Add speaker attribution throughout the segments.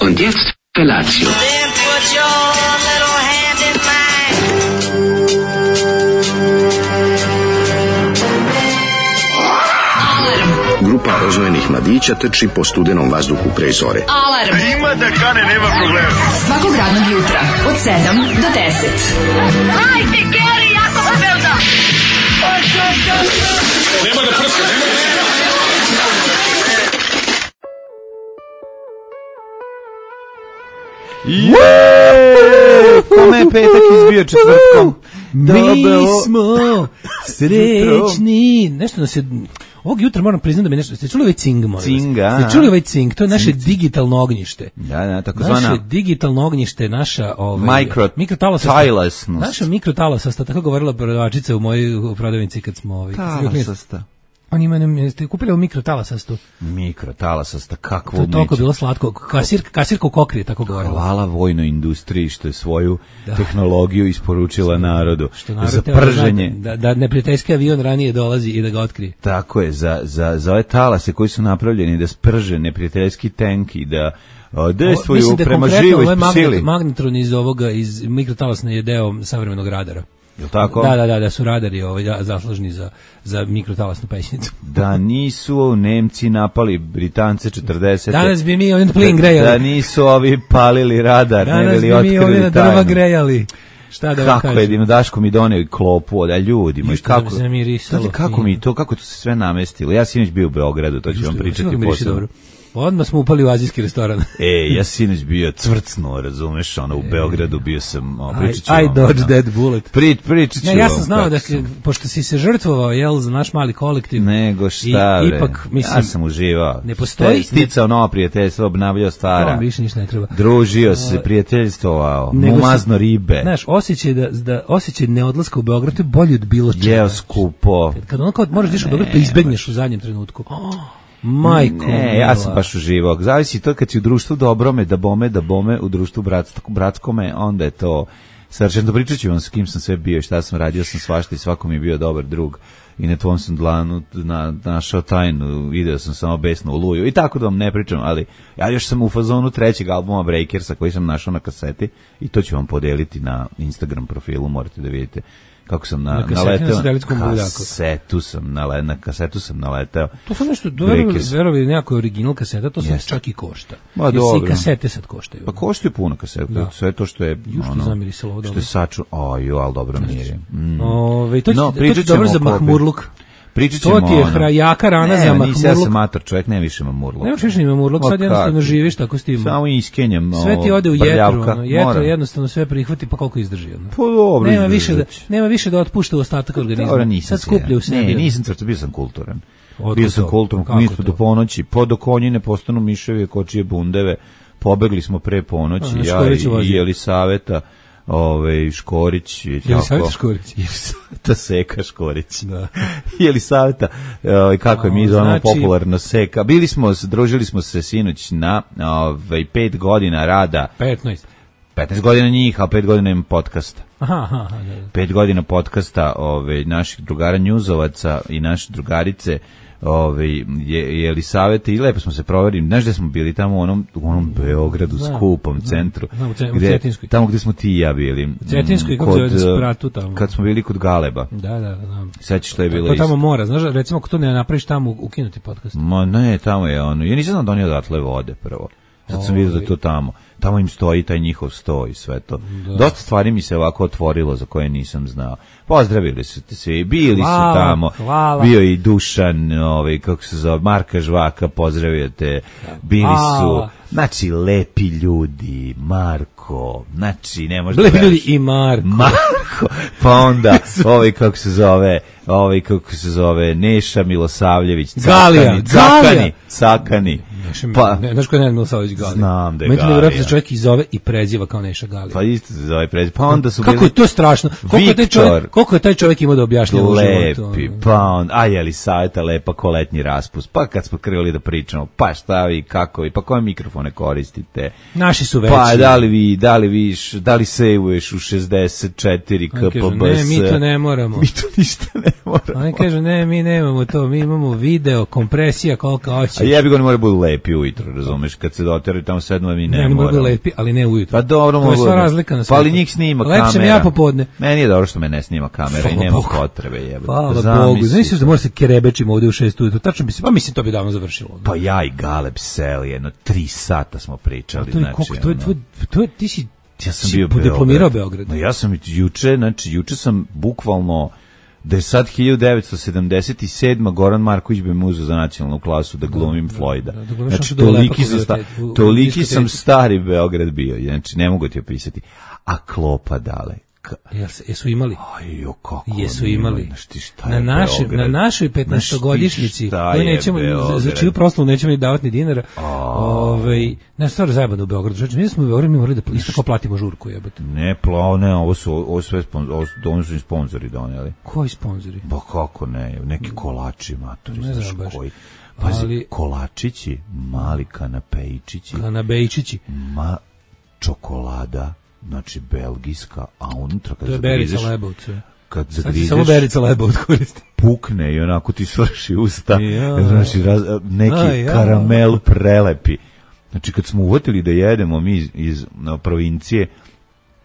Speaker 1: Und jetzt Felatio.
Speaker 2: Then put your little hand in mine.
Speaker 3: Grupa oznojenih mladića trči po studenom vazduhu pre zore.
Speaker 4: Alarm.
Speaker 5: Ima da kane, nema problema.
Speaker 4: Svakog radnog jutra od 7 do 10.
Speaker 2: Hajde, Geri, jako se velda.
Speaker 5: Nema da prska, nema da prska.
Speaker 6: Kome je petak izbio četvrtkom?
Speaker 7: Mi smo srećni. Nešto nas je... Ovog jutra moram priznati da mi nešto... Ste čuli ovaj cing, molim vas?
Speaker 6: Cinga.
Speaker 7: Ste čuli ovaj cing? To je naše digitalno ognjište.
Speaker 6: Da, takozvana...
Speaker 7: Naše digitalno ognjište, naša...
Speaker 6: Mikrotalasnost.
Speaker 7: Naša mikrotalasasta, tako govorila prodavačica u mojoj prodavnici kad smo...
Speaker 6: Talasasta.
Speaker 7: Oni imaju, ste kupili ovu mikrotalasastu?
Speaker 6: Mikrotalasasta, kakvo
Speaker 7: To je toliko
Speaker 6: umeće.
Speaker 7: bilo slatko. Kasirka u Kokrije, tako govorila.
Speaker 6: Hvala vojnoj industriji što je svoju tehnologiju isporučila narodu.
Speaker 7: Što narod
Speaker 6: za
Speaker 7: treba
Speaker 6: prženje.
Speaker 7: da neprijateljski avion ranije dolazi i da ga otkrije.
Speaker 6: Tako je, za ove talase koji su napravljeni da sprže neprijateljski tank i da dejstvuju prema živoj sili.
Speaker 7: Magnetron iz mikrotalasne je deo savremenog radara.
Speaker 6: Jel' tako?
Speaker 7: Da su radari zaslužni za mikrotalasnu pećnicu.
Speaker 6: Da nisu Nemci napali Britance 40.
Speaker 7: Danas bi mi ovdje plin grejali.
Speaker 6: Da nisu ovi palili radar, ne bili
Speaker 7: Danas bi mi ovdje na
Speaker 6: otkrili
Speaker 7: drva
Speaker 6: tajnu.
Speaker 7: grejali. Šta da vam kažem?
Speaker 6: Kako je, Daško mi doneo i klopu od ljudi moji, kako, kako to se sve namestilo. Ja sinoć bio u Beogradu, to ću vam pričati posebno.
Speaker 7: Odmah smo upali u azijski restoran.
Speaker 6: Ja sinoć bio cvrcno, razumeš, u Beogradu bio sam, pričat ću
Speaker 7: I
Speaker 6: vam.
Speaker 7: dodged that bullet.
Speaker 6: Pričat ću vam.
Speaker 7: Ja sam znao da, pošto si se žrtvovao, za naš mali kolektiv.
Speaker 6: Nego šta,
Speaker 7: ipak, mislim,
Speaker 6: ja sam uživao.
Speaker 7: Ne postoji.
Speaker 6: Sticao nova prijateljstva, obnavljao stara.
Speaker 7: No, više ništa ne treba.
Speaker 6: Družio se, prijateljstvovao, umazno ribe.
Speaker 7: Znaš, osjećaj neodlaska u Beograd je bolji od bilo čega.
Speaker 6: Jeo skupo.
Speaker 7: Kad moraš diš u Beograd, pa izbegneš u zadnjem trenutku. Majko,
Speaker 6: ja sam baš uživao. Zavisi to kad si u društvu dobrome, da bome, u društvu bratskome, onda je to savršeno. Pričat ću vam s kim sam sve bio i šta sam radio, sam svašta i svako mi je bio dobar drug. I na tvom sam dlanu našao tajnu, video sam samo besnu oluju i tako da vam ne pričam, ali ja još sam u fazonu trećeg albuma Breakersa koji sam našao na kaseti i to ću vam podeliti na Instagram profilu, morate da vidite kako sam naleteo. Na kasetu sam naleteo.
Speaker 7: To su nešto, verovi nekako original kaseta, to sam čak i košta.
Speaker 6: Ma dobro.
Speaker 7: I kasete sad koštaju.
Speaker 6: Pa koštaju puno kaseta, sve to što je...
Speaker 7: Jušto zamirisalo ovo dobro.
Speaker 6: Što je ali dobro mirje.
Speaker 7: To ti dobro za mahmurluk.
Speaker 6: Pričat ćemo
Speaker 7: to ti je jaka rana za mahmurluk.
Speaker 6: Ja sam mator čovjek, ne više mahmurluk.
Speaker 7: Nemaš više ni mahmurluk, sad jednostavno živiš tako s tim.
Speaker 6: Samo iskenjem.
Speaker 7: Sve ti ode u jetru, jednostavno sve prihvati, pa koliko izdrži.
Speaker 6: Pa dobro,
Speaker 7: nema više da otpušta u ostatak organizma. Sad skuplja u sebi.
Speaker 6: Ne, nisam crto, bio sam kulturan. Bio sam kulturan, mi smo do ponoći, do konjine postanu miševi, kočije bundeve, pobegli smo pre ponoći, ja i Jelisaveta. Škorić i tako. Jelisaveta Seka Škorić. Da. Jelisaveta, kako je mi zovemo popularno Seka. Družili smo se sinoć na 5 godina rada. 15 godina njih, a 5 godina im podcasta.
Speaker 7: Aha.
Speaker 6: 5 godina podcasta naših drugara Njuzovaca i naše drugarice Jelisavete i lepo smo se proverili. Znaš gde smo bili? Tamo u onom Beogradu, skupom centru.
Speaker 7: U Cetinskoj.
Speaker 6: Tamo gde smo ti i ja bili.
Speaker 7: U Cetinskoj, kako zove da spratu tamo.
Speaker 6: Kad smo bili kod Galeba.
Speaker 7: Da.
Speaker 6: Sećaš što je bilo
Speaker 7: isto. To tamo mora, znaš, recimo ako to ne napraviš tamo, ukinuti podcast.
Speaker 6: Ma ne, tamo je ono. Ja nisam znam da oni odatle vode prvo. Sad sam vidio da je to tamo. Tamo im stoji taj njihov sto i sve to. Dosta stvari mi se ovako otvorilo za koje nisam znao. Pozdravili su te svi, bili su tamo.
Speaker 7: Hvala.
Speaker 6: Bio i Dušan, kako se zove, Marka Žvaka, pozdravio te. Bili su, znači, lepi ljudi, Marko, znači, ne možda...
Speaker 7: Lepi ljudi i Marko.
Speaker 6: Pa onda, kako se zove, Neša Milosavljević, Cakani.
Speaker 7: Znaš ko je Nenad Milosavljević Galija?
Speaker 6: Znam da je Galija.
Speaker 7: Međutim, vjerojatno se čovjek i zove i preziva kao Neša Galija.
Speaker 6: Pa isto se zove preziva. Pa onda su
Speaker 7: kako je to strašno? Koliko je taj čovjek imao da objašnjava u životu?
Speaker 6: Lepi, pa on, Jelisaveta lepa ko letnji raspust. Pa kad smo krenuli da pričamo, pa šta vi, kako vi, pa koje mikrofone koristite?
Speaker 7: Naši su veći.
Speaker 6: Pa da li sejvuješ u 64 kpbs?
Speaker 7: Ne, mi to ne moramo.
Speaker 6: Mi to ništa ne moramo.
Speaker 7: Oni kažu, ne, mi nemamo to, mi imamo video, kompresija, koliko hoćeš.
Speaker 6: A jebi ga, ne mora budu lepi. lepi ujutro, razumeš, kad se doteraju tamo 7 mi ne
Speaker 7: mogu da lepi, ali ne ujutro.
Speaker 6: Pa dobro,
Speaker 7: to je sva razlika na
Speaker 6: svetu. Pa ali njih snima kamera.
Speaker 7: Lepšem ja popodne.
Speaker 6: Meni je dobro što me ne snima kamera i nema potrebe, jebote.
Speaker 7: Hvala Bogu, znaš da mora se kerebečimo ovde u 6 ujutro, tačno bi se, pa mislim to bi davno završilo.
Speaker 6: Pa ja i Galeb seli, jedno 3 sata smo pričali,
Speaker 7: to je, ti si
Speaker 6: ja sam bio
Speaker 7: diplomirao Beograd.
Speaker 6: Ja sam juče sam bukvalno da je sad 1977. Goran Marković bi me uzeo za nacionalnu klasu da glumim Floyda. Znači, toliki sam stari Beograd bio, znači ne mogu ti opisati. A klopa dale.
Speaker 7: Jesu imali?
Speaker 6: Ajo, kako
Speaker 7: jesu imali.
Speaker 6: Na
Speaker 7: našoj 15-godišnjici, za čiju proslavu nećemo ni davati ni dinara, ne, stvar zajebano u Beogradu. Znači, mi smo u Beogradu, mi morali da isto kao platimo žurku, jebate.
Speaker 6: Ne, ovo su sve sponzori doneli.
Speaker 7: Koji sponzori?
Speaker 6: Pa kako ne, neki kolači, matori, znaš koji. Pazi, kolačići, mali kanapejčići.
Speaker 7: Kanapejčići.
Speaker 6: Čokolada. Znači, belgijska, a unutra kad
Speaker 7: zagrizeš... To je Berica Lebovca.
Speaker 6: Kad zagrizeš...
Speaker 7: Samo Berica Lebovca koristi.
Speaker 6: Pukne i onako ti svrši usta. Znači, neki karamel prelepi. Znači, kad smo uvatili da jedemo mi iz provincije...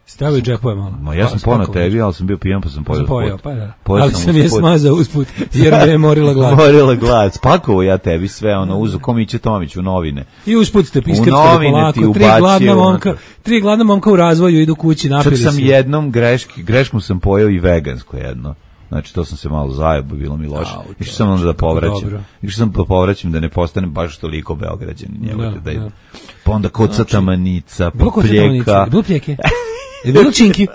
Speaker 7: Stavio džepove malo.
Speaker 6: Ja sam ponao tebi, ali sam bio pijan, pa sam pojao usput.
Speaker 7: Ali sam je smazao usput, jer me je morila glad.
Speaker 6: Morila glad. Spakovo ja tebi sve, uzu Komiće Tomić u novine.
Speaker 7: I usput ste iskrcali polako. Tri gladna momka u razvoju idu kući, napili se.
Speaker 6: Čak sam jednom greškom sam pojao i vegansko jedno. Znači, to sam se malo zajebo, bilo mi loše. Išao sam onda da povraćam. Išao sam da povraćam da ne postanem baš toliko Beograđanin. Pa onda kocata manica, popljeka.
Speaker 7: Bilo pljeke? Je bilo činki?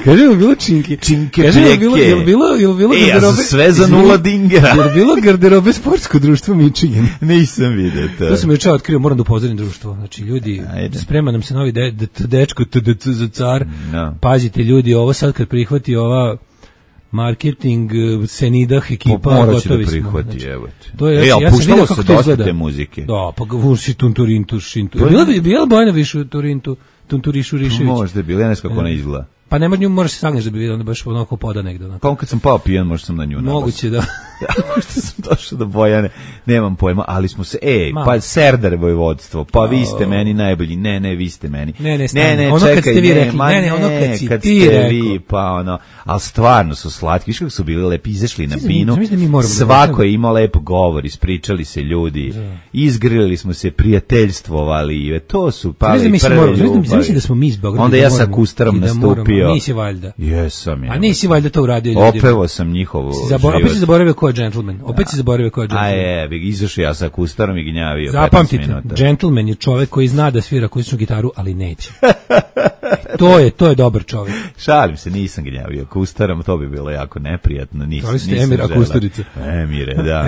Speaker 7: Kaže, je bilo činki.
Speaker 6: Činke, pljeke.
Speaker 7: Je bilo garderobe?
Speaker 6: Ja sam sve za 0 dingera.
Speaker 7: Je bilo garderobe sportsko društvo Michigan?
Speaker 6: Nisam vidio to.
Speaker 7: To sam juče otkrio, moram da upozorim društvo. Znači, ljudi, sprema nam se novi dečko za car. Pazite, ljudi, ovo sad kad prihvati ova marketing Senidah ekipa,
Speaker 6: morat će da prihvati, evo te.
Speaker 7: To je, ja sam vidio kako to izgleda.
Speaker 6: Te muzike.
Speaker 7: Da, pa ga vuši Tunturintu, Šintu. Bila Bojana više Turintu, Tunturišu Rišević.
Speaker 6: Možda je bila, ja ne znam kako ona izgleda.
Speaker 7: Pa nema nju, moraš se sagneš da bi vidio, onda baš onako poda negde.
Speaker 6: Pa kad sam pao pijan, možda sam na nju nabao.
Speaker 7: Moguće da.
Speaker 6: Možda sam došao do Bojane, nemam pojma, ali smo se, pa Serdar vojvodstvo, pa vi ste meni najbolji, ne, vi ste meni.
Speaker 7: Ne, ono kad ste vi rekli, ono kad ti rekli,
Speaker 6: pa ono, ali stvarno su slatki, viš kako su bili lepi, izašli na binu, svako je imao lep govor, ispričali se ljudi, izgrili smo se, prijateljstvovali, to su pali prve ljubavi.
Speaker 7: Mislim da smo mi iz Beograda.
Speaker 6: Onda ja sa Kustarom nastupio.
Speaker 7: Nisi valjda.
Speaker 6: Jesam ja.
Speaker 7: A nisi valjda to uradio ljudima.
Speaker 6: Opevo sam njihovo život.
Speaker 7: Opet si zaboravio ko je gentleman.
Speaker 6: A izašao ja sa Kustarom i gnjavio.
Speaker 7: Zapamtite, gentleman je čovek koji zna da svira akustičnu gitaru, ali neće. To je dobar čovjek.
Speaker 6: Šalim se, nisam gnjavio Kustarom, to bi bilo jako neprijatno.
Speaker 7: Nisam Emir Akusturica.
Speaker 6: Emire, da.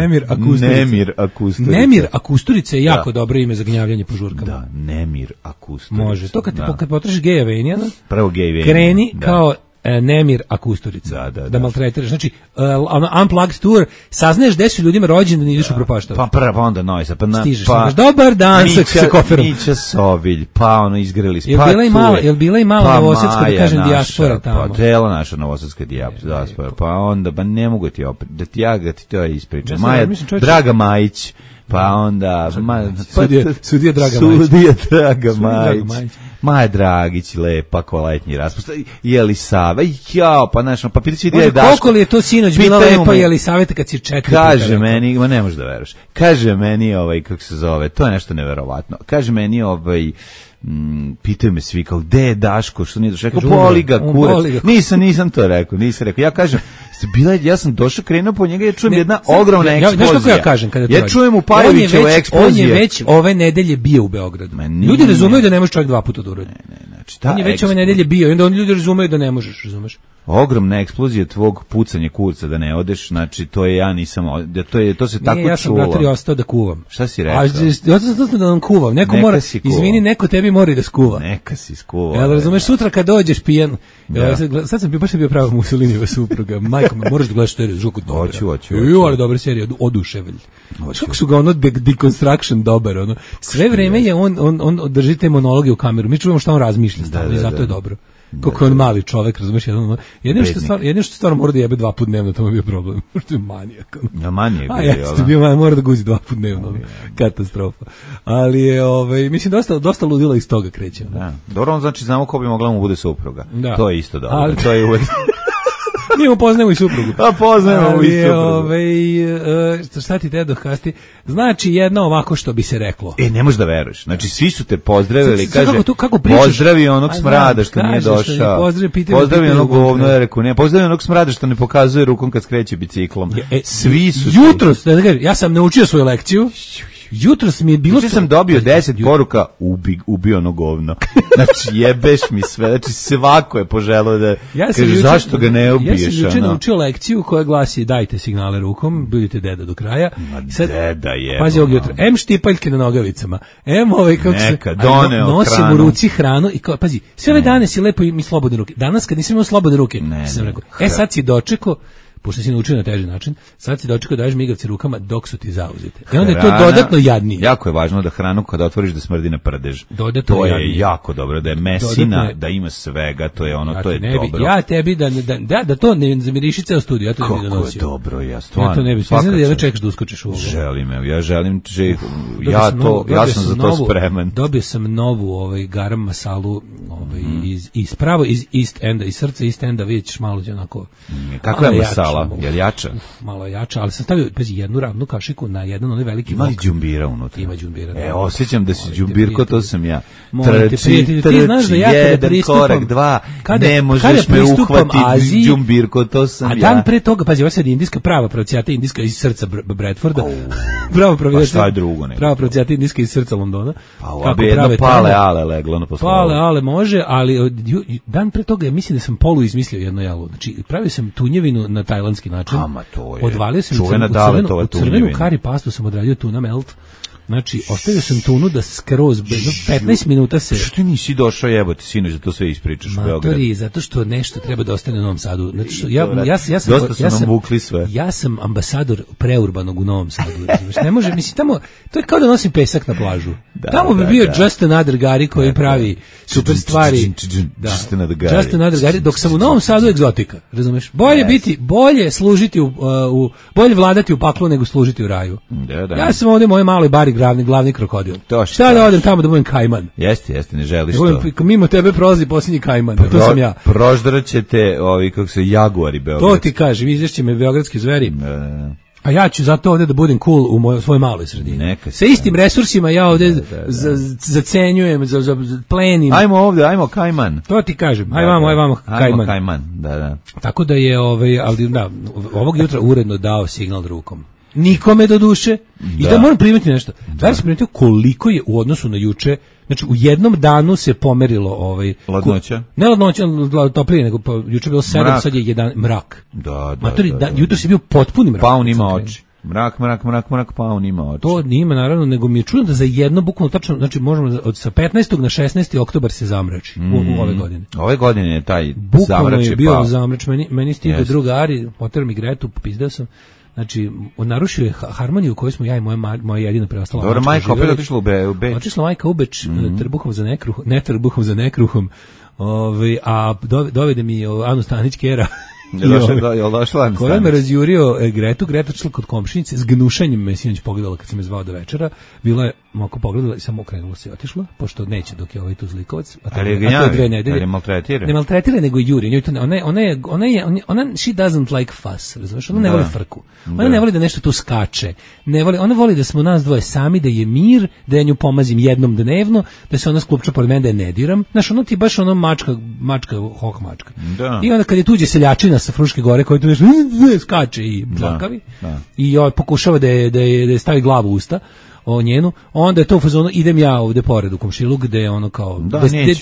Speaker 7: Nemir Akusturica je jako dobro ime za gnjavljanje po žurkama.
Speaker 6: Da, Nemir Akusturica.
Speaker 7: Može, to kad potražiš geja Venijana,
Speaker 6: prvo gej Venijana.
Speaker 7: Kreni kao Nemir Akusturica. Da maltretiraš. Znači, unplugged tour, saznaješ gde su ljudima rođeni da ideš u propaštava.
Speaker 6: Pa onda Nojsa.
Speaker 7: Stižeš, dobar dan sa koferom.
Speaker 6: Mića Sovilj, izgreli smo.
Speaker 7: Jel bila i mala novosadska, da kažem, dijaspora tamo?
Speaker 6: Pa tela naša novosadska dijaspora. Pa onda, ne mogu ti opet, da ti to ispričam. Draga Majić. Pa onda...
Speaker 7: Sudija
Speaker 6: Draga Majić. Maja Dragić, lepa, koletnji raspust. Jelisava, pa znaš, pa pitaći gdje je Daško.
Speaker 7: Koliko li je to sinoć bila lepa Jelisaveta kad si 4 puta?
Speaker 6: Kaže meni, ne možeš da veruješ, kaže meni, kako se zove, to je nešto neverovatno. Kaže meni, pitaju me svi kao, gde je Daško, što nije došao? Rekao, boli ga, kurac. Nisam to rekao, ja kažem, ja sam došao, krenuo po njega, ja čujem jedna ogromna eksplozija.
Speaker 7: Znaš kako ja kažem kada to
Speaker 6: ja čujem u Paravićevu eksploziju.
Speaker 7: On je već ove nedelje bio u Beogradu. Ljudi razumeju da ne možeš čovjek 2 puta da uradi. On je već ove nedelje bio i onda ljudi razumeju da ne možeš, razumeš?
Speaker 6: Ogromna eksplozija tvog pucanja kurca da ne odeš, znači to je ja nisam, to se tako čulo.
Speaker 7: Ja sam bratri ostao da kuvam.
Speaker 6: Šta si rekao?
Speaker 7: Ja sam da vam kuvam, neko mora, izvini, neko tebi mora da skuva.
Speaker 6: Neka si skuva.
Speaker 7: Jel razumeš, sutra kad dođeš pijan, sad sam baš bio prava Mussolinijeva supruga, majko, moraš da gledaš seriju, žuku dobro.
Speaker 6: Hoću.
Speaker 7: Ali dobra serija, Oduševelj. Kako su ga Deconstruction dobar, sve vreme je on drži te monologe u kameru, mi čujemo šta on razmišlja, stavno i zato je dobro. Kako on mali čovek, razumeš, jedino što stvarno mora da jebe 2 puta dnevno, to mu je bio problem. Što je manijak.
Speaker 6: Ja manijak.
Speaker 7: A jeste bio, mora da guzi 2 puta dnevno. Katastrofa. Ali je, mislim, dosta ludila iz toga kreće.
Speaker 6: Da. Dobro, on znači znamo ko bi mogla mu bude supruga. Da. To je isto dobro. Ali to je uvek...
Speaker 7: Mi mu poznajemo i suprugu.
Speaker 6: A poznajemo i suprugu.
Speaker 7: Šta ti te dohasti? Znači jedno ovako što bi se reklo.
Speaker 6: Ne možeš da veruješ. Znači svi su te pozdravili, kaže, pozdravi onog smrada što nije došao. Pozdravi onog govno, ja rekao, ne, pozdravi onog smrada što ne pokazuje rukom kad skreće biciklom. Svi su...
Speaker 7: Jutros, ja sam naučio svoju lekciju. Jutros mi je bilo...
Speaker 6: Znači sam dobio 10 poruka, ubio ono govno. Znači jebeš mi sve, znači svako je poželao da... Kaže, zašto ga ne ubiješ?
Speaker 7: Ja sam juče naučio lekciju koja glasi dajte signale rukom, budite deda do kraja.
Speaker 6: Sad, deda je.
Speaker 7: Pazi ovog jutra, štipaljke na nogavicama, kako se... Nosim u ruci hranu i kao, pazi, sve ove dane si lepo i slobodne ruke. Danas kad nisam imao slobodne ruke, sam rekao, sad si dočekao, pošto si naučio na teži način, sad si dočekao da daješ migavce rukama dok su ti zauzete. I onda je to dodatno jadnije.
Speaker 6: Jako je važno da hranu kada otvoriš da smrdi na prdež.
Speaker 7: Dodatno
Speaker 6: to je
Speaker 7: jadnije.
Speaker 6: Jako dobro, da je mesina, da ima svega, to je ono, to je dobro.
Speaker 7: Ja tebi da to ne zamiriši ceo studiju, ja to ne bi donosio.
Speaker 6: Kako je dobro, ja stvarno.
Speaker 7: Ja to ne bi, da jedno čekaš da uskočiš u ovo.
Speaker 6: Ja želim, ja sam za to spreman.
Speaker 7: Dobio sam novu garam masalu iz East Enda, iz srca East Enda, vidjet ćeš malo onako.
Speaker 6: Kakva je masala? Je jača?
Speaker 7: Malo jača, ali sam stavio jednu ravnu kašiku na jedan onaj veliki
Speaker 6: vok. Ima li đumbira unutra?
Speaker 7: Ima đumbira.
Speaker 6: Osjećam da si đumbirko, to sam ja.
Speaker 7: Trči,
Speaker 6: jedan korak, 2, ne možeš me uhvatiti, đumbirko, to sam ja.
Speaker 7: A dan pre toga, pazi, ovo sad indijska prava pravcijata indijska iz srca Bradforda.
Speaker 6: Pa šta je drugo?
Speaker 7: Prava pravcijata indijska iz srca Londona.
Speaker 6: Pa ovo bi jedno pale ale leglo na poslu.
Speaker 7: Pale ale može, ali dan pre toga mislim da sam polu izmislio jedno jalo. Znači, pravio sam tunjevinu na tajlandski način. Odvalio sam u crvenu kari pastu, sam odradio tuna melt. Znači, ostavio sam tunu da skroz 15 minuta se...
Speaker 6: Što ti nisi došao jebote, sinoć, da to sve ispričaš u Beogradu?
Speaker 7: Matori, zato što nešto treba da ostane u Novom Sadu. Znači što
Speaker 6: dosta su nam vukli sve.
Speaker 7: Ja sam ambasador preurbanog u Novom Sadu. Ne može, mislim, tamo, to je kao da nosim pesak na plažu. Tamo bi bio Just Another Gari koji pravi super stvari. Just Another Gari, dok sam u Novom Sadu egzotika, razumeš? Bolje služiti bolje vladati u paklu nego služiti u raju. Ja sam ovdje moje maloj bari glavni krokodil. Šta da odem tamo da budem kajman?
Speaker 6: Jeste, ne želiš to.
Speaker 7: Mimo tebe prolazi posljednji kajman, to sam ja.
Speaker 6: Proždraćete kako se jaguari beogradski.
Speaker 7: To ti kažem, izvješće me beogradski zveri. A ja ću zato ovdje da budem cool u svojoj maloj sredini. Sa istim resursima ja ovdje zacenjujem, plenim.
Speaker 6: Ajmo kajman.
Speaker 7: To ti kažem, ajmo
Speaker 6: kajman. Da.
Speaker 7: Tako da je, ali da, ovog jutra uredno dao signal rukom. Nikome do duše. I da moram primetiti nešto. Da li sam primetio koliko je u odnosu na juče, znači u jednom danu se pomerilo
Speaker 6: ladnoća?
Speaker 7: Ne ladnoća, toplije, nego juče je bilo 7, sad je 1 mrak.
Speaker 6: Da.
Speaker 7: Jutro si bio potpuni mrak.
Speaker 6: Pa on ima oči. Mrak, pa on ima oči.
Speaker 7: To nima naravno, nego mi je čudno da za jedno bukvalno tačno, znači možemo sa 15. na 16. oktobar se zamrači u ove godine.
Speaker 6: Ove godine je taj
Speaker 7: bukvalno
Speaker 6: zamrač
Speaker 7: je bio zamrač, meni stiže druga Ari, poter mi Gretu, popizdao sam. Znači, narušio je harmoniju koju smo ja i moja jedina preostala.
Speaker 6: Dobro, majka opet otišla u Beč.
Speaker 7: Otišla majka u Beč, trbuhom za nekruhom, a dovede mi Anu Stanić-Kera.
Speaker 6: Je došla?
Speaker 7: Koja me razjurio Greta odšla kod komšinice, s gnušanjem me sinoć pogledala kad sam je zvao do večera, bila je moko pogledala i samo okrenula se i otišla, pošto neće dok je ovaj tu zlikovac.
Speaker 6: Ali je gnjavi, ali je maltretira.
Speaker 7: Ne maltretira, nego juri. Ona she doesn't like fuss, razumiješ? Ona ne voli frku. Ona ne voli da nešto tu skače. Ona voli da smo nas dvoje sami, da je mir, da ja nju pomazim jednom dnevno, da se ona sklupča pored mene, da je ne diram. Znaš, ono ti baš ono mačka. I onda kad je tuđe seljačina sa Fruške gore koji tu nešto skače i plakavi i pokušava da je stavi glavu u usta njenu, onda je to u fazonu idem ja ovde pored u komšiluk gde je ono kao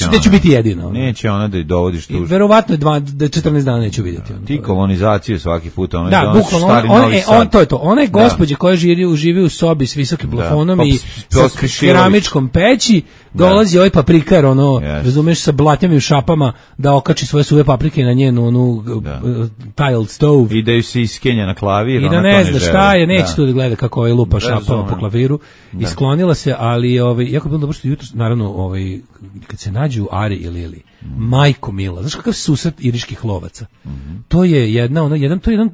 Speaker 7: gde ću biti jedina.
Speaker 6: Neće ona da je dovodiš tu.
Speaker 7: Verovatno 14 dana neću vidjeti.
Speaker 6: Ti kolonizaciju svaki put ona
Speaker 7: da, bukvalno to je to. Ona je gospođa koja živi u sobi s visokim plafonom i sa keramičkom peći, Dolazi ovaj paprikar, razumeš, sa blatnjavim šapama da okači svoje suve paprike na njenu tiled stove.
Speaker 6: I da ju se iskenja na klavir.
Speaker 7: I da ne zna šta je, neće tu da gleda kako ovaj lupa šapama po klaviru. Isklonila se, ali jako je bilo dobro što jutro, naravno, kad se nađu Ari i Lili, majko mila, znaš kakav susret iriških lovaca. To je jedan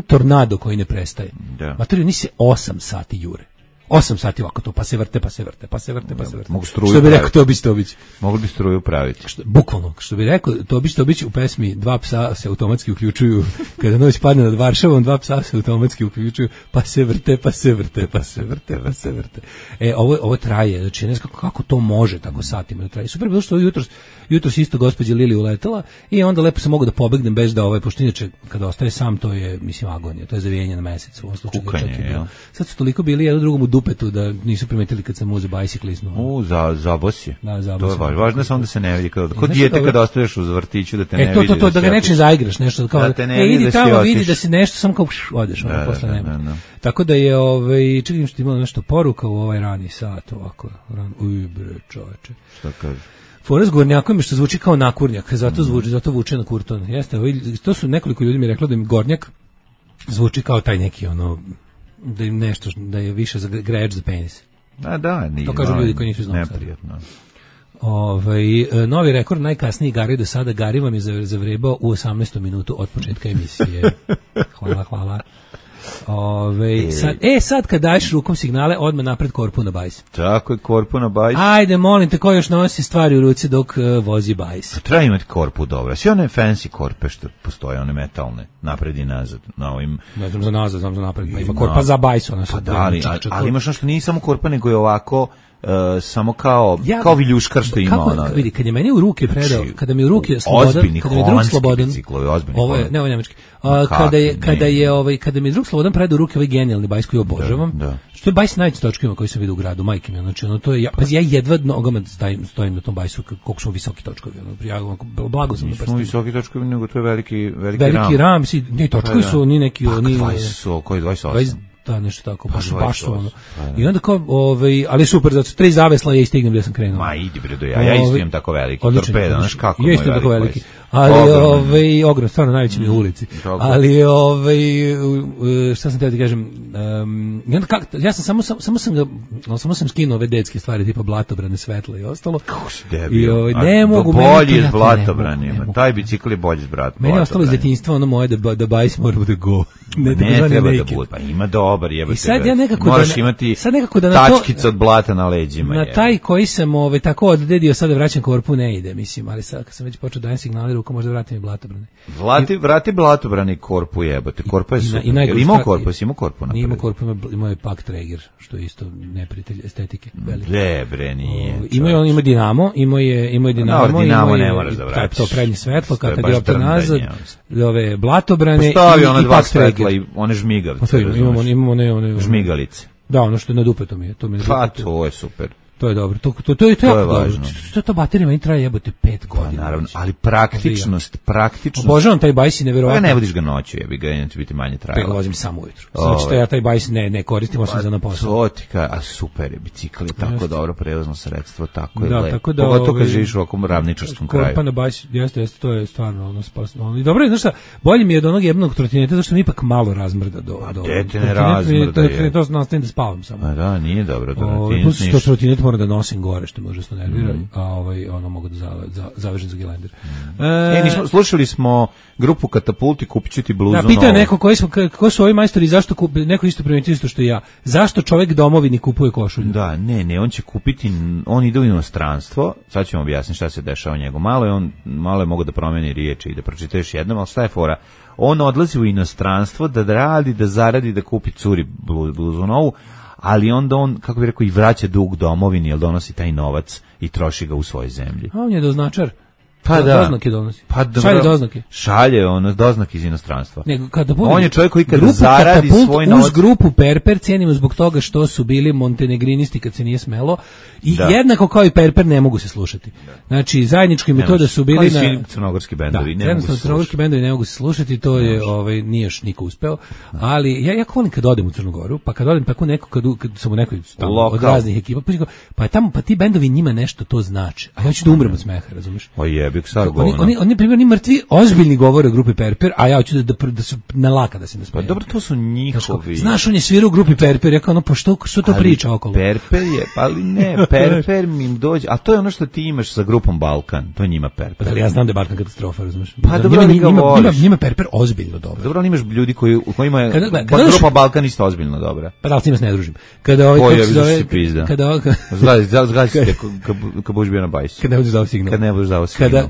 Speaker 7: tornado koji ne prestaje. Materiju, ni se 8 sati jure. 8 sati ovako to, pa se vrte.
Speaker 6: Mogu struju
Speaker 7: što bi rekao Tobić.
Speaker 6: Mogli bi struju praviti.
Speaker 7: Bukvalno, što bi rekao Tobić u pesmi Dva psa se automatski uključuju, kada noć padne nad Varšavom, 2 psa se automatski uključuju, pa se vrte. Ovo traje, znači ne znam kako to može tako satima da traje. Super bilo što jutros isto gospođa Lili uletela i onda lepo sam mogao da pobegnem bez da pošto inače kada ostaje sam to je, mislim, agonija, to je zavijenje na mesec u ovom slučaju.
Speaker 6: Kukanje,
Speaker 7: sad su toliko bili jedno drugom u dupetu da nisu primetili kad sam uzeo bajsiklisnu.
Speaker 6: Zabos je.
Speaker 7: Da, zabos.
Speaker 6: To je važno samo da se ne vidi. Kod dijete kada ostaneš u vrtiću da te ne vidi.
Speaker 7: To da ga nečim zaigraš, nešto kao idi tamo, vidi da se nešto samo kao odeš, posle nema. Tako da je čekam što imalo nešto poruka u ovaj rani sat, ovako. Bre, čoveče.
Speaker 6: Šta kaže?
Speaker 7: Fora s Gornjakom je što zvuči kao nakurnjak, zato vuče na kurton. Jeste, to su nekoliko ljudi mi reklo da im Gornjak zvuči kao taj neki da im nešto, da je više za greč za penis.
Speaker 6: Nije.
Speaker 7: To kažu ljudi koji nisu znali.
Speaker 6: Neprijatno.
Speaker 7: Novi rekord, najkasniji Gari do sada. Gari vam je zavrebao u 18. minutu od početka emisije. Hvala. Sad kad daješ rukom signale, odmah napred korpu na bajs.
Speaker 6: Tako je, korpu na bajs.
Speaker 7: Ajde, molim te, ko još nosi stvari u ruci dok vozi bajs?
Speaker 6: Treba imati korpu dobro. Sve one fancy korpe što postoje, one metalne, napred i nazad.
Speaker 7: Ne znam za nazad, znam za napred. Ima korpa za bajs.
Speaker 6: Ali imaš nešto, nije samo korpa, nego je ovako... samo kao viljuškar što ima ona.
Speaker 7: Vidi, kad je meni u ruke predao, kada mi u ruke Slobodan, kada mi je drug Slobodan, ovo je njemački. Kada mi je drug Slobodan predao u ruke ovaj genijalni bajs koji obožavam. Što je bajs s najvećim točkovima koji sam vidio u gradu, majke mi, znači to je, pa ja jedva nogama stojim na tom bajsu koliko su visoki točkovi, blago sam na prstu.
Speaker 6: Nisu visoki točkovi, nego to je veliki
Speaker 7: ram, ni točkovi su, ni neki, ni
Speaker 6: 20 koji 28.
Speaker 7: Da, nešto tako, baš ono. I onda kao, ali super, zato 3 zavesla ja i stignem gdje sam krenuo.
Speaker 6: Ma idi bre, ja isto imam tako veliki torpeda, znaš kako
Speaker 7: je tako veliki. Ali ogrom, stvarno najveći mi u ulici. Ali šta sam teo ti kažem, ja sam samo sam skinuo ove detske stvari tipa blatobrane, svetla i ostalo.
Speaker 6: Kako si debil?
Speaker 7: Ne mogu,
Speaker 6: bolji je blatobranima. Taj bicikl je bolji s blatom.
Speaker 7: Meni je ostalo iz djetinjstva ono moje da bajs mora bude go.
Speaker 6: Ne treba da bude, pa ima dobar, jebate.
Speaker 7: I sad ja nekako
Speaker 6: moraš imati tačkice od blata na leđima.
Speaker 7: Na taj koji sam tako oddedio, sada vraćam korpu, ne ide, mislim, ali sad kad sam već počeo dajem signali rukom, možda vratim i blatobrane.
Speaker 6: Vrati blatobrane korpu, jebate. Korpa je super. Imao korpu, si imao korpu napred.
Speaker 7: Nije imao korpu, imao je Pak Traeger, što je isto neprijatelj estetike.
Speaker 6: Bre, nije.
Speaker 7: Ima Dinamo, imao je Dinamo.
Speaker 6: Dinamo ne moraš da vraćaš.
Speaker 7: To prednje svetlo, kad je opet nazad, ove blatobrane i
Speaker 6: Pak Traeger. I one žmigavce.
Speaker 7: Imamo one
Speaker 6: žmigalice.
Speaker 7: Da, ono što je na dupetu mi je.
Speaker 6: Pa to je super.
Speaker 7: To je dobro. To je važno. To baterija meni traje jebote 5 godina.
Speaker 6: Naravno, ali praktičnost.
Speaker 7: Obožavam taj bajs i neverovatno.
Speaker 6: Pa ne vodiš ga noću, neće biti manje trajalo.
Speaker 7: Pa vozim samo ujutru. Znači ja taj bajs ne koristim osim za na posao.
Speaker 6: A super je, bicikl je tako dobro prevozno sredstvo, tako je lepo. Pogotovo kad živiš u ovakvom ravničarskom kraju.
Speaker 7: Korpa na bajs, jeste, to je stvarno spasno. I dobro je, znaš šta, bolje mi je od onog jebnog trotineta, zašto mi ipak malo razmrda do.
Speaker 6: Dete ne razmrda je.
Speaker 7: To nastavim da spavam samo.
Speaker 6: A da, nije dobro.
Speaker 7: Trotinet moram da nosim gore, što me užasno nervira, a mogu da zavežem za gelender.
Speaker 6: Slušali smo grupu Katapulti, kupit ću ti bluzu novu.
Speaker 7: Da, pitao neko ko su ovi majstori, zašto neko isto primetio isto što i ja. Zašto čovjek domovini kupuje košulju?
Speaker 6: Da, ne, on će kupiti, on ide u inostranstvo, sad ćemo objasniti šta se dešava njegu. Malo je mogo da promeni riječi i da pročita još jednom, ali šta je fora? On odlazi u inostranstvo da radi, da zaradi, da kupi curi bluzu novu, ali onda on, kako bi rekao, i vraća dug domovini, jer donosi taj novac i troši ga u svojoj zemlji.
Speaker 7: A on je doznačar.
Speaker 6: Pa da.
Speaker 7: Doznake donosi.
Speaker 6: Pa
Speaker 7: šalje doznake.
Speaker 6: Šalje doznake iz inostranstva.
Speaker 7: Nego kada
Speaker 6: on je čovjek koji kada zaradi svoj novac.
Speaker 7: Uz grupu Perper cijenimo zbog toga što su bili montenegrinisti kad se nije smelo i jednako kao i Perper ne mogu se slušati. Znači zajednički metoda su bili
Speaker 6: na crnogorski bendovi, ne mogu se slušati.
Speaker 7: Crnogorski bendovi ne mogu se slušati, to je nije još niko uspeo. Ali ja volim kad odem u Crnu Goru, pa kad odem tako neko kad sam u nekoj od raznih ekipa, pa tamo pa ti bendovi njima nešto to znači. A ja ću da umrem od smeha, razumeš?
Speaker 6: Pa jebik sad
Speaker 7: Oni primjer ni mrtvi ozbiljni govore o grupi Perper, a ja hoću da su nalaka da se ne smejem.
Speaker 6: Pa dobro, to su njihovi.
Speaker 7: Znaš, on je svirao u grupi Perper, ja kao što to priča okolo.
Speaker 6: Perper je, ali ne, Perper mi im dođe, a to je ono što ti imaš sa grupom Balkan, to je njima Perper.
Speaker 7: Pa da, ja znam da je Balkan katastrofa, razumiješ?
Speaker 6: Pa dobro,
Speaker 7: njima Perper ozbiljno dobro.
Speaker 6: Dobro, ali imaš ljudi kojima je grupa Balkan isto ozbiljno dobra.
Speaker 7: Pa da li s njima se ne družim? Kada
Speaker 6: kad budeš bio na bajsu.
Speaker 7: Kad ne budeš dao signal.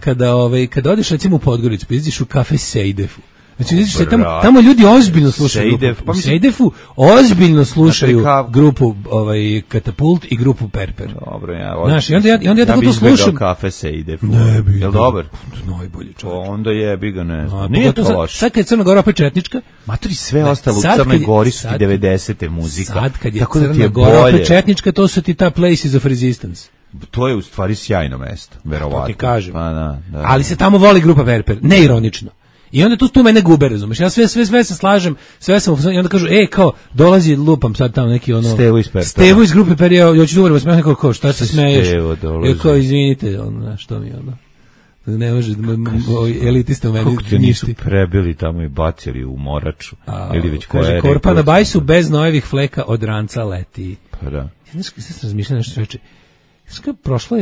Speaker 7: Kada odeš recimo u Podgoricu, pa izađeš u kafe Sejdefu. Znači vidiš se tamo ljudi ozbiljno slušaju grupu. Sejdefu ozbiljno slušaju grupu Katapult i grupu Perper.
Speaker 6: Dobro,
Speaker 7: znaš, i onda ja tako to slušam.
Speaker 6: Kafe Sejdefu.
Speaker 7: Ne bi.
Speaker 6: Jel dobar?
Speaker 7: Najbolji čovjek.
Speaker 6: Onda jebi ga, ne znam. Nije to loše.
Speaker 7: Sad kad je Crna Gora opet četnička,
Speaker 6: matori sve ostalo u Crnoj Gori su 90-te muzika.
Speaker 7: Sad kad je Crna Gora opet četnička, to su ti ta Places of Resistance.
Speaker 6: To je u stvari sjajno mesto, verovatno.
Speaker 7: Ti kažem.
Speaker 6: Pa, da.
Speaker 7: Ali se tamo voli grupa Perper, neironično. I onda tu mene gube, razumeš? Ja sve se slažem, sve sam i onda kažu, kao dolazi lupam sad tamo neki ono Stevo iz grupe Perper, ja ću dobro, smijem kao šta se smeješ? Ja kao izvinite, što mi ono. Ne može elitista u meni.
Speaker 6: Kako te nisu prebili tamo i bacili u moraču? Ili već koja je
Speaker 7: Korpa na bajsu bez nojevih fleka od ranca leti.
Speaker 6: Pa da.
Speaker 7: Znaš, sad sam razmišljao nešto reče. Prošlo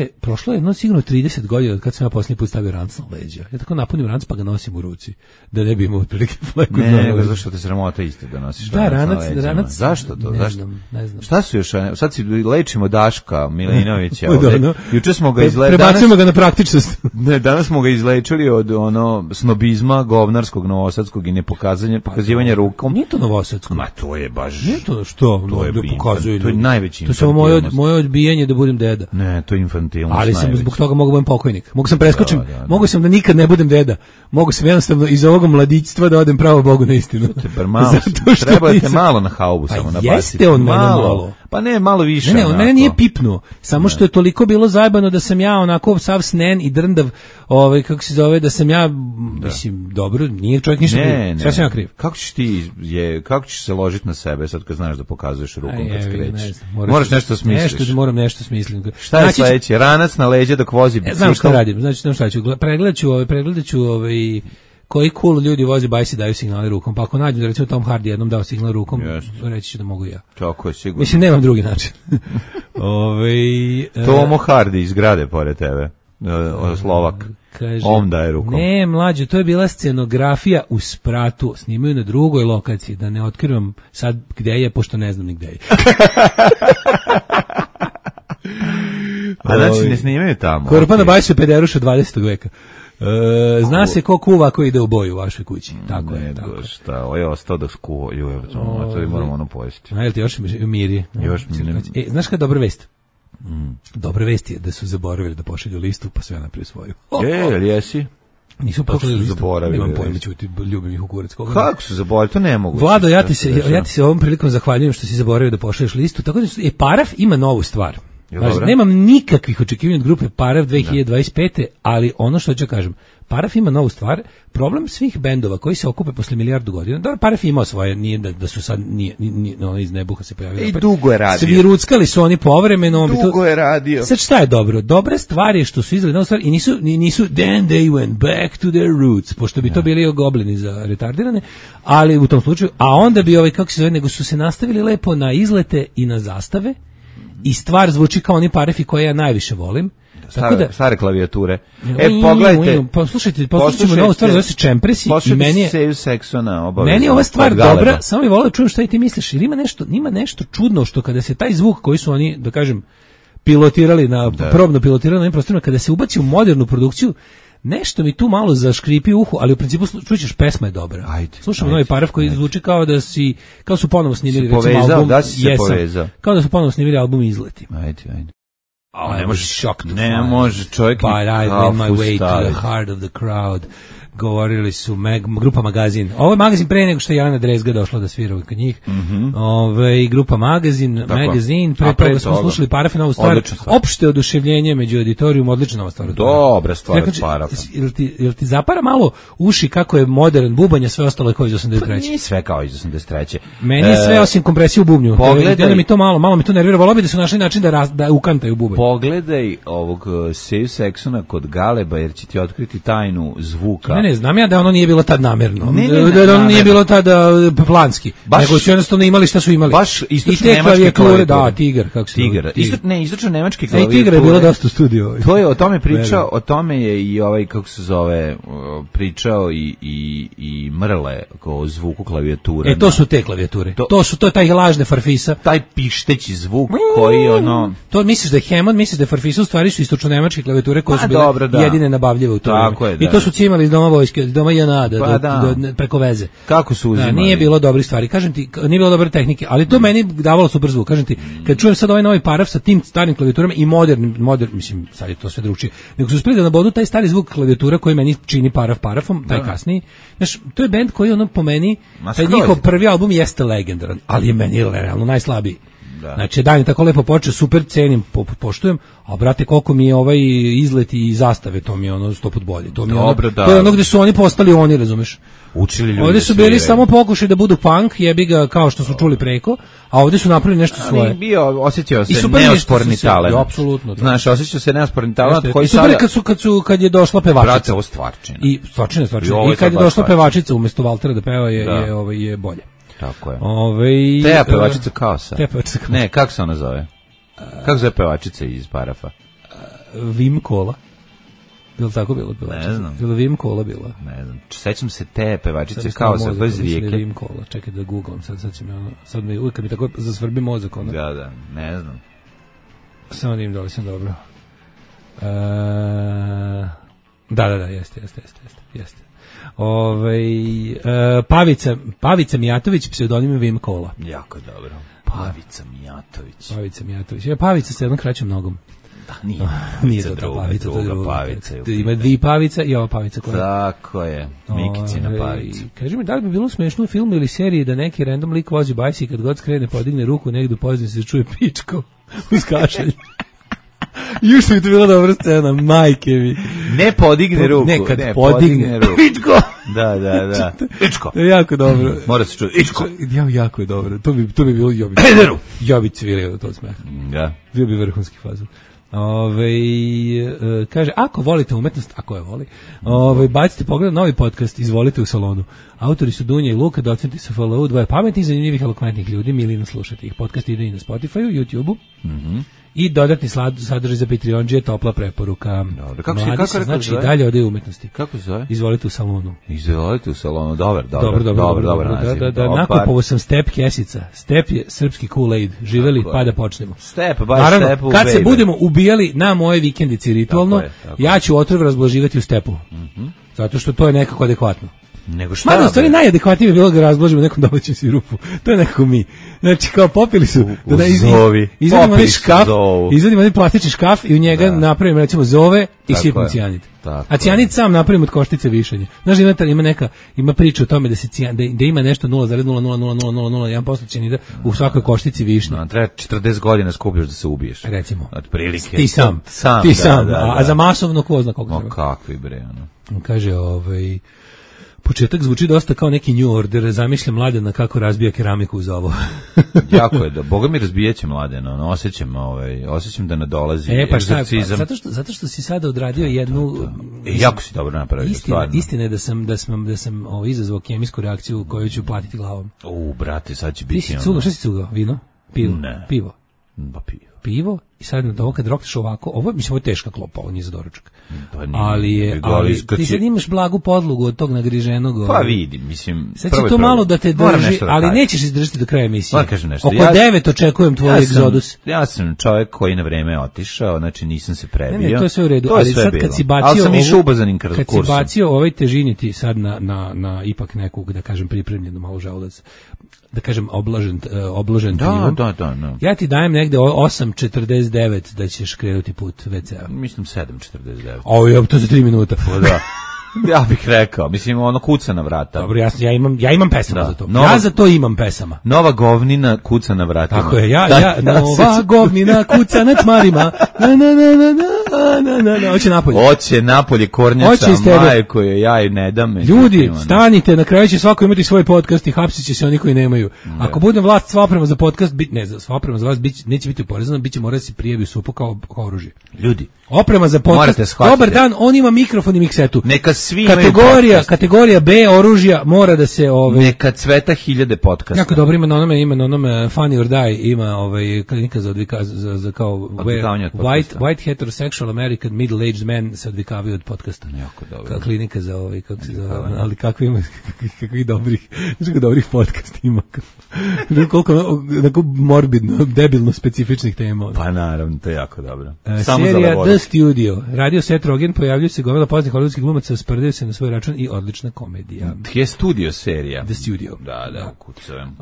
Speaker 7: je jedno sigurno 30 godina od kad sam ja posljednji put stavio ranc na leđa. Ja tako napunim ranc pa ga nosim u ruci. Da ne bi imao otprilike fleku.
Speaker 6: Ne, zašto te sramota isto da nosiš ranac na leđima? Zašto to?
Speaker 7: Ne znam.
Speaker 6: Šta su još? Sad si lečimo Daška Milinovića ovdje. Juče smo ga
Speaker 7: prebacujemo ga na praktičnost.
Speaker 6: Ne, danas smo ga izlečili od snobizma govnarskog novosadskog i pokazivanja rukom.
Speaker 7: Nije to novosadsko.
Speaker 6: Ma to je baš.
Speaker 7: Nije to što?
Speaker 6: To je najveći.
Speaker 7: To je samo moje odbijanje da budem deda.
Speaker 6: Ne, to je infantilno.
Speaker 7: Ali sam zbog toga mogu budem pokojnik. Mogu sam preskočim, mogu sam da nikad ne budem deda. Mogu sam jednostavno iz ovog mladićstva da odem pravo Bogu na istinu.
Speaker 6: Treba te malo na haubu samo nabaciti.
Speaker 7: Jeste on malo.
Speaker 6: Pa ne, malo više.
Speaker 7: Ne, on mene nije pipnuo. Samo što je toliko bilo zajebano da sam ja onako sav snen i drndav, kako se zove, da sam ja, mislim, dobro, nije čovjek ništa kriv. Sve sam ja kriv.
Speaker 6: Kako ćeš se ložiti na sebe sad kad znaš da pokazuješ rukom kad skrećeš? Moraš nešto smisliš.
Speaker 7: Moram nešto smislim.
Speaker 6: Šta je sledeće? Ranac na leđa dok vozi bicikl?
Speaker 7: Znam šta radim. Znači, šta ću. Pregledat ću koji cool ljudi vozi bajsi daju signale rukom. Pa ako nađu da recimo Tom Hardy jednom dao signal rukom, reći ću da mogu ja.
Speaker 6: Tako je, sigurno.
Speaker 7: Mislim, nemam drugi način.
Speaker 6: Tomo Hardy iz grade pored tebe. Slovak.
Speaker 7: Kaže,
Speaker 6: on daje rukom.
Speaker 7: Ne, mlađe, to je bila scenografija u Spratu. Snimaju na drugoj lokaciji, da ne otkrivam sad gde je, pošto ne znam ni gde je.
Speaker 6: A znači ne snimaju tamo.
Speaker 7: Korpa na bajsu je pederuša 20. veka. Zna se ko kuva ko ide u boju u vašoj kući. Tako je. Tako.
Speaker 6: Šta, ovo je ostao da skuvaju, to moramo ono pojesti.
Speaker 7: Jel ti još miri? Znaš kada je dobra vest? Dobra vest je da su zaboravili da pošalju listu, pa sve naprije svoju.
Speaker 6: Jesi?
Speaker 7: Nisu pošli listu. Nemam pojma, ćuti, ljubim ih u kurac.
Speaker 6: Kako su zaboravili? To ne mogu.
Speaker 7: Vlado, ja ti se ovom prilikom zahvaljujem što si zaboravio da pošalješ listu. Tako da Paraf ima novu stvar. Nemam nikakvih očekivanja od grupe Paraf 2025. Ali ono što ću kažem, Paraf ima novu stvar. Problem svih bendova koji se okupe posle milijardu godina. Dobro, Paraf imao svoje, nije da su sad iz nebuha se pojavili.
Speaker 6: I dugo je radio.
Speaker 7: Svi ruckali su oni povremeno.
Speaker 6: Dugo je radio.
Speaker 7: Sad šta je dobro? Dobra stvar je što su izgledali novu stvar i nisu then they went back to their roots, pošto bi to bili goblini za retardirane, ali u tom slučaju, a onda bi kako se zove, nego su se nastavili lepo na izlete i na zastave. I stvar zvuči kao oni Parafi koje ja najviše volim.
Speaker 6: Stare klavijature. Pogledajte.
Speaker 7: Poslušajmo novu stvar, zove se Čempresi.
Speaker 6: I meni je
Speaker 7: ova stvar dobra, samo bih volio da čujem šta ti misliš. Jer ima nešto čudno što kada se taj zvuk koji su oni, da kažem, pilotirali, probno pilotirali na ovim prostorima, kada se ubaci u modernu produkciju, nešto mi tu malo zaškripi u uhu, ali u principu čućeš, pesma je dobra. Slušamo novi Paraf koji zvuči kao kao su ponovo snimili recimo album Jesam. Kao da su ponovo snimili album Izleti.
Speaker 6: Ajde. Ne može čovjek
Speaker 7: But I win my way to the heart of the crowd. Govorili su grupa Magazin. Ovo je Magazin pre nego što je Jelena Drezga došla da svira kod njih. Grupa Magazin, pre toga smo slušali Parafinovu stvar. Opšte oduševljenje među auditorijum, odlična nova stvar.
Speaker 6: Dobra stvar od Parafa.
Speaker 7: Jel ti zapara malo uši kako je modern bubanj, a sve ostalo je kao iz 83.
Speaker 6: Nije sve kao iz 83.
Speaker 7: Meni je sve osim kompresije u bubnju. Pogledaj mi to malo mi to nervira. Volao bi da su našli način da ukantaju bubanj.
Speaker 6: Pogledaj ovog Save Saxona kod Galeba, jer će ti otkriti tajnu zvuka.
Speaker 7: Ne, znam ja da ono nije bilo tad namerno. Da ono nije bilo tad planski. Nego su jednostavno imali šta su imali.
Speaker 6: Baš istočno-nemačke klavijature.
Speaker 7: Da, Tigar, kako se
Speaker 6: Tigar. Istočno-nemačke klavijature.
Speaker 7: Tigar je bilo dosta u studiju.
Speaker 6: To je o tome pričao, o tome je i ovaj, kako se zove, pričao i Mrle o zvuku klavijature.
Speaker 7: To su te klavijature. To je taj lažne Farfisa.
Speaker 6: Taj pišteći zvuk koji ono...
Speaker 7: To misliš da je Hammond, misliš da je Farfisa, u stvari su istočno-nemačke klavijature koje su bile jedine nabavljive u to vreme. I to su cimali iz doma vojske, doma JNA, preko veze.
Speaker 6: Kako su uzimali?
Speaker 7: Nije bilo dobre stvari, kažem ti, nije bilo dobre tehnike, ali to meni davalo super zvuk, kažem ti. Kad čujem sad ovaj novi Paraf sa tim starim klavijaturama i modern, mislim, sad je to sve drugčije, nego su uspeli da nabodu taj stari zvuk klavijatura koji meni čini Parafom, taj kasniji. Znaš, to je bend koji ono po meni, taj njihov prvi album jeste legendaran, ali je meni realno najslabiji. Znači, dan je tako lepo počeo, super cenim, poštujem, a brate, koliko mi je ovaj izlet i zastave, to mi je ono 100 put bolje. To mi je to je ono gde su oni postali oni, razumeš?
Speaker 6: Učili ljudi.
Speaker 7: Ovdje su bili samo pokušaj da budu punk, jebi ga kao što su čuli preko, a ovdje su napravili nešto svoje.
Speaker 6: Ali osjećao se neosporni talent.
Speaker 7: Apsolutno.
Speaker 6: Znaš, osjećao se neosporni talent koji sada...
Speaker 7: Kad je došla pevačica.
Speaker 6: Brate, ovo stvarčina.
Speaker 7: I stvarčina. I kad je došla pevačica umjesto Valtera da peva je bolje.
Speaker 6: Tako je. Teja pevačica Kaosa. Ne, kako se ona zove? Kako zove pevačica iz Parafa?
Speaker 7: Vim Kola. Je li tako bilo pevačica?
Speaker 6: Ne znam.
Speaker 7: Je li Vim Kola bila?
Speaker 6: Ne znam. Sećam se te pevačice Kaosa, to je iz Rijeke.
Speaker 7: Vim Kola. Čekaj da googlam. Sad mi uvijek kad mi tako zasvrbi mozak.
Speaker 6: Da, ne znam.
Speaker 7: Samo da im doli sam dobro. Da, jeste. Pavica Mijatović, pseudonim Vim Kola.
Speaker 6: Jako dobro. Pavica Mijatović.
Speaker 7: Pavica sa jednom kraćom nogom.
Speaker 6: Da, nije to Pavica, to je druga Pavica.
Speaker 7: Ima dvije Pavica i ova Pavica koja...
Speaker 6: Tako je, Mikicina Pavica.
Speaker 7: Kaži mi, da li bi bilo smešno u filmu ili seriji da neki random lik vozi bajs i kad god skrene podigne ruku negdje u pozadini se čuje pičko uz kašalj. Još što bi to bila dobra scena, majke mi.
Speaker 6: Ne podigne ruku.
Speaker 7: Nekad podigne ruku.
Speaker 6: Pičko! Da. Pičko.
Speaker 7: To je jako dobro.
Speaker 6: Mora se čuti. Pičko.
Speaker 7: Jako je dobro. To bi bilo jobi. Ja bi cvirio od tog smeha.
Speaker 6: Da.
Speaker 7: Bio bi vrhunski fazon. Kaže, ako volite umetnost, ako je voli, bacite pogled novi podcast, izvolite u salonu. Autori su Dunja i Luka, docenti su FLU, dvoje pametnih, zanimljivih, elokventnih ljudi, milino slušate ih. Podcast ide i na Spotify-u, YouTube-u. I dodatni sadržaj za Patreonđije, topla preporuka. Mladi se, znači, dalje ode u umetnosti.
Speaker 6: Kako se zove?
Speaker 7: Izvolite u salonu.
Speaker 6: Dobar.
Speaker 7: Da, nakupovo sam Step kesica. Step je srpski Kool-Aid. Živeli, pa da počnemo.
Speaker 6: Step, baš
Speaker 7: naravno,
Speaker 6: Step u
Speaker 7: kad se budemo ubijali na moje vikendici ritualno, ja ću otrov razblaživati u Stepu. Zato što to je nekako adekvatno.
Speaker 6: Nego šta?
Speaker 7: Mada, u stvari najadekvatnije bi bilo da razblažimo nekom domaćem sirupu. To je nekako mi. Znači, kao popili su... Izvedimo jedan plastični škaf i u njega napravimo, recimo, zove i sipimo cijanid. A cijanid sam napravimo od koštice višanje. Znaš, ima priča o tome da ima nešto 0,00001% cijanida u svakoj koštici višnje.
Speaker 6: Treba 40 godina skupiš da se ubiješ.
Speaker 7: Recimo.
Speaker 6: Od prilike.
Speaker 7: Ti sam. A za masovno ko zna koliko treba.
Speaker 6: Kakvi bre, ono.
Speaker 7: Kaže, početak zvuči dosta kao neki New Order, zamišljam Mladena kako razbija keramiku uz ovo.
Speaker 6: Jako je, Boga mi razbijaće Mladena, osjećam da nadolazi egzorcizam.
Speaker 7: Zato što si sada odradio jednu...
Speaker 6: jako si dobro napravio, stvarno.
Speaker 7: Istina je da sam izazvao kemijsku reakciju koju ću platiti glavom.
Speaker 6: Brate, sad će biti...
Speaker 7: Ti si cugao, šta si cugao? Vino? Pivo? Pivo i sad na to kad rokneš ovako, ovo je teška klopa, ovo nije za doručak. Ali ti sad imaš blagu podlogu od tog nagriženog.
Speaker 6: Pa vidim, mislim.
Speaker 7: Sad će to malo da te drži, ali nećeš izdržati do kraja emisije. Oko 9 očekujem tvoj egzodus.
Speaker 6: Ja sam čovjek koji na vreme otišao, znači nisam se prebio.
Speaker 7: Ne, to je sve u redu, ali sad kad si bacio ovaj težiniti sad na ipak nekog, da kažem, pripremljenu malo želudac, da kažem obložen pivom.
Speaker 6: Da.
Speaker 7: Ja ti dajem negde 8,42 6:49 da ćeš krenuti put WC-a.
Speaker 6: Mislim 7:49.
Speaker 7: Ovo to za 3 minuta.
Speaker 6: Pa da. Ja bih rekao, mislim ono kuca na vrata.
Speaker 7: Dobro, ja imam pesama za to. Ja za to imam pesama.
Speaker 6: Nova govnina kuca na vratima.
Speaker 7: Tako je, nova govnina kuca na tmarima. Hoće napolje.
Speaker 6: Hoće napolje kornjača, majko je, ja i ne dam.
Speaker 7: Ljudi, stanite, na kraju će svako imati svoj podcast i hapsit će se oni koji nemaju. Ako bude vlast sva oprema za podcast, sva oprema za vas neće biti oporezana, biće mora da se prijavi u SUP-u kao oružje.
Speaker 6: Ljudi,
Speaker 7: oprema za podcast. Dobar dan, on ima mikrofon i miksetu.
Speaker 6: Neka svi
Speaker 7: kategorija B oružja mora da se
Speaker 6: neka cveta 1000 podcasta.
Speaker 7: Jako dobro ima na onome Funny or Die, ima klinika za kao white heterosexual American middle-aged men se odvikavaju od podcasta.
Speaker 6: Jako dobro.
Speaker 7: Klinika za kako se zove, ali kakvih dobrih podcasta ima. Koliko morbidno, debilno specifičnih tema.
Speaker 6: Pa naravno, to je jako dobro.
Speaker 7: Serija The Studio. Radio Seth Rogen, pojavljuju se gomila poznatih hollywoodskih glumaca, sprdaju se na svoj račun i odlična komedija.
Speaker 6: Je studio serija.
Speaker 7: The Studio.
Speaker 6: Da, kucam.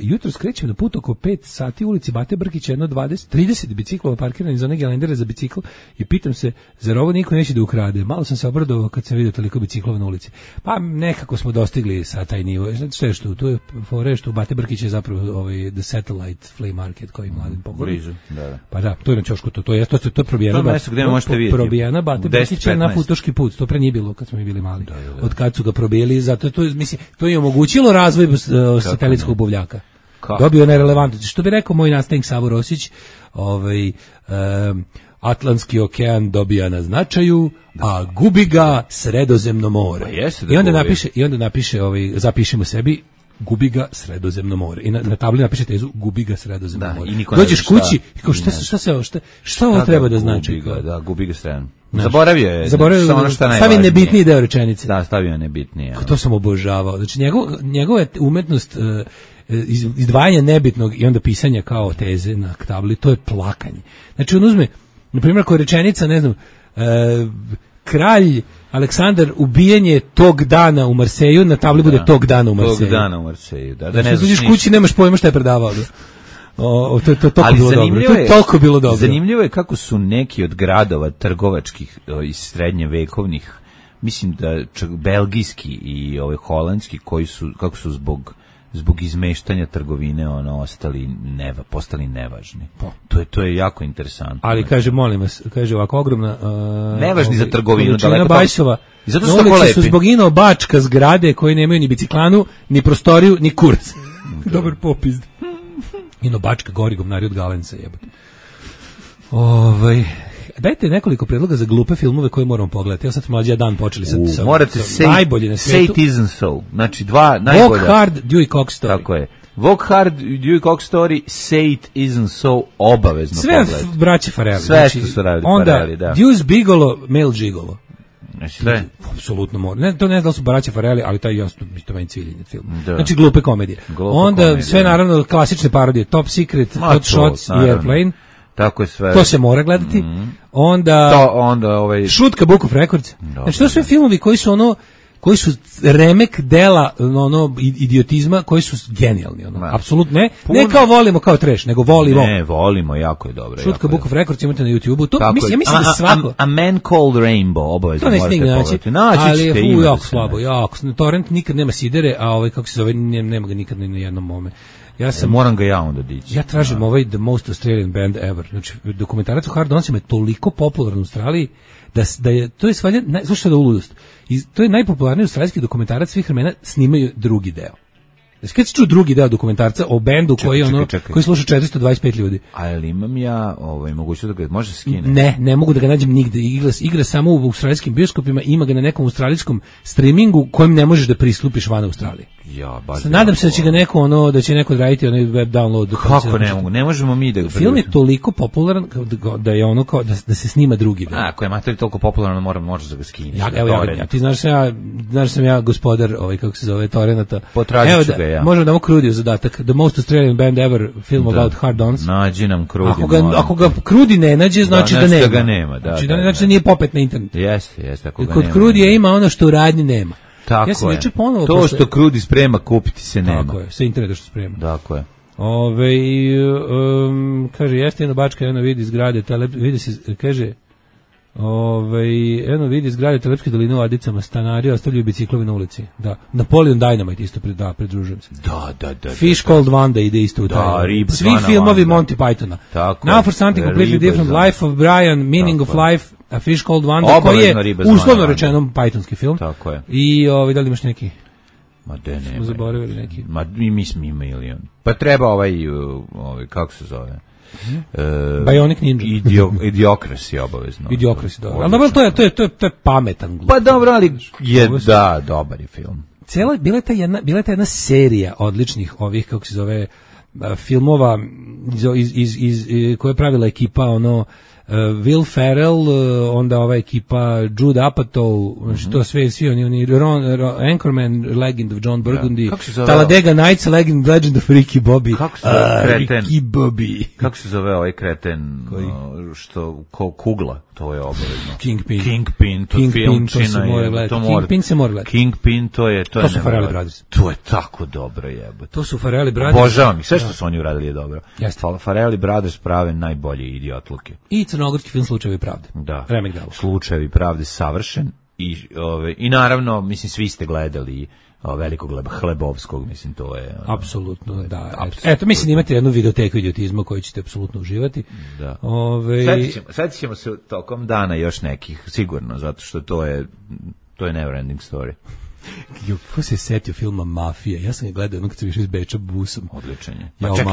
Speaker 7: Jutro skrećem na put oko 5 sati u ulici Bate Brkića, jedno 30 biciklova parkiranih za one gelendere za bicikl i pitam se, zar ovo niko neće da ukrade? Malo sam se obradovao kad sam vidio toliko biciklova na ulici. Pa nekako smo dostigli sa taj nivo. Znači što tu je fore što u Bate Brkića je zapravo the satellite flea market koji mladen pogleda.
Speaker 6: Blizu, da.
Speaker 7: Pa da, to je na ćošku, to je probijena.
Speaker 6: To je mesto gde možete vidjeti.
Speaker 7: Probijena Bate Brkića na Futoški put. To pre nije bilo kad smo mi bili mali. Da. Od kad su ga probijeli, zato to je omogućilo razvoj satelitskog buvljaka. Dobio je nerelevantno. Što bi rekao moj nastavnik Savo Rosić, Atlantski okean dobija na značaju, a gubi ga Sredozemno more. I onda napiše zapišemo sebi gubi ga Sredozemno more. I na tabli napiše tezu gubi ga Sredozemno more. Dođeš kući i kao šta ovo treba da znači?
Speaker 6: Gubi ga Sredozemno. Zaboravio je.
Speaker 7: Stavi nebitniji deo rečenice.
Speaker 6: Da, stavio nebitnije.
Speaker 7: To sam obožavao. Znači njegova umetnost izdvajanja nebitnog i onda pisanja kao teze na tabli, to je plakanje. Znači on uzme, na primjer, kao rečenica, ne znam, kralj Aleksandar ubijenje tog dana u Marseju, na tabli bude tog dana u Marseju.
Speaker 6: Tog dana u Marseju, da.
Speaker 7: Znači, uđeš kući, nemaš pojma šta je predavao. To je toliko bilo dobro.
Speaker 6: Zanimljivo je kako su neki od gradova trgovačkih iz srednjevekovnih, mislim da čak belgijski i holandski, kako su zbog izmeštanja trgovine postali nevažni. To je jako interesantno.
Speaker 7: Ali kaže, molim vas, kaže ovako ogromna
Speaker 6: nevažni za trgovinu,
Speaker 7: daleko Bajsova. I zato su tako lepi. Su zbog Bačka zgrade koje nemaju ni biciklanu, ni prostoriju, ni kurac. Dobar popis. Bačka gori govnari od Galenca, jebote. Dajte nekoliko predloga za glupe filmove koje moramo pogledati. Ja sad mlađi dan počeli sa
Speaker 6: morate
Speaker 7: najbolje na svijetu.
Speaker 6: Say It Isn't So. Znači dva najbolja.
Speaker 7: Walk Hard, Dewey Cox Story.
Speaker 6: Tako je. Walk Hard, Dewey Cox Story, Say It Isn't So, obavezno pogledati.
Speaker 7: Sve braće Farrelly.
Speaker 6: Sve što su radili Farrelly, da.
Speaker 7: Onda Deuce Bigalo, Male Gigolo.
Speaker 6: Sve.
Speaker 7: Apsolutno mora. To ne znam da su braća Farrelly, ali taj jasno mi to meni ciljenje film. Znači glupe komedije. Onda sve naravno klasične parodije, Top Secret, Hot Shots i Airplane.
Speaker 6: Tako je sve.
Speaker 7: To se mora gledati. Onda Šutka Book of Records. Znači to su sve filmovi koji su remek dela idiotizma, koji su genijalni, apsolutno ne kao volimo kao trash, nego volimo.
Speaker 6: Ne, volimo, jako je dobro.
Speaker 7: Šutka Book of Records imate na YouTubeu. To ja mislim da svako.
Speaker 6: A Man Called Rainbow, obavezno morate pogledati.
Speaker 7: Ali je jako slabo, jako. Torrent nikad nema sidere, a kako se zove, nema ga nikad ni na jednom mome.
Speaker 6: Moram ga ja onda dići.
Speaker 7: Ja tražim The Most Australian Band Ever. Znači, dokumentarac o Hard Donsima je toliko popularan u Australiji da je, to je svalja, slušajte da uludost, to je najpopularniji australijski dokumentarac svih vremena, snimaju drugi deo. Kad se čuo drugi deo dokumentarca o bendu koji sluša 425 ljudi.
Speaker 6: Ali imam ja mogućnost da ga može skine?
Speaker 7: Ne mogu da ga nađem nigde. Igra samo u australijskim bioskopima, ima ga na nekom australijskom streamingu kojem ne možeš da pristupiš van Australije. Nadam se da će ga neko da će neko raditi onaj web download.
Speaker 6: Kako ne mogu? Ne možemo mi da ga
Speaker 7: film je toliko popularan da je kao da se snima drugi deo.
Speaker 6: Ako je materij toliko popularan, možeš da ga skineš.
Speaker 7: Ti znaš sam ja gospodar kako se zove torrenata.
Speaker 6: Potražit ću ga ja.
Speaker 7: Možemo da mu Krudiju zadatak. The Most Australian Band Ever, film about Hard Dons.
Speaker 6: Nađi nam Krudi.
Speaker 7: Ako ga Krudi ne nađe, znači da nema. Znači da nije popet na internetu.
Speaker 6: Jeste.
Speaker 7: Kod Krudija ima ono što u radnji nema.
Speaker 6: Tako je. To što Krudi sprema kupiti se nema.
Speaker 7: Tako je, sa interneta što sprema.
Speaker 6: Tako je.
Speaker 7: Kaže, jeste jedno Bačka, jedno vidi zgrade, vidi se, kaže, jedno vidi zgrade Telepske doline u Adicama, stanari ostavljaju biciklovi na ulici. Da. Napoleon Dynamite isto pridružujem se.
Speaker 6: Da.
Speaker 7: Fish Called Wanda ide isto u taj. Svi filmovi Monty Pythona. Now for something completely different, Life of Brian, Meaning of Life, A Fish Called Wanda, koji je uslovno rečeno Pythonski film.
Speaker 6: Tako je.
Speaker 7: I da li imaš neki?
Speaker 6: Ma de ne.
Speaker 7: Smo zaboravili neki.
Speaker 6: Ma mi smo imali on. Pa treba kako se zove?
Speaker 7: Bionic Ninja.
Speaker 6: Idiocracy obavezno.
Speaker 7: Idiocracy, dobro. Ali dobro, to je pametan glup.
Speaker 6: Pa dobro, ali je, dobar je film.
Speaker 7: Bila je ta jedna serija odličnih ovih, kako se zove, filmova koje je pravila ekipa, Will Ferrell, onda ova ekipa Jude Apatow, što svi oni Anchorman, Legend of John Burgundy, Talladega Nights, Legend of Ricky Bobby.
Speaker 6: Kako se zove kreten?
Speaker 7: Ricky Bobby.
Speaker 6: Kako se zove ovaj kreten? Što kugla, to je obavezno.
Speaker 7: Kingpin,
Speaker 6: to film
Speaker 7: to se mora gledati. Kingpin se mora gledati.
Speaker 6: Kingpin, to
Speaker 7: su Farrelly Brothers.
Speaker 6: To je tako dobro, jebote.
Speaker 7: To su Farrelly Brothers.
Speaker 6: Obožavam ih, sve što su oni uradili je dobro. Farrelly Brothers prave najbolje idiotluke.
Speaker 7: I crnogorski film Slučajevi pravde.
Speaker 6: Da. Slučajevi pravde savršen i naravno, mislim, svi ste gledali Velikog Hlebovskog, mislim, to je...
Speaker 7: Apsolutno, da. Eto, mislim, imate jednu videoteku idiotizma koju ćete apsolutno uživati.
Speaker 6: Da. Svetit ćemo se tokom dana još nekih, sigurno, zato što to je never ending story.
Speaker 7: Ko se setio filma Mafija? Ja sam ga gledao kad sam išao iz Beča busom.
Speaker 6: Odličan je. Čekaj,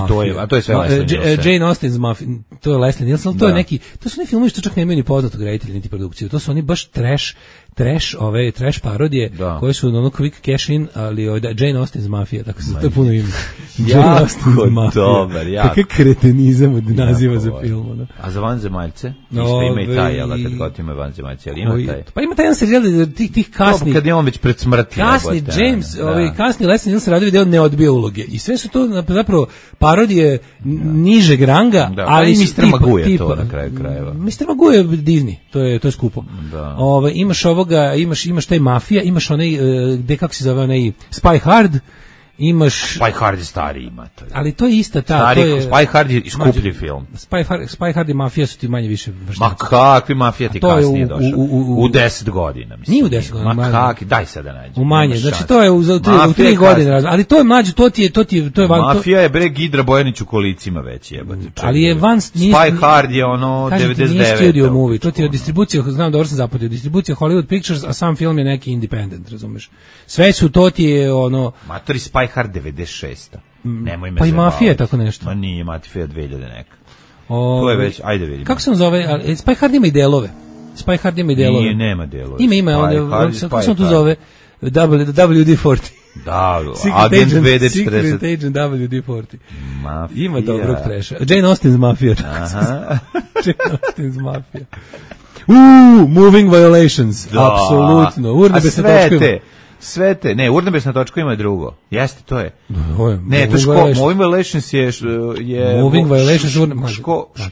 Speaker 6: to je sve Leslie Nielsen.
Speaker 7: Jane Austen's Mafia, to je Leslie Nielsen, to je neki, to su neki filmovi što čak nemaju ni poznatog reditelja niti produkciju. To su oni baš trash parodije koje su ono quick cash in, ali Jane Austen's Mafia, tako se to je puno ime. Jane Austen's Mafia.
Speaker 6: Dobar,
Speaker 7: kakav kretenizam od naziva za film.
Speaker 6: A za vanzemaljce? Isto ima i taj, ali kad god ima vanzemaljce, ali ima taj.
Speaker 7: Pa ima taj jedan serijal tih kasnih.
Speaker 6: Kad je on već pred smrti.
Speaker 7: Kasni James, kasni Leslie Nielsen radio video ne odbija uloge. I sve su to zapravo parodije nižeg ranga, ali
Speaker 6: Mr. Magoo je to na kraju krajeva.
Speaker 7: Mr. Magoo je Disney, to je skupo. Imaš imaš taj Mafija, imaš onaj, kako se zove onaj Spy Hard, imaš...
Speaker 6: Spy Hard je stari ima.
Speaker 7: Ali to je ista ta...
Speaker 6: Spy Hard je skuplji film.
Speaker 7: Spy Hard i Mafija su ti manje više vršnjaci.
Speaker 6: Ma kakvi Mafija ti kasnije došao? U 10 godina, mislim.
Speaker 7: Nije u 10 godina.
Speaker 6: Ma kakvi, daj sad da nađem.
Speaker 7: U manje, znači to je u 3 godine. Ali to je mlađe, to je...
Speaker 6: Mafija je bre Gidra Bojanić u kolicima već jebate.
Speaker 7: Ali je
Speaker 6: Spy Hard je ono 99.
Speaker 7: Nije studio movie, to ti je distribucija, znam dobro sam zapatio, distribucija Hollywood Pictures, a sam film je neki independent, razumeš. Sve su, to ti je ono...
Speaker 6: Matori Spy Hard 96. Nemoj me
Speaker 7: pa i Mafija je tako nešto.
Speaker 6: Ma nije, Mafija 2000 neka. To je već, ajde vidimo.
Speaker 7: Kako se on zove? Spy Hard ima i delove. Spy Hard ima i delove.
Speaker 6: Nije, nema delove.
Speaker 7: Ima, kako se on tu zove? WD-40.
Speaker 6: Da, Agent VD-40.
Speaker 7: Secret Agent WD-40.
Speaker 6: Mafija.
Speaker 7: Ima dobrog treša. Jane Austen's Mafia. Jane Austen's Mafia. Moving Violations. Apsolutno. Urnebesne točke.
Speaker 6: Sve te, ne, Urnebesna točka ima drugo. Jeste, to je. Ne, to je Moving Violations je
Speaker 7: Moving Violations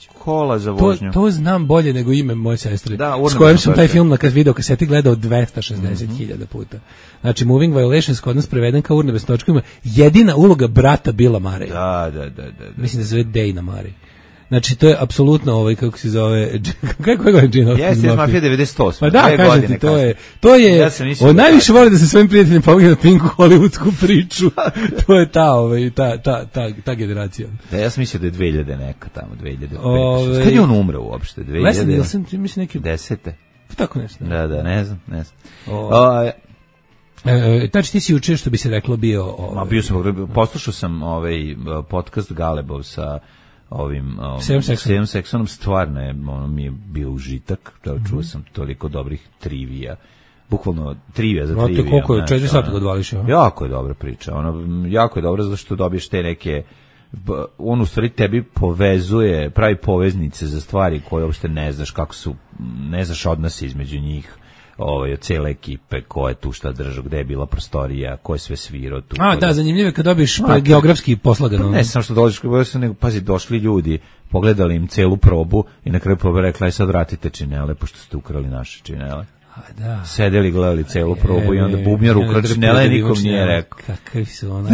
Speaker 6: škola za vožnju.
Speaker 7: To znam bolje nego ime moje sestre. S kojim sam taj film na video kaseti gledao 260.000 puta. Znači, Moving Violations kod nas preveden kao Urnebesna točka ima jedina uloga brata Billa Murraya.
Speaker 6: Da.
Speaker 7: Mislim da se zove Dana Murray. Znači, to je apsolutno kako se zove, kako je Jane Austen's
Speaker 6: Mafia? Mafija 98.
Speaker 7: Pa da, kažem ti, to je, on najviše voli da se svojim prijateljima pogleda Pinku hollywoodsku priču, to je ta generacija.
Speaker 6: Da, ja sam mislio da je 2000 neka tamo, 2005. Kad je on umre uopšte?
Speaker 7: Leslie Nielsen, mislim neki...
Speaker 6: 10.
Speaker 7: Tako nešto.
Speaker 6: Da, ne znam.
Speaker 7: Znači ti si juče, što bi se reklo, bio...
Speaker 6: Bio sam, poslušao sam podcast Galebov sa ovim Sevom Seksonom, stvarno je, mi je bio užitak, čuo sam toliko dobrih trivija, bukvalno trivija za trivija.
Speaker 7: Koliko je, 4 sata ga odvališ?
Speaker 6: Jako je dobra priča, jako je dobra zato što dobiješ te neke, on u stvari tebi povezuje, pravi poveznice za stvari koje uopšte ne znaš kako su, ne znaš odnose između njih, od cele ekipe, ko je tu šta držao, gde je bila prostorija, ko je sve svirao tu.
Speaker 7: Da, zanimljivo je kad dobiš geografski poslagano.
Speaker 6: Ne samo što dođeš, nego pazi, došli ljudi, pogledali im celu probu i na kraju probe rekla, aj sad vratite činele, pošto ste ukrali naše činele.
Speaker 7: Da.
Speaker 6: Sedeli, gledali celu probu i onda bubnjar ukrao činele, nikom nije rekao.
Speaker 7: Kakvi su ono,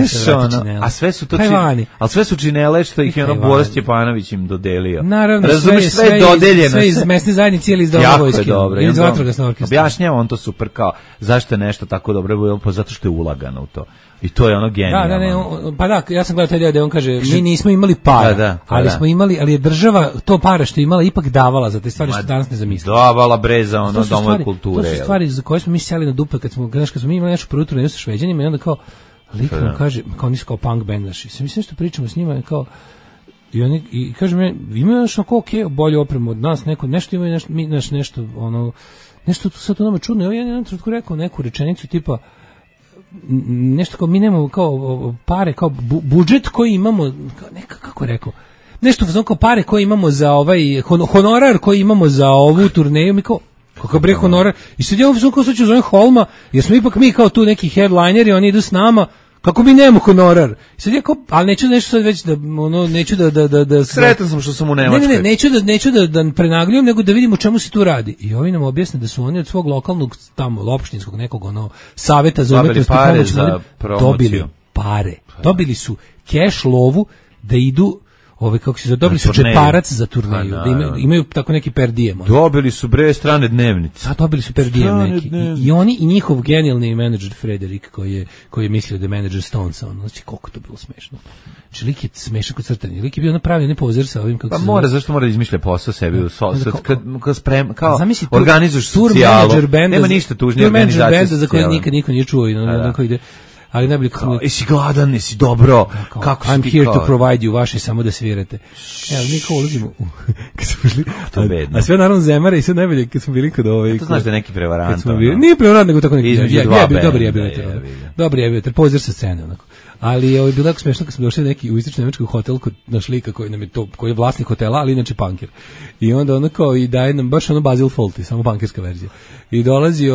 Speaker 6: a sve su to činele, ali sve su činele što ih je ono Boris Stjepanović im dodelio.
Speaker 7: Naravno,
Speaker 6: razumiješ, sve je dodeljeno.
Speaker 7: Sve iz mesne zajednice ili iz doba vojske. Ili iz vatrogasnog orkestra.
Speaker 6: Objašnjava on to super kao, zašto je nešto tako dobro, pa zato što je ulagano u to. I to je ono genijalno.
Speaker 7: Pa da, ja sam gledao taj deo da on kaže, mi nismo imali para, ali smo imali, ali je država to para što je imala ipak davala za te stvari što danas ne zamislimo.
Speaker 6: Davala bre za ono domove kulture.
Speaker 7: To su stvari za koje smo mi sjeli na dupe kad smo mi imali nešto prvo turneju sa Šveđanima i onda kao lik nam kaže, kao nisu kao punk band naši. Mislim što pričamo s njima kao i kaže mi imaju nešto kao okej, bolju opremu od nas, nešto imaju nešto ono nešto tu sad to nama čudno. Ja jedan trenutku rekao neku rečenicu tipa nešto kao mi nemamo kao pare, kao budžet koji imamo, kako je rekao, nešto kao pare koje imamo za ovaj honorar koji imamo za ovu turneju, mi kao kakav bre honorar, i sad ja ovdje kao slučaju zovem Holma, jer smo ipak mi kao tu neki headlineri, oni idu s nama, kako mi nemamo honorar. I sad ja kao, ali neću nešto sad već da, ono, neću da
Speaker 6: sretan sam što sam u Nemačkoj.
Speaker 7: Ne, neću da prenagljujem, nego da vidimo o čemu se tu radi. I ovi nam objasne da su oni od svog lokalnog, tamo, opštinskog nekog, ono, saveta za umetnost i pomoć, dobili pare. Dobili su keš lovu da idu, kako se dobili su džeparac za turneju, da imaju tako neki per diem.
Speaker 6: Dobili su bre strane dnevnice.
Speaker 7: Dobili su per diem neki. I oni i njihov genijalni menadžer Frederik koji je mislio da je menadžer Stonesa, znači koliko to bilo smešno. Znači lik je smešan kod crtanja. Lik je bio napravljen ne pozer sa ovim kako se
Speaker 6: mora, zašto mora da izmišlja posao sebi kad sprema, kao organizuješ socijalu. Nema ništa tužnije organizacije.
Speaker 7: Benda za koju nikad niko nije čuo i onako ide. Ali najbolje kako
Speaker 6: jesi gladan, jesi dobro, kako
Speaker 7: I'm here to provide you, vaše samo da svirate. Evo, mi kao ulazimo kad smo bili, a sve naravno zemare i sve najbolje kad smo bili kod ovaj.
Speaker 6: To znaš da je neki prevarant.
Speaker 7: Nije prevarant, nego tako neki. Dobri je bio, pozir sa scene onako. Ali je bilo jako smešno kad smo došli neki u istočni nemački hotel kod naš lika koji nam je to, koji je vlasnik hotela, ali inače punker. I onda ono kao i daje nam baš ono Basil Fawlty, samo punkerska verzija. I dolazi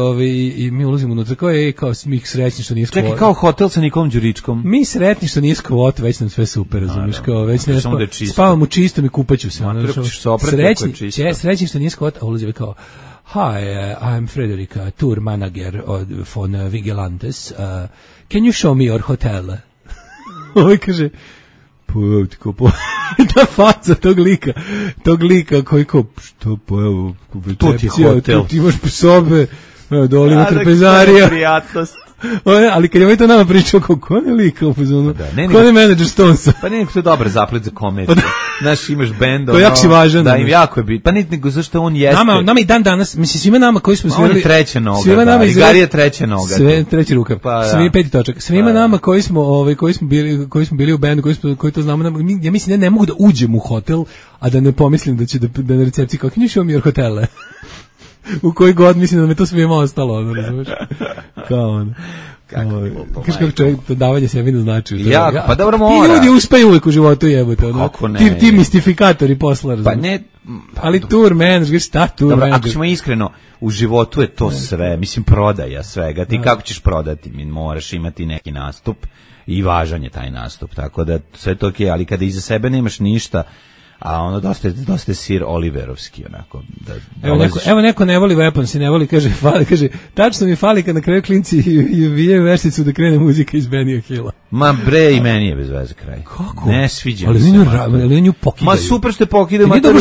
Speaker 7: i mi ulazimo unutra kao mi srećni što nije skvot.
Speaker 6: Čekaj, kao hotel sa Nikolom Đuričkom.
Speaker 7: Mi sretni što nije skvot, već nam sve super, razumiješ, kao već ne spavam u čistom i kupaću se. Srećni što nije skvot, a ulazi kao Hi, I'm Frederica, tour manager von Vigilantes. Can you show me your hotel? Ovo kaže, ta faca tog lika koji kao, što pa evo,
Speaker 6: to ti je hotel.
Speaker 7: Ti imaš sobe, dole ima trpezarija.
Speaker 6: Prijatnost.
Speaker 7: Ali kad je ovaj to nama pričao, ko ne lika u fazonu, ko ne menadžer Stonesa.
Speaker 6: Pa nije to je dobar zaplet za komediju. Znaš, imaš bend.
Speaker 7: To je jako si važan.
Speaker 6: Da, im jako je bit. Pa nije nego zašto on jeste.
Speaker 7: Nama i dan danas, mislim, svima nama koji smo
Speaker 6: svirali. On je treća noga, da, i Gari je treća noga.
Speaker 7: Sve, treći rukav. Svi peti točak. Svima nama koji smo bili u bendu, koji to znamo, ja mislim ne mogu da uđem u hotel, a da ne pomislim da će da na recepciji kao, can you show me your hotele? U koji god mislim da me to svima ostalo, ono, razumiješ? Kao ono. Kaš kako čovjek to davanje sebi ne znači.
Speaker 6: Pa dobro mora.
Speaker 7: Ti ljudi uspeju uvijek u životu jebote. Ti mistifikatori posla, razumiješ?
Speaker 6: Pa ne.
Speaker 7: Ali tour manager, šta tour manager?
Speaker 6: Ako ćemo iskreno, u životu je to sve, mislim prodaja svega. Ti kako ćeš prodati? Moraš imati neki nastup i važan je taj nastup. Tako da sve to okej, ali kada iza sebe nemaš ništa, a ono dosta sir Oliverovski onako da
Speaker 7: evo neko ne voli Weapons i ne voli, kaže tačno mi fali kad na kraju klinci i vije vešticu da krene muzika iz Benija Hilla.
Speaker 6: Ma bre, i meni je bez veze kraj.
Speaker 7: Kako?
Speaker 6: Ne sviđa
Speaker 7: mi se. Ali nju pokidaju.
Speaker 6: Ma super što pokidaju,
Speaker 7: ma to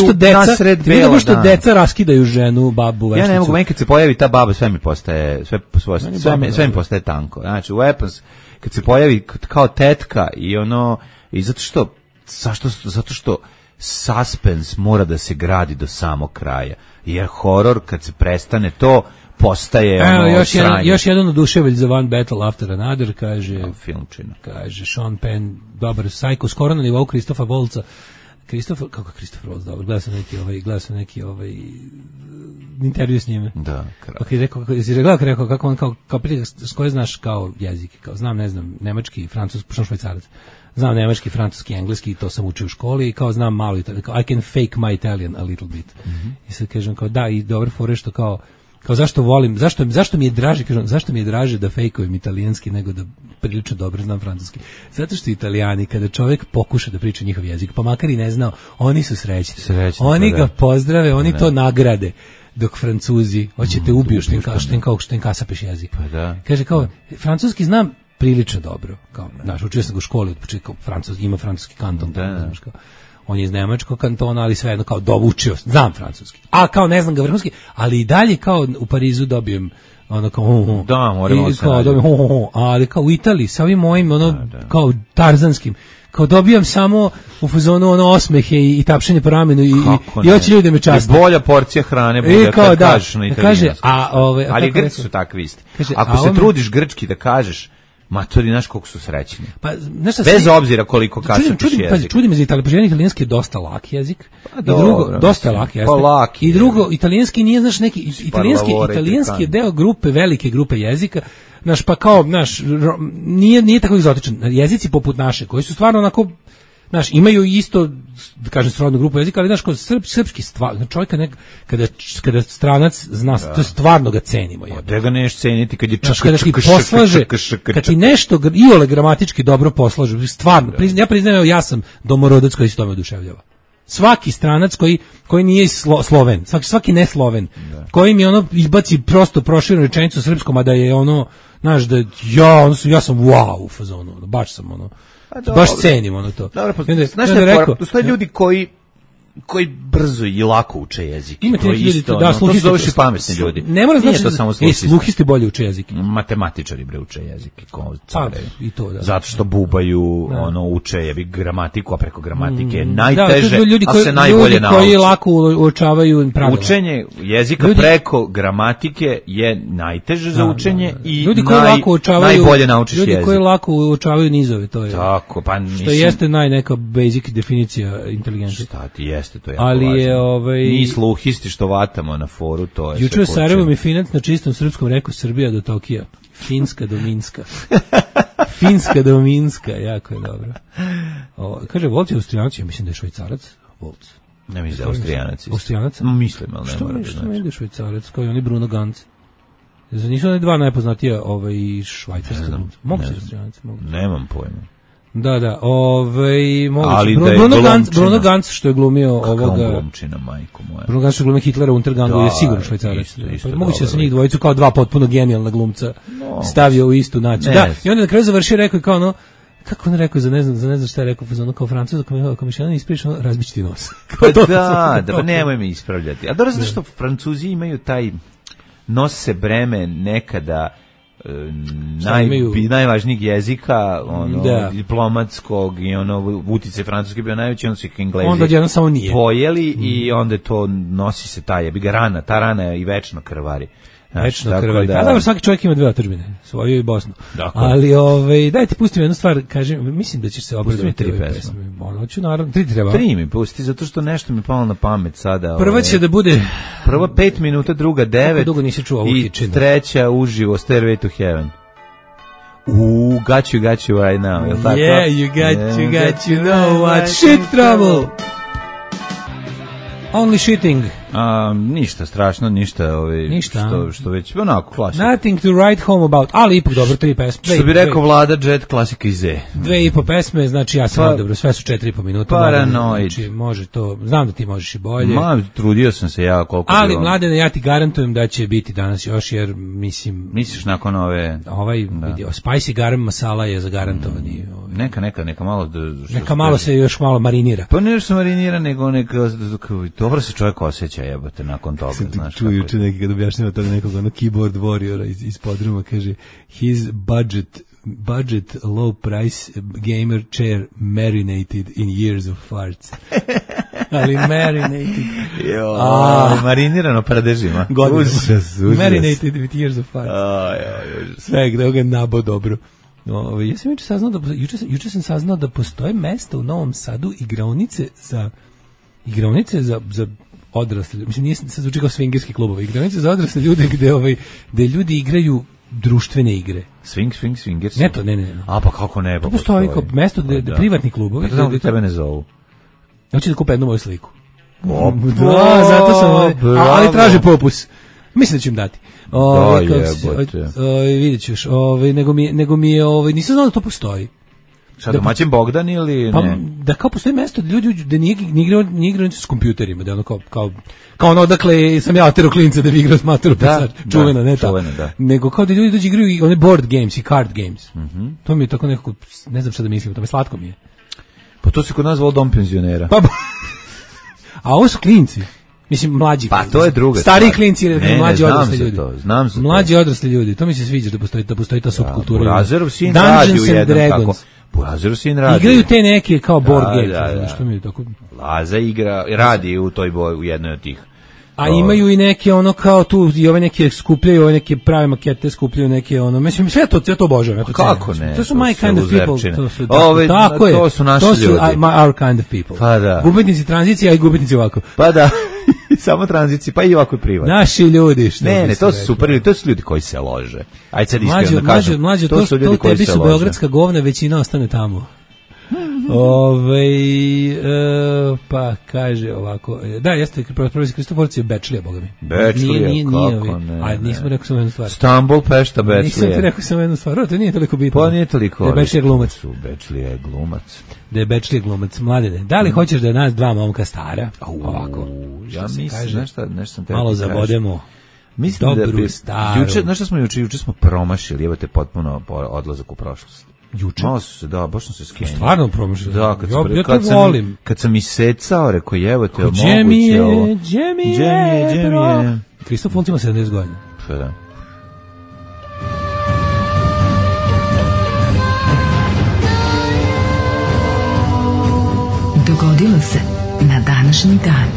Speaker 7: što deca raskidaju ženu, babu, vešticu.
Speaker 6: Ja ne mogu, meni kad se pojavi ta baba sve mi postaje tanko. Znači Weapons kad se pojavi kao tetka i ono i zato što suspens mora da se gradi do samog kraja, jer horor kad se prestane to postaje ono sranje.
Speaker 7: Još jedan oduševalj za One Battle After Another, kaže
Speaker 6: filmčina.
Speaker 7: Kaže Sean Penn, dobar Psycho, skoro na nivou Kristofa Volca. Kako Kristofer Volc, dobro, gledao sam neki intervju s njime.
Speaker 6: Da,
Speaker 7: rekao kako on kao prije, s koje znaš kao jezik, kao znam, ne znam, nemački, francuski, pošto švajcarac. Znam nemački, francuski, engleski, to sam učio u školi i kao znam malo Italijan, kao I can fake my Italian a little bit. I sad kažem kao da, i dobro fore što kao zašto volim, zašto mi je draže, kažem, zašto mi je draže da fejkujem italijanski nego da prilično dobro znam francuski. Zato što Italijani, kada čovjek pokuša da priča njihov jezik, pa makar i ne znao, oni su srećni. Oni ga pozdrave, oni to nagrade. dok Francuzi hoćete ubiju štenka sapeš jezik.
Speaker 6: Pa da.
Speaker 7: Kaže kao, francuski znam prilično dobro, kao, znaš, učio sam ga u školi, kao ima francuski kanton, znaš, kao, on je iz nemačkog kantona, ali svejedno kao učio, znam francuski, a kao ne znam ga vrhunski, ali i dalje kao u Parizu dobijem ono kao
Speaker 6: da, moramo se
Speaker 7: ali kao u Italiji sa ovim mojim kao tarzanskim kao dobijam samo u fazonu osmehe i tapšenje po ramenu i hoće ljudi da me časte.
Speaker 6: Bolja porcija hrane bude kad kažeš na italijanskom. Ali Grci su takvi isti. Ako se trudiš grčki da kažeš, matori, znaš koliko su srećni.
Speaker 7: Pa,
Speaker 6: bez obzira koliko kasapiš jezik.
Speaker 7: Čudim za italijanski je dosta lak jezik. I drugo, dosta lak jezik. I drugo, italijanski nije, znaš, neki, italijanski je deo grupe, velike grupe jezika, znaš, pa kao, znaš, nije tako egzotičan. Jezici poput naše, koji su stvarno onako, znaš, imaju isto, da kažem, srodnu grupu jezika, ali znaš, kao srpski stvar, čovjeka kada stranac zna, to stvarno ga cenimo.
Speaker 6: Da ga neš ceniti kad je
Speaker 7: kad ti nešto iole gramatički dobro poslaže, stvarno, ja priznajem, ja sam domorodac koji se tome oduševljava. Svaki stranac koji nije Sloven, svaki ne Sloven, koji mi izbaci prosto proširenu rečenicu srpskom, a da je znaš, da ja sam wow u fazonu, baš sam baš cenim to.
Speaker 6: Dobro, znaš šta, postoje ljudi koji brzo i lako uče jezik.
Speaker 7: Imate neki ljudi,
Speaker 6: to su zoveš i pametni ljudi.
Speaker 7: Ne mora znači to samo sluhisti bolje uče jezik.
Speaker 6: Matematičari uče jezik.
Speaker 7: I to, da.
Speaker 6: Zato što bubaju, uče gramatiku, a preko gramatike je najteže, a se najbolje nauči.
Speaker 7: Ljudi koji lako uočavaju pravila.
Speaker 6: Učenje jezika preko gramatike je najteže za učenje i najbolje naučiš jezik.
Speaker 7: Ljudi koji lako uočavaju nizove, to je.
Speaker 6: Tako, pa mislim.
Speaker 7: Što jeste neka basic definicija inteligencije.
Speaker 6: Šta ti jeste, to je jako
Speaker 7: ali
Speaker 6: važno.
Speaker 7: Je
Speaker 6: mi sluhisti što vatamo na foru, to je.
Speaker 7: Juče u Sarajevu mi Finac na čistom srpskom rekao Srbija do Tokija. Finska do Minska. Finska do Minska, jako je dobro. Kaže, Volc je Austrijanac, ja mislim da je Švajcarac. Volc.
Speaker 6: Ne mislim da je Austrijanac.
Speaker 7: Austrijanac?
Speaker 6: Mislim, ali ne mora da
Speaker 7: znači. Što mi je Švajcarac, kao i oni Bruno Ganz? Nisu oni dva najpoznatija švajcarska. Mogu se Austrijanac?
Speaker 6: Nemam pojma.
Speaker 7: Da, moguće. Bruno Ganz što je glumio ovoga.
Speaker 6: Glumčina, majko moja.
Speaker 7: Bruno Ganz što je glumio Hitlera u Untergangu je sigurno Švajcarac. Moguće da se njih dvojicu kao dva potpuno genijalna glumca stavio u istu naciju. Da, i onda na kraju završio rekao kao kako on rekao za ne znam šta je rekao, kao Francuz, ako mi še ne ispričaš, razbići ti nos.
Speaker 6: Pa nemoj me ispravljati. A dobro, zato što Francuzi imaju taj nose breme nekada najvažnijeg jezika, diplomatskog i utice francuski bio najveći, onda su ih Englezi pojeli i onda to nosi se ta rana je i večno krvari.
Speaker 7: Večno krvari. Da, svaki čovjek ima dve otadžbine, svoju i Bosnu. Dakle. Ali daj ti pustim jednu stvar, kažem, mislim da ćeš se obradovati ove pesme. Hoću, naravno, 3 treba.
Speaker 6: 3 mi pusti, zato što nešto mi palo na pamet sada.
Speaker 7: Prva će da bude...
Speaker 6: Prva 5 minuta, druga 9.
Speaker 7: Kako dugo nisi čuo ovu kičinu?
Speaker 6: I treća uživo, Stairway to Heaven. Got you right now, je li tako?
Speaker 7: Yeah, you got you know what shit trouble. Only shitting.
Speaker 6: Ništa strašno, ništa što već onako klasika.
Speaker 7: Nothing to write home about, ali ipak dobro, 3 pesme.
Speaker 6: Što bi rekao Vlada, Jet, klasika iz E.
Speaker 7: 2,5 pesme, znači ja sam dobro, sve su 4,5 minuta.
Speaker 6: Paranoid.
Speaker 7: Znači, može to, znam da ti možeš i bolje.
Speaker 6: Trudio sam se ja koliko
Speaker 7: ali bilo. Mladene, ja ti garantujem da će biti danas još, jer mislim...
Speaker 6: Misliš nakon ove...
Speaker 7: Vidio, Spicy Garam Masala je zagarantovani.
Speaker 6: Neka malo...
Speaker 7: Neka malo se još malo marinira.
Speaker 6: Pa ne se marinira, nego dobro se čovjek osjeća, jebote, nakon toga, znaš.
Speaker 7: Čuo juče neki kad objašnjava toga nekog keyboard warriora iz podruma, kaže his budget low price gamer chair marinated in years of farts. Ali marinated.
Speaker 6: Marinirano paradežima.
Speaker 7: Užas. Marinated with years of farts. Sve gde ga nabo dobro. Ja sam juče sam saznao da postoje mesta u Novom Sadu igraonice za odrasle, mislim nije se zvuči kao swingerski klubovi, igranice za odrasle ljude gde ljudi igraju društvene igre.
Speaker 6: Swingers?
Speaker 7: Ne.
Speaker 6: A pa kako ne?
Speaker 7: To postoji kao mesto gde privatni klubovi.
Speaker 6: Pa da tebe ne zovu.
Speaker 7: Hoće da kupe jednu moju sliku. Da, zato sam ali traže popus. Mislim da ću im dati. Vidjet ćeš, nego mi je, nisam znao da to postoji.
Speaker 6: Šta, domaćin Bogdan ili
Speaker 7: pa,
Speaker 6: ne?
Speaker 7: Da kao postoji mesto da ljudi da nije igraju s kompjuterima, da ono kao ono odakle sam ja otero klinca da bi igrao s matoru pesač, čuvena, ne ta. Nego kao da ljudi dođu igraju i one board games i card games. To mi je tako nekako, ne znam šta da mislim, to mi slatko mi je.
Speaker 6: Pa to se kod nas zvalo dom penzionera.
Speaker 7: A ovo su klinci. Mislim, mlađi.
Speaker 6: Pa to je druga.
Speaker 7: Stari klinci ili mlađi odrasli ljudi.
Speaker 6: Znam se.
Speaker 7: Mlađi odrasli ljudi. To mi se sviđa da postoji ta subkultura.
Speaker 6: Burazerov sin radi u jednom tako. Burazerov sin radi.
Speaker 7: Igraju te neke kao board games, što mi je tako.
Speaker 6: Laza igra, radi u toj u jednoj od tih.
Speaker 7: A imaju i neke ono kao tu i ove neke skupljaju, ove neke prave makete skupljaju neke ono. Mislim sve to obožavam.
Speaker 6: Kako ne?
Speaker 7: To su my kind of people.
Speaker 6: To su naši ljudi.
Speaker 7: To su our kind of people.
Speaker 6: Pa da.
Speaker 7: Gubitnici tranzicije, a i gubitnici ovako.
Speaker 6: Pa da. Samo tranzicije, pa i ovako i privatno.
Speaker 7: Naši ljudi, što
Speaker 6: ne, to su super, to su ljudi koji se lože. Ajde sad iskreno da kažem.
Speaker 7: Mlađe, to su ljudi koji se lože. Beogradska govna, većina ostane tamo. Pa kaže ovako, da, jeste profesor Kristoforac je Bečlija, boga mi.
Speaker 6: Bečlija, kako ne.
Speaker 7: A nismo rekao samo jednu stvar.
Speaker 6: Stambol, Pešta, Bečlija.
Speaker 7: Nisam ti rekao samo jednu stvar, to nije toliko bitno.
Speaker 6: Pa nije toliko.
Speaker 7: Da je Bečlija glumac.
Speaker 6: Bečlija je glumac.
Speaker 7: Da je Bečlija glumac, Mladene. Da li hoćeš da nas dva momka stara? Ovako.
Speaker 6: Ja mislim, nešto sam te
Speaker 7: malo zabodemo.
Speaker 6: Mislim dobru, staru. Juče smo promašili, evo te potpuno odlazak u prošlost.
Speaker 7: Juče?
Speaker 6: Malo su se, da, baš sam se skenio.
Speaker 7: Stvarno promašili?
Speaker 6: Da, kad sam isecao, rekao, evo te,
Speaker 7: moguće ovo. Džemije. Kristof Fulc ima 70 godina.
Speaker 6: Pa da.
Speaker 4: Dogodilo se na današnji dan.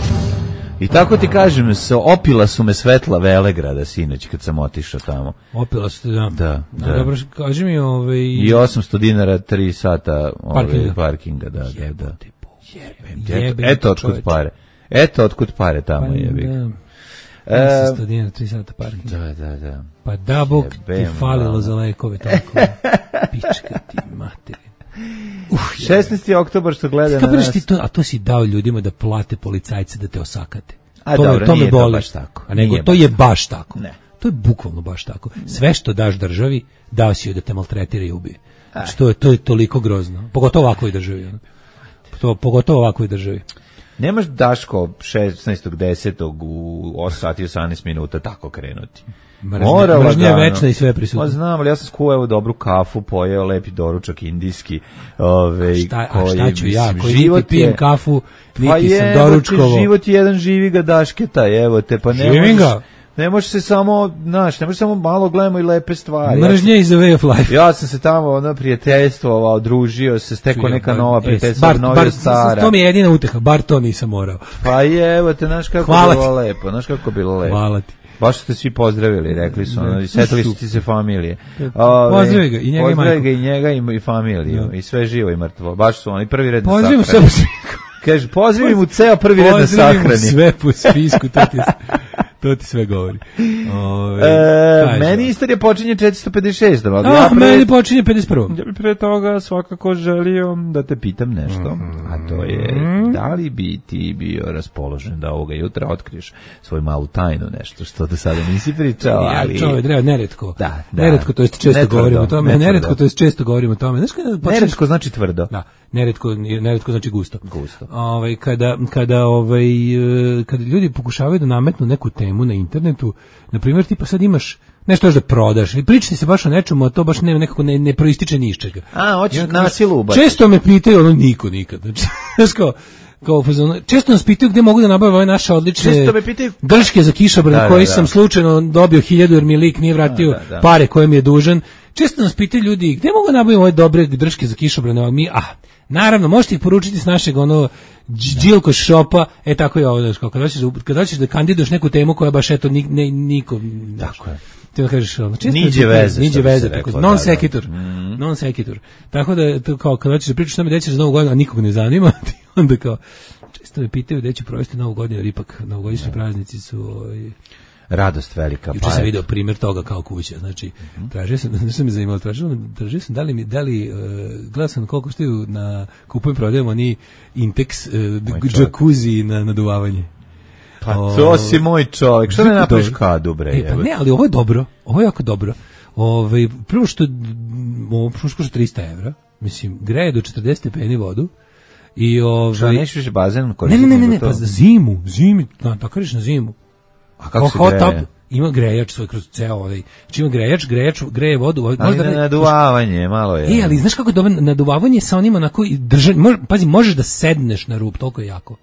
Speaker 6: I tako ti kažem, opila su me svetla Velegrada sinoć kad sam otišao tamo.
Speaker 7: Opila su te, da.
Speaker 6: Da.
Speaker 7: Dobro, kaži mi
Speaker 6: I 800 dinara 3 sata parkinga, da. Eto otkud pare tamo jebi.
Speaker 7: 800 dinara 3 sata parkinga.
Speaker 6: Da.
Speaker 7: Pa da Bog ti falilo za lekove tako. Pička ti materi.
Speaker 6: 16. oktobar što gleda na nas.
Speaker 7: A to si dao ljudima da plate policajce da te osakate.
Speaker 6: To me boli. Baš tako.
Speaker 7: A nego to je baš tako.
Speaker 6: Ne.
Speaker 7: To je bukvalno baš tako. Sve što daš državi, dao si joj da te maltretira i ubije. Znači, to je toliko grozno. Pogotovo ovakvoj državi. Pogotovo ovakvoj državi.
Speaker 6: Nemaš Daško 16.10. u 8 sati 18 minuta tako krenuti.
Speaker 7: Mržnja je večna i sve prisutno.
Speaker 6: Znam, ali ja sam skuo dobru kafu, pojeo lepi doručak indijski.
Speaker 7: Šta ću ja, koji niti pijem kafu, niti sam doručkovo.
Speaker 6: Život je jedan živi ga Dašketa, evo te, pa ne
Speaker 7: živim ga.
Speaker 6: Ne može se samo, malo gledamo i lepe stvari.
Speaker 7: Mržnja is a way of life.
Speaker 6: Ja sam se tamo prijateljstvovao, družio se, stekao neka nova prijateljstva, novija stara.
Speaker 7: To mi je jedina uteha, bar to nisam morao.
Speaker 6: Pa evo te, znaš kako bilo lepo.
Speaker 7: Hvala ti.
Speaker 6: Baš ste svi pozdravili, rekli su, setili su ti se familije.
Speaker 7: Pozdravi ga i njega i majku.
Speaker 6: Pozdravi ga i njega i familiju, i sve živo i mrtvo. Baš su oni prvi red na
Speaker 7: sahrani.
Speaker 6: Pozdravim sve. Kaže, pozdravim mu ceo prvi red na sahrani.
Speaker 7: Pozdravim sve po spisku, to ti sve govori.
Speaker 6: Meni istorija počinje 456.
Speaker 7: Meni počinje 51.
Speaker 6: Ja bih pre toga svakako želio da te pitam nešto, a to je da li bi ti bio raspoložen da ovoga jutra otkriješ svoju malu tajnu, nešto što do sada nisi pričao, ali...
Speaker 7: Neretko. Neretko, to jest često govorimo o tome. Neretko, to jest često govorimo o tome.
Speaker 6: Neretko znači tvrdo.
Speaker 7: Da. Neretko znači gusto. Kada ljudi pokušavaju da nametnu neku temu na internetu, na primjer, tipa sad imaš nešto još da prodaš, i pričati se baš o nečemu, a to baš nekako ne proističe ni iz čega.
Speaker 6: Hoćeš nasilu ubaciti.
Speaker 7: Često me pitaju, niko nikad. Znači, često nas pitaju gde mogu da nabavim ove naše odlične drške za kišobran koji sam slučajno dobio 1000 jer mi lik nije vratio pare koje mi je dužan. Često nas pitaju ljudi gde mogu da nabavim ove dobre drške za kišobran, naravno, možete ih poručiti s našeg Đilko shopa, tako je ovo, kad hoćeš da kandiduješ neku temu koja baš niko...
Speaker 6: Tako je.
Speaker 7: Ti da kažeš,
Speaker 6: niđe veze,
Speaker 7: non sequitur. Tako da, kao, kad hoćeš da pričaš tome gde ćeš za Novu godinu, a nikog ne zanima, onda kao, često me pitaju gde ću provesti Novu godinu, jer ipak novogodišnji praznici su...
Speaker 6: radost velika.
Speaker 7: Juče sam video primjer toga kao kuća, znači tražio sam, nešto me zanimalo, tražio sam da li gledao sam koliko štiju na kupujem prodajem oni Intex džakuzi na naduvavanje.
Speaker 6: Pa to si moj čovjek, što ne napraviš kadu, bre?
Speaker 7: Pa ne, ali ovo je dobro, ovo je jako dobro. Prvo što košta 300 €, Mislim, greje do 40 stepeni vodu i
Speaker 6: Šta, nećeš više bazen koristiti?
Speaker 7: Ne, pa za zimi, tako reći na zimu.
Speaker 6: A kako se greje?
Speaker 7: Ima grejač svoj kroz ceo ovaj. Znači ima grejač greje vodu.
Speaker 6: Ali naduvavanje, malo je.
Speaker 7: Ali znaš kako je dobro naduvavanje sa onim onako pazi, možeš da sedneš na rub, toliko je jako.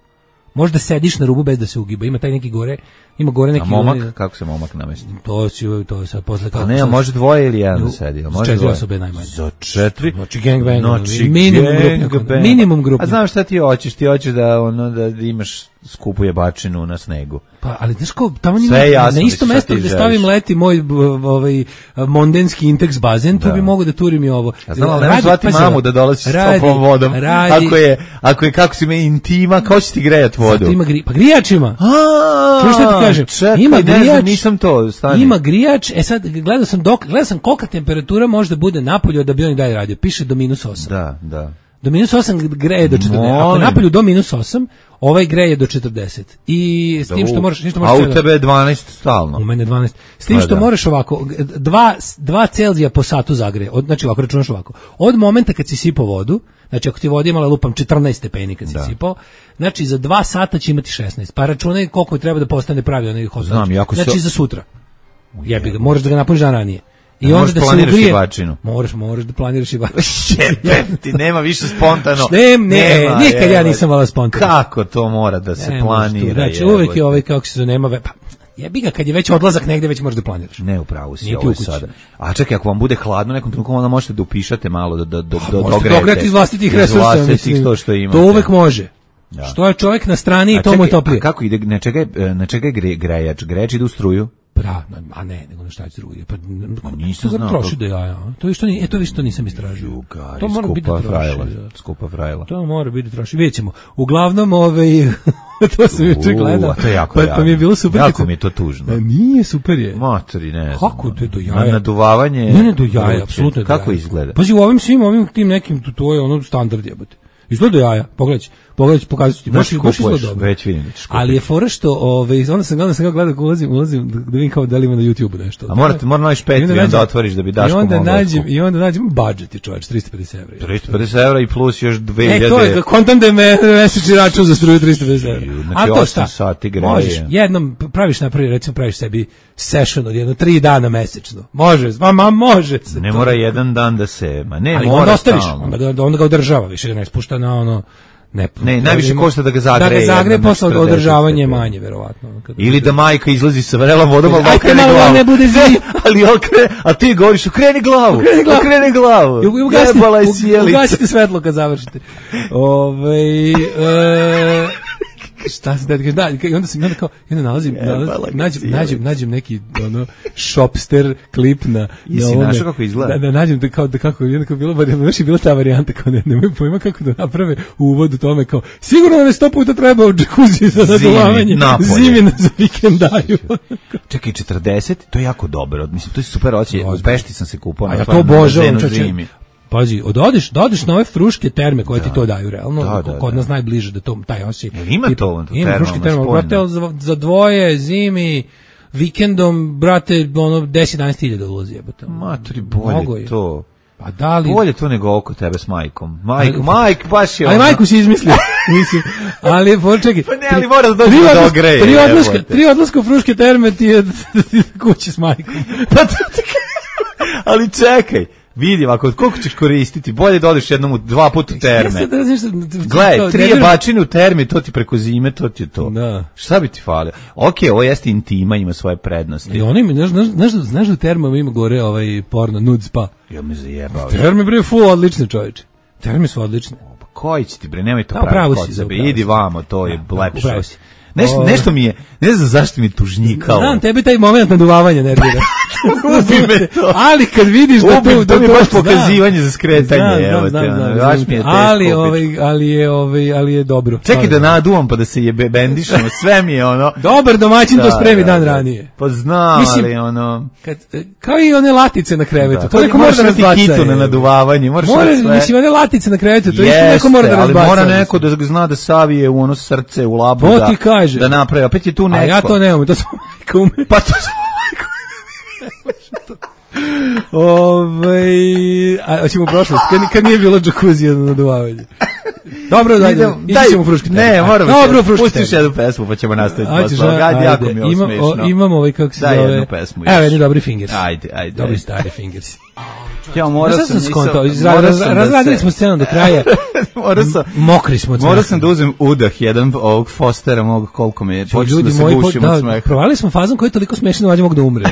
Speaker 7: Možeš da sediš na rubu bez da se ugiba. Ima taj neki gore, neki...
Speaker 6: A momak, kako se momak namesti?
Speaker 7: To je sad posle kako...
Speaker 6: A ne, može dvoje ili jedan da sedi.
Speaker 7: Za 4 osobe najmanje.
Speaker 6: Za 4?
Speaker 7: Znači gangbang.
Speaker 6: Gangbang.
Speaker 7: Minimum grup.
Speaker 6: A znaš šta ti hoćeš? Ti hoćeš da imaš skupu jebačinu na snegu.
Speaker 7: Pa, ali znaš ko, tamo ima na isto mesto gde stavim leti moj mondenski Intex bazen, tu bi mogu da turim i ovo.
Speaker 6: Ja znam, ali nemaš zvati mamu da dolazi s toplom vodom. Ako je kako si me intima, kao će ti grejat vodu?
Speaker 7: Zato ima pa grijač ima. Čuš šta ti kažem? Ima grijač,
Speaker 6: nisam to, stani.
Speaker 7: Ima grijač, sad gledao sam kolika temperatura može da bude napolju da bi on i dalje radio. Piše do -8.
Speaker 6: Da.
Speaker 7: Do -8 greje do 40. Ako napolju do -8, ovaj greje do 40. I s tim što možeš...
Speaker 6: A u tebe je 12 stalno.
Speaker 7: U mene je 12. S tim što moraš ovako, 2 Celzija po satu zagreje. Znači ovako, računaš ovako. Od momenta kad si sipao vodu, znači ako ti voda imala lupam 14 stepeni kad si sipao, znači za 2 sata će imati 16. Pa računaj koliko treba da postane pravi onaj hot. Znači za sutra. Jebi ga, moraš da ga napuniš dan ranije. I onda da se ugrije. Moraš da planiraš i bačinu.
Speaker 6: Ti nema više spontano.
Speaker 7: Nikad ja nisam vala spontano.
Speaker 6: Kako to mora da se planira?
Speaker 7: Znači uvek je ovaj kako se nema pa jebi ga kad je već odlazak negde već možeš da planiraš.
Speaker 6: Ne, upravo si ovo sada. A čekaj, ako vam bude hladno nekom trenutku onda možete da upišate malo da dogrejete
Speaker 7: iz vlastitih resursa,
Speaker 6: mislim.
Speaker 7: To uvek može. Što je čovjek na strani i to mu je toplije.
Speaker 6: Kako ide, na čega je grejač? Grejač ide u struju?
Speaker 7: A ne, nego na šta je struju. Pa
Speaker 6: nisam znao.
Speaker 7: Troši do jaja. To vi što nisam istražio.
Speaker 6: To mora biti troši. Skupa frajla.
Speaker 7: To mora biti troši. Vidjet ćemo. Uglavnom, to sam juče gledao.
Speaker 6: To je jako
Speaker 7: pa mi je bilo super.
Speaker 6: Jako mi je to tužno.
Speaker 7: Nije, super je.
Speaker 6: Matori, ne znam.
Speaker 7: Kako to je do jaja?
Speaker 6: Naduvavanje.
Speaker 7: Ne, do jaja, apsolutno.
Speaker 6: Kako izgleda?
Speaker 7: Pazi, u ovim tim nekim, to je ono standard jebote. Izgleda do jaja, pogledaj, pokazat ću ti.
Speaker 6: Baš već vidim da ćeš kupiti.
Speaker 7: Ali je fora što, onda sam gledao kako ulazim da vidim kao da li ima na YouTube nešto.
Speaker 6: A mora naći Patreon da otvoriš da bi Daško mogao.
Speaker 7: I onda nađem budžet je čovječ, 350 €.
Speaker 6: 350 € i plus još 2000.
Speaker 7: To je, kontam da je mesečni račun za struju 350 €.
Speaker 6: Znači 8 sati greje.
Speaker 7: Možeš, jednom praviš sebi session od 3 dana mesečno. Može se.
Speaker 6: Ne mora jedan dan da se,
Speaker 7: ali onda ostaviš, onda ga održava, više ga ne spušta na ono.
Speaker 6: Ne, najviše košta da ga zagreje.
Speaker 7: Da ga zagreje posle održavanje manje, verovatno.
Speaker 6: Ili da majka izlazi sa vrelom vodom, ali okrene glavu.
Speaker 7: Ne bude
Speaker 6: ali a ti govoriš, okreni glavu.
Speaker 7: Ugasite svetlo kad završite. Šta se da i onda sam nađem neki shopster klip na
Speaker 6: ovome. Kako izgleda?
Speaker 7: Da nađem kako je bila ta varijanta kao nemoj pojma kako da naprave u uvodu tome kao sigurno nam je 100 puta treba u džakuzi za naduvavanje zimi za vikendaju.
Speaker 6: Čekaj, 40, to je jako dobro. Mislim, to je super osjećaj. U Pešti sam se kupao.
Speaker 7: A ja to obožavam. Pazi, odeš na ove fruške terme koje ti to daju realno, kod nas najbliže da to taj osjećaj.
Speaker 6: Ima to
Speaker 7: ima fruške terme, brate, za dvoje zimi vikendom, brate, 10-11 000 ulazi, jebote.
Speaker 6: Matri, bolje to.
Speaker 7: Pa da li...
Speaker 6: Bolje to nego oko tebe s majkom. Majk baš je ono.
Speaker 7: Ali majku si izmislio. Mislim, ali počekaj.
Speaker 6: Pa ne, ali mora da dođe do ogreje.
Speaker 7: Tri odlaska u fruške terme ti je kući s majkom.
Speaker 6: Ali čekaj. Vidim, koliko ćeš koristiti, bolje da odeš 2 puta u terme. Gledaj, 3 jebačine u termi, to ti preko zime, to ti je to.
Speaker 7: Da.
Speaker 6: Šta bi ti falio? Okej, ovo jeste intima, ima svoje prednosti.
Speaker 7: I oni, znaš da u termama ima gore porno, nude spa?
Speaker 6: Ja me zajebao.
Speaker 7: Terme, bre, odlične čovječe. Terme su odlične.
Speaker 6: Koji će ti, bre, nemoj to pravi kod sebe. Idi vamo, to je lepše. Nešto mi je, ne znam zašto mi je tužnjikalo.
Speaker 7: Znam, tebi taj moment naduvavanja nervira. Ali kad vidiš da
Speaker 6: to mi je baš pokazivanje za skretanje.
Speaker 7: Ali je dobro.
Speaker 6: Čekaj da naduvam pa da se jebe bendišemo, sve mi je ono.
Speaker 7: Dobar domaćin to spremi dan ranije.
Speaker 6: Pa znam, ali ono.
Speaker 7: Kao i one latice na krevetu.
Speaker 6: To neko mora da razbaca. Kitu na naduvavanje, moraš sve.
Speaker 7: Mislim, one latice na krevetu, to isto neko mora da razbaca.
Speaker 6: Ali mora neko da zna da savije u ono srce, u labu, da napravi. Opet je tu neko.
Speaker 7: A ja to nemam, to sam majka ume.
Speaker 6: Pa to sam
Speaker 7: A hoćemo u prošlost, kad nije bilo džakuzija za naduvavanje. Dobro, daj, ćemo fruškati.
Speaker 6: Ne, moramo. Dobro, pustiš jednu pesmu, pa ćemo nastaviti posle toga. Ajde, jako mi je ovo smešno.
Speaker 7: Imamo kako se zove.
Speaker 6: Daj jednu pesmu.
Speaker 7: Evo, jedni dobri fingers.
Speaker 6: Ajde.
Speaker 7: Dobri stari fingers.
Speaker 6: Ja morao sam
Speaker 7: razradili smo scenu do kraja. Mokri smo.
Speaker 6: Morao sam da uzem udah jedan ovog Fostera mog, koliko mi je počeo da se gušim od smeha.
Speaker 7: Provali smo fazom koji je toliko smešan da mlađe mogu da umre.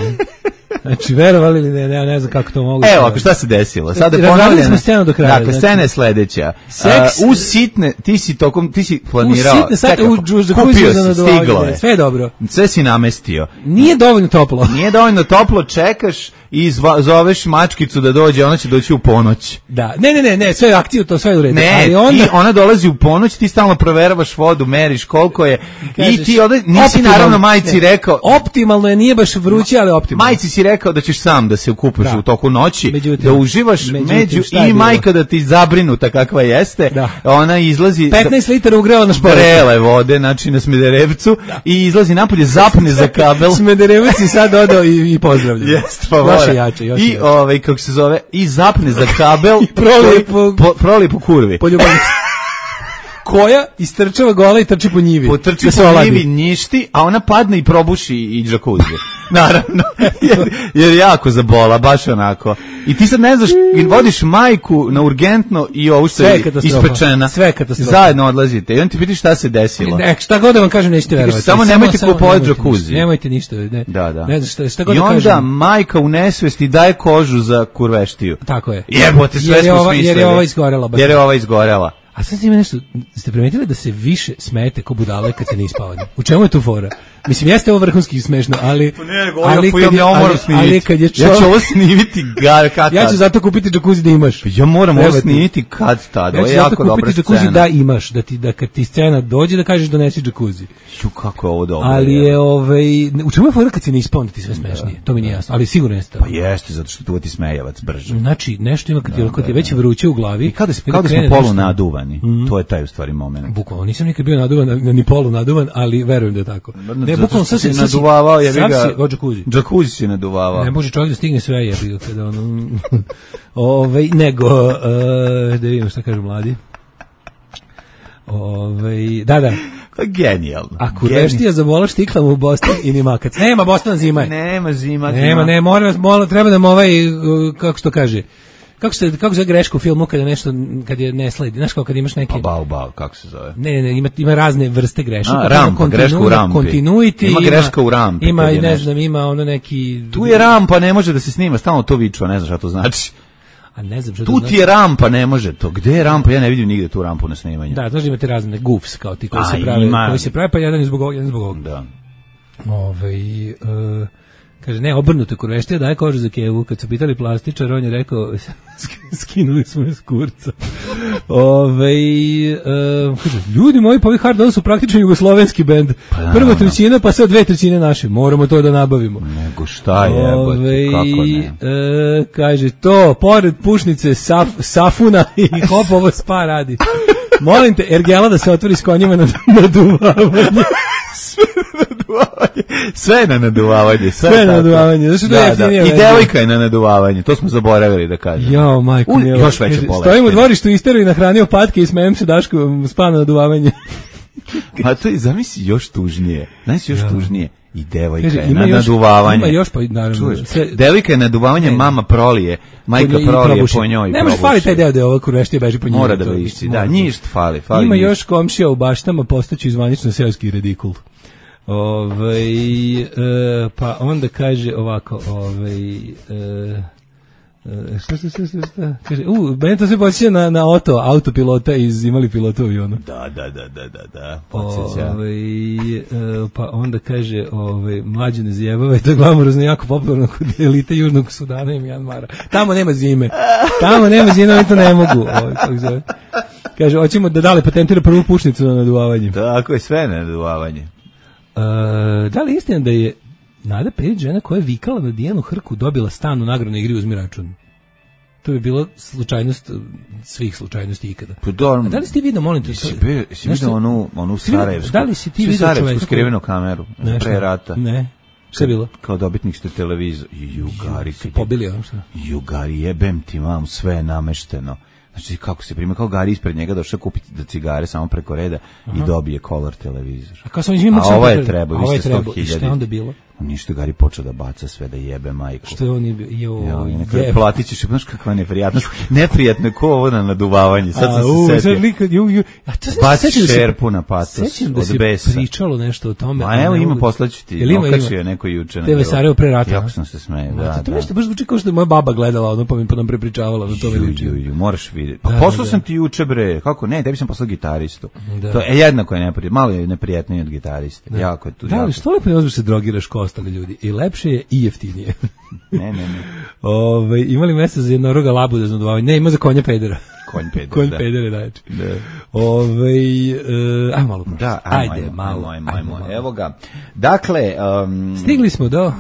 Speaker 7: Znači, verovali li ne znam kako to mogu.
Speaker 6: Evo, ako šta se desilo? Sada je
Speaker 7: ponovljena scena do kraja.
Speaker 6: Dakle, scena je sledeća. Uz sitne, ti si planirao.
Speaker 7: Uz sitne sate,
Speaker 6: kupio si, stiglo je.
Speaker 7: Sve je dobro.
Speaker 6: Sve si namestio.
Speaker 7: Nije dovoljno toplo.
Speaker 6: Nije dovoljno toplo, čekaš i zoveš mačkicu da dođe, ona će doći u ponoć.
Speaker 7: Da, ne, sve akciju, to sve je u redu.
Speaker 6: Ne, ona dolazi u ponoć, ti stalno proveravaš vodu, meriš koliko je, i ti nisi naravno majici rekao.
Speaker 7: Optimalno je, nije baš vruće, ali optimalno.
Speaker 6: Majici si rekao da ćeš sam da se ukupaš u toku noći, da uživaš među i majka da ti zabrinuta kakva jeste, ona izlazi
Speaker 7: 15 litara ugrela na šporetu.
Speaker 6: Vrele vode, znači na Smederevcu, i izlazi napolje, zapne za kabel.
Speaker 7: Smederevac i sad odao i pozdravlja.
Speaker 6: Jeste, pa
Speaker 7: jače.
Speaker 6: I kako se zove, i zapne za kabel
Speaker 7: i
Speaker 6: proli po kurvi.
Speaker 7: Po ljubavnici. Koja istrčava gola i trči po njivi.
Speaker 6: Potrči po njivi, njišti, a ona padne i probuši i džakuzi. Naravno, jer jako zabola, baš onako. I ti sad ne znaš, vodiš majku na urgentno i ovu što je ispečena.
Speaker 7: Sve katastrofa.
Speaker 6: Zajedno odlazite i on ti piti šta se desilo.
Speaker 7: Šta god da vam kažem, nećete verovati.
Speaker 6: Samo nemojte kupovati džakuzi.
Speaker 7: Nemojte ništa.
Speaker 6: Da.
Speaker 7: Šta god
Speaker 6: i
Speaker 7: da kažem.
Speaker 6: I onda majka u nesvesti daje kožu za kurveštiju.
Speaker 7: Tako je.
Speaker 6: Jebote, sve smo smislili.
Speaker 7: Jer
Speaker 6: je ova izgorela.
Speaker 7: A sad ima nešto, ste primetili da se više smete ko budale kad se ne ispavani? U čemu je tu fora? Mislim, jeste ovo vrhunski smešno, ali kad je
Speaker 6: ja ću ovo snimiti kad
Speaker 7: ja ću zato kupiti džakuzi da imaš.
Speaker 6: Ja moram ovo snimiti kad tad.
Speaker 7: Ja ću zato kupiti džakuzi da imaš, da kad ti scena dođe da kažeš donesi džakuzi.
Speaker 6: Kako je ovo dobro.
Speaker 7: Ali je u čemu je fora kad se ne ispavani ti sve smešnije? To mi nije jasno, ali sigurno jeste.
Speaker 6: Pa jeste, zato što tu ti smejavac brže.
Speaker 7: Znači, nešto ima kad ti je već vruće u glavi.
Speaker 6: I kada smo polu naduvani, to je taj u stvari moment.
Speaker 7: Bukvalno, nisam nikad bio naduvan, ni polu naduvan, ali verujem da je tako.
Speaker 6: Bukvalno sad se naduvavao, je ga
Speaker 7: džakuzi
Speaker 6: se naduvavao.
Speaker 7: Ne može čovjek da stigne sve, je ga kada ono nego da vidimo šta kažu mladi. Da.
Speaker 6: Genijalno.
Speaker 7: Ako reštija zavola štiklama u Boston i ni makac. Nema Boston zima.
Speaker 6: Nema zima.
Speaker 7: Ne, moram treba nam kako što kaže. Kako se greška u filmu kad je ne sledi, znaš kad imaš neke
Speaker 6: kako se zove?
Speaker 7: Ne, ima razne vrste grešaka.
Speaker 6: Greška u rampi.
Speaker 7: Continuity,
Speaker 6: ima greška u rampi.
Speaker 7: Ima ima ono neki.
Speaker 6: Tu je rampa, ne može da se snima, stalno to viču, ne znaš šta to znači.
Speaker 7: A ne znam što
Speaker 6: tu ti je rampa, ne može to. Gde je rampa? Ja ne vidim nigde tu rampu na snimanju.
Speaker 7: Da, znači imate razne goofs kao ti koji se prave, pa jedan zbog ovog.
Speaker 6: Da.
Speaker 7: Kaže, ne, obrnuto kurveštija daje kožu za kevu. Kad su pitali plastičar, on je rekao, skinuli smo je s kurca. Kaže, ljudi moji, pa ovi Hard On su praktično jugoslovenski bend. Prva trećina, pa sad 2/3 naše. Moramo to da nabavimo.
Speaker 6: Nego šta je, kako ne?
Speaker 7: Kaže, to, pored pušnice Safuna i Hopovo spa radi. Molim te, ergela da se otvori s konjima na naduvavanje.
Speaker 6: Sve na naduvavanje.
Speaker 7: I
Speaker 6: devojka je na naduvavanje. To smo zaboravili da kažem.
Speaker 7: Jao, majko milo.
Speaker 6: Još veće bolesti.
Speaker 7: Stojim u dvorištu, isterao i nahranio patke i smejem se Daško spa na naduvavanje.
Speaker 6: A to je, zamisli, još tužnije. Tužnije. I devojka je na naduvavanje.
Speaker 7: Ima još, pa naravno.
Speaker 6: Devojka je naduvavanje, mama prolije, majka prolije po njoj.
Speaker 7: Ne može fali taj deo da je ova kurveštija beži po njoj.
Speaker 6: Mora da višci, da, njih fali.
Speaker 7: Ima još komšija u baštama, postaću zvanično seoski redikul. Pa onda kaže ovako, šta? Kaže, meni to sve podsjeća na autopilota iz Imali pilota u avionu.
Speaker 6: Da, podsjeća.
Speaker 7: Pa onda kaže, mlađe ne zjebave, to je glamurozno jako popularno kod elite Južnog Sudana i Mjanmara. Tamo nema zime, oni to ne mogu. Kaže, hoćemo da dale patentira prvu pušnicu na naduvavanje.
Speaker 6: Tako je, sve na naduvavanje.
Speaker 7: Da li istina da je Nada Perić žena koja je vikala na Dijanu Hrku dobila stan u nagradnoj igri Uzmi račun? To bi bila slučajnost svih slučajnosti ikada. A da li si ti vidio, molim te?
Speaker 6: Si vidio onu Sarajevsku?
Speaker 7: Da li si ti vidio čoveka?
Speaker 6: Skrivenu kameru pre rata?
Speaker 7: Ne. Šta je bilo?
Speaker 6: Kao dobitnik ste televizor. Jugari.
Speaker 7: Pobili on šta?
Speaker 6: Jugari, jebem ti mam, sve je namešteno. Znači, kako se prima, kao Gari ispred njega došao kupiti da cigare samo preko reda i dobije color televizor.
Speaker 7: A kao sam izmimo
Speaker 6: a ovo je treba, vi ste 100.000.
Speaker 7: I šta je onda bilo?
Speaker 6: Ništa, Gari počeo da baca sve, da jebe majku.
Speaker 7: Što je on
Speaker 6: jebe? Platit ćeš, znaš kakva neprijatnost. Neprijatno je ko ovo na naduvavanje. Sad sam se setio. Baci šerpu na patos od besa.
Speaker 7: Sećam da se pričalo nešto o tome.
Speaker 6: Ma evo ima, poslaću ti. Okačio je neko juče.
Speaker 7: TV Sarajevo pre rata.
Speaker 6: Jako sam se smejao, da.
Speaker 7: To nešto baš zvuči kao što je moja baba gledala, ono pa mi nam prepričavala na tome liči.
Speaker 6: Moraš vidjeti. Pa poslao sam ti juče, bre. Kako? Ne, tebi sam poslao gitaristu. To je jednako je neprijatno. Malo je neprijatnije od gitariste. Jako je tu.
Speaker 7: Da, ali što lepo je se drogiraš kao ostali ljudi. I lepše je i jeftinije.
Speaker 6: Ne.
Speaker 7: Imali mesta za jednoroga labu da znaduvavaju. Ne, ima za konja pedera. Konj pedere, znači. Ajmo malo prošlo.
Speaker 6: Da, ajde, malo. Evo ga. Dakle,
Speaker 7: stigli smo do...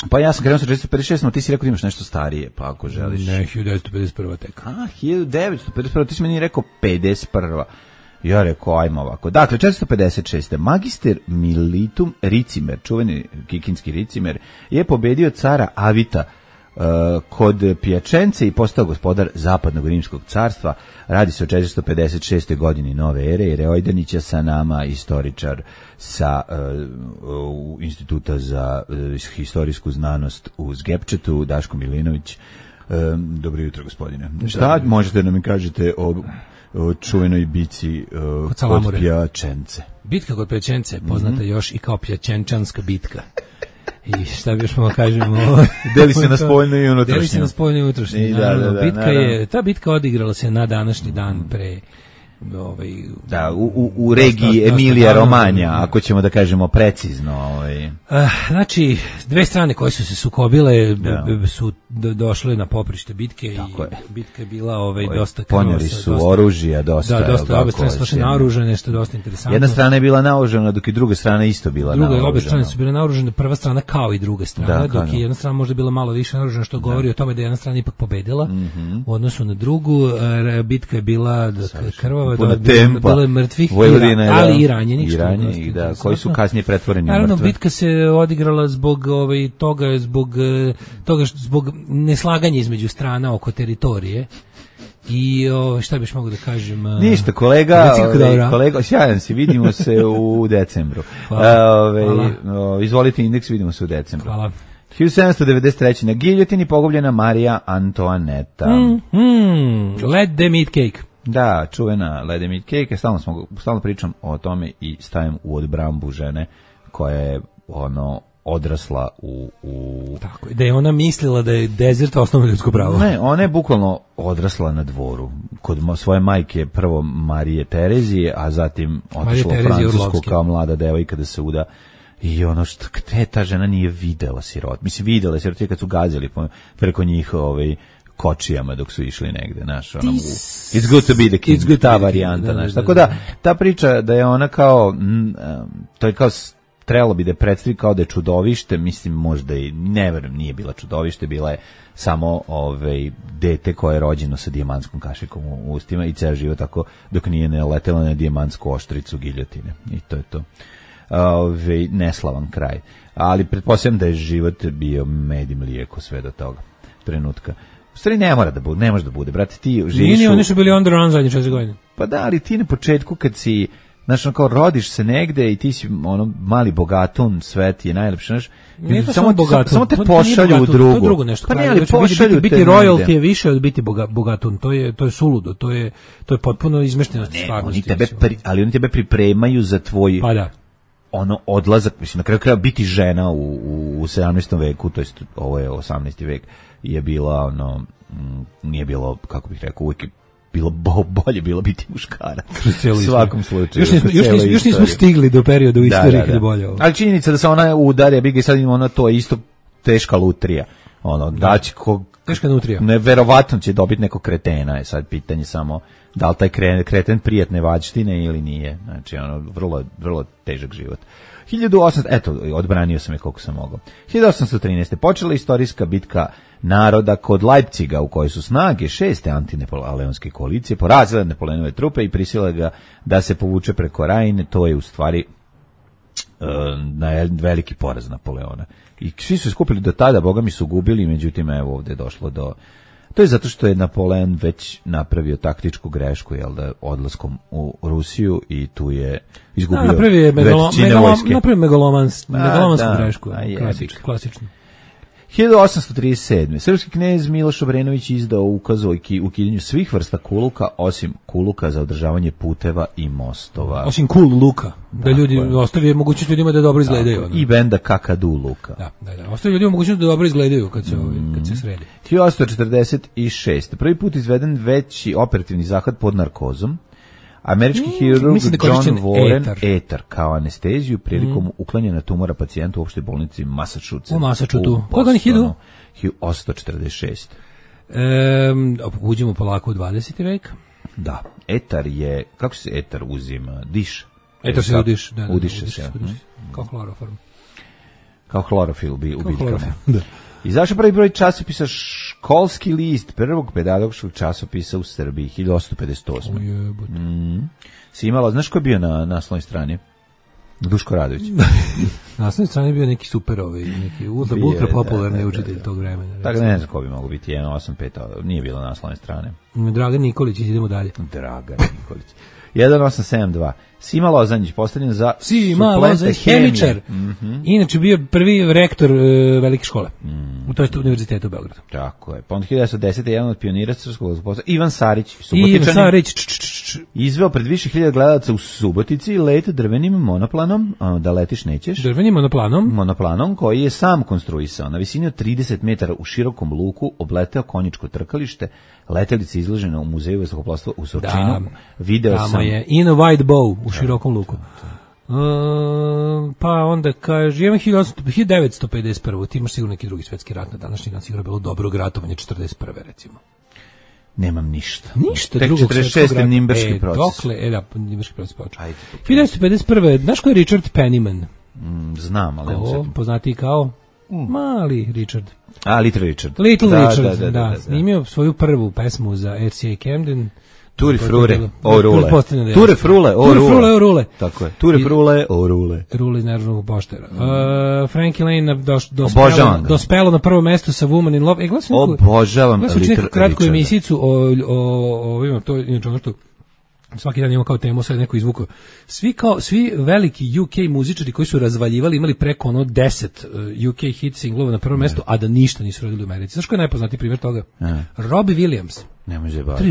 Speaker 6: Pa ja sam krenuo sa 1956, ti si rekao da imaš nešto starije, pa ako želiš.
Speaker 7: Ne, 1951. tek.
Speaker 6: 1951, ti si meni rekao 51. Ja rekao, ajmo ovako. Dakle, 456. Magister Militum Ricimer, čuveni kikinski Ricimer, je pobedio cara Avita kod Pjačence i postao gospodar zapadnog rimskog carstva. Radi se o 456. godini nove ere, jer je Ojdanića sa nama istoričar sa Instituta za historijsku znanost u Zgepčetu, Daško Milinović. Dobro jutro, gospodine. Šta možete da mi kažete o čuvenoj bici kod Pjačence?
Speaker 7: Bitka kod Pjačence, poznata još i kao Pjačenčanska bitka. I šta bi još malo kažemo?
Speaker 6: Deli se na spoljno i unutrašnje.
Speaker 7: Deli se na spoljno i unutrašnje. Ta bitka odigrala se na današnji dan pre...
Speaker 6: u regiji Emilija Romanja, ako ćemo da kažemo precizno.
Speaker 7: Znači, dve strane koje su se sukobile su došle na poprište bitke i bitka je bila dosta krvava.
Speaker 6: Ponijeli su oružja, dosta.
Speaker 7: Da, dosta, obe strane su došle naoružene, što je dosta interesantno.
Speaker 6: Jedna strana je bila naoružena, dok i druga strana isto bila naoružena.
Speaker 7: Obe strane su bile naoružene, prva strana kao i druga strana, dok je jedna strana možda bila malo više naoružena, što govori o tome da je jedna strana ipak pobedila u odnosu na drugu. Bitka je bila krvava,
Speaker 6: puno tempa,
Speaker 7: bilo je mrtvih, ali i ranjenih,
Speaker 6: koji su kasnije pretvoreni u mrtve.
Speaker 7: Naravno, bitka se odigrala zbog zbog neslaganja između strana oko teritorije. I šta biš mogu da kažem?
Speaker 6: Ništa, kolega, sjajan si, vidimo se u decembru. Izvolite indeks, vidimo se u decembru.
Speaker 7: Hvala.
Speaker 6: 1793. na giljotini pogubljena Marija Antoaneta.
Speaker 7: Let them eat cake.
Speaker 6: Da, čuvena Let them eat cake. Stalno pričam o tome i stavim u odbrambu žene koja je odrasla u...
Speaker 7: Tako, da je ona mislila da je desert osnovno ljudsko pravo.
Speaker 6: Ne, ona je bukvalno odrasla na dvoru. Kod svoje majke, prvo Marije Terezije, a zatim otišla u Francusku kao mlada devojka da se uda. I što ta žena nije videla sirot. Mislim, videla sirot kad su gazili preko njih kočijama dok su išli negde, znaš, it's good to be the king, ta varijanta, znaš. Tako da, ta priča da je ona kao, to je kao, trebalo bi da predstavi kao da je čudovište, mislim, možda i, ne verujem, nije bila čudovište, bila je samo dete koje je rođeno sa dijamantskom kašikom u ustima i ceo život tako dok nije naletela na dijamantsku oštricu giljotine. I to je to. Neslavan kraj. Ali pretpostavljam da je život bio med i mlijeko sve do toga trenutka. U stvari ne mora da bude, ne može da bude, brate, ti živiš...
Speaker 7: Nije, oni su bili on the run zadnje 4 godine.
Speaker 6: Pa da, ali ti na početku kad si, znaš, kao rodiš se negde i ti si mali bogatun, sve ti je najlepše, znaš...
Speaker 7: Nije to samo bogatun.
Speaker 6: Samo te pošalju u drugu.
Speaker 7: To je drugo nešto.
Speaker 6: Pa nije, ali pošalju te...
Speaker 7: Biti royalty je više od biti bogatun, to je suludo, to je potpuno izmešteno stvarnosti.
Speaker 6: Ali oni tebe pripremaju za tvoj...
Speaker 7: Pa da.
Speaker 6: Odlazak, mislim, na kraju kraja biti žena u 17. veku, to jest ovo je 18. vek, je bila nije bilo, kako bih rekao, uvijek bilo bolje bilo biti muškarac. U svakom slučaju.
Speaker 7: Još nismo stigli do perioda u istoriji kada je bolje ovo.
Speaker 6: Ali činjenica da se ona udarja, biga i sad ima to je isto teška lutrija.
Speaker 7: Teška nutrija.
Speaker 6: Neverovatno će dobiti neko kretena, je sad pitanje samo da li taj kreten prijatne vađštine ili nije. Znači, vrlo, vrlo težak život. 1800, eto, odbranio sam je koliko sam mogao. 1813. počela istorijska bitka naroda kod Leipciga u kojoj su snage 6. antinepoleonske koalicije porazile Napoleonove trupe i prisile ga da se povuče preko Rajne. To je u stvari veliki poraz Napoleona. I svi su skupili do tada, boga mi su gubili, međutim, evo ovde je došlo do... To je zato što je Napoleon već napravio taktičku grešku, jel da, odlaskom u Rusiju i tu je izgubio većine vojske.
Speaker 7: Napravio megalomansku grešku, klasično.
Speaker 6: 1837. Srpski knez Miloš Obrenović izdao ukaz o ukidanju svih vrsta kuluka, osim kuluka za održavanje puteva i mostova.
Speaker 7: Osim cool luka, da ljudi ostavi mogućnost ljudima da dobro izgledaju.
Speaker 6: I benda Kakadu luka.
Speaker 7: Da. Ostavi ljudima mogućnost da dobro izgledaju kad se sredi.
Speaker 6: 1846. Prvi put izveden veći operativni zahvat pod narkozom. Američki hirurg John Warren etar kao anesteziju prilikom uklanjanja tumora pacijentu u opštoj bolnici Massachusetts.
Speaker 7: U Massachusettsu. Koga ni hidu?
Speaker 6: 1846.
Speaker 7: Uđemo polako u 20. vek.
Speaker 6: Da. Etar je, kako se etar uzima? Diš.
Speaker 7: Etar se udiš.
Speaker 6: Udiše se.
Speaker 7: Kao hloroform.
Speaker 6: Kao hlorofil u biljkama. Da. Izašao prvi broj časopisa Školski list, prvog pedagoškog časopisa u Srbiji, 1858. Si imala, znaš ko je bio na naslovnoj strani? Duško Radović.
Speaker 7: Na naslovnoj strani je bio neki super, neki ultra popularni učitelj tog vremena.
Speaker 6: Tako da ne znam ko bi mogo biti, 185, nije bilo na naslovnoj strane.
Speaker 7: Dragan Nikolić, idemo dalje.
Speaker 6: Dragan Nikolić. 1872. Sima Lozanjić, postavljen za
Speaker 7: suplente hemičar. Inače bio prvi rektor velike škole. U toj univerzitetu u Beogradu.
Speaker 6: Tako je. Pa onda 1910. jedan od pionira srpskog posla, Ivan Sarić, Subotičanin, izveo pred više hiljada gledalaca u Subotici let drvenim monoplanom, da letiš nećeš.
Speaker 7: Drvenim
Speaker 6: monoplanom koji je sam konstruisao. Na visini od 30 metara u širokom luku obleteo konjičko trkalište. Letelica izložena u muzeju vazduhoplovstva u Surčinu. Video sam
Speaker 7: je In a White Bow u širokom luku. Pa onda kaže, imam 1951. Ti imaš sigurno neki drugi svetski rat na današnji dan, sigurno bilo dobro ratovanje 41. recimo.
Speaker 6: Nemam ništa.
Speaker 7: Tek
Speaker 6: 46. Nimberški proces.
Speaker 7: Dokle, Nimberški proces počeo. 1951. Znaš ko je Richard Penniman?
Speaker 6: Znam, ali
Speaker 7: poznatiji kao Mali Richard.
Speaker 6: Little Richard.
Speaker 7: Da. Snimio svoju prvu pesmu za RCA Camden.
Speaker 6: Ture frure o rule. Ture frule o rule. Tako je. Ture frule o rule.
Speaker 7: Rule iz Narodnog poštera. Frankie Lane dospelo na prvo mesto sa Woman in Love.
Speaker 6: Obožavam
Speaker 7: Little Richarda. Kratku emisijicu o to inače ono što svaki dan imamo kao temu, sad neko izvukao. Svi veliki UK muzičari koji su razvaljivali, imali preko 10 UK hit singlova na prvom mestu, a da ništa nisu radili u Americi. Znaš ko je najpoznatiji primjer toga? Robbie Williams.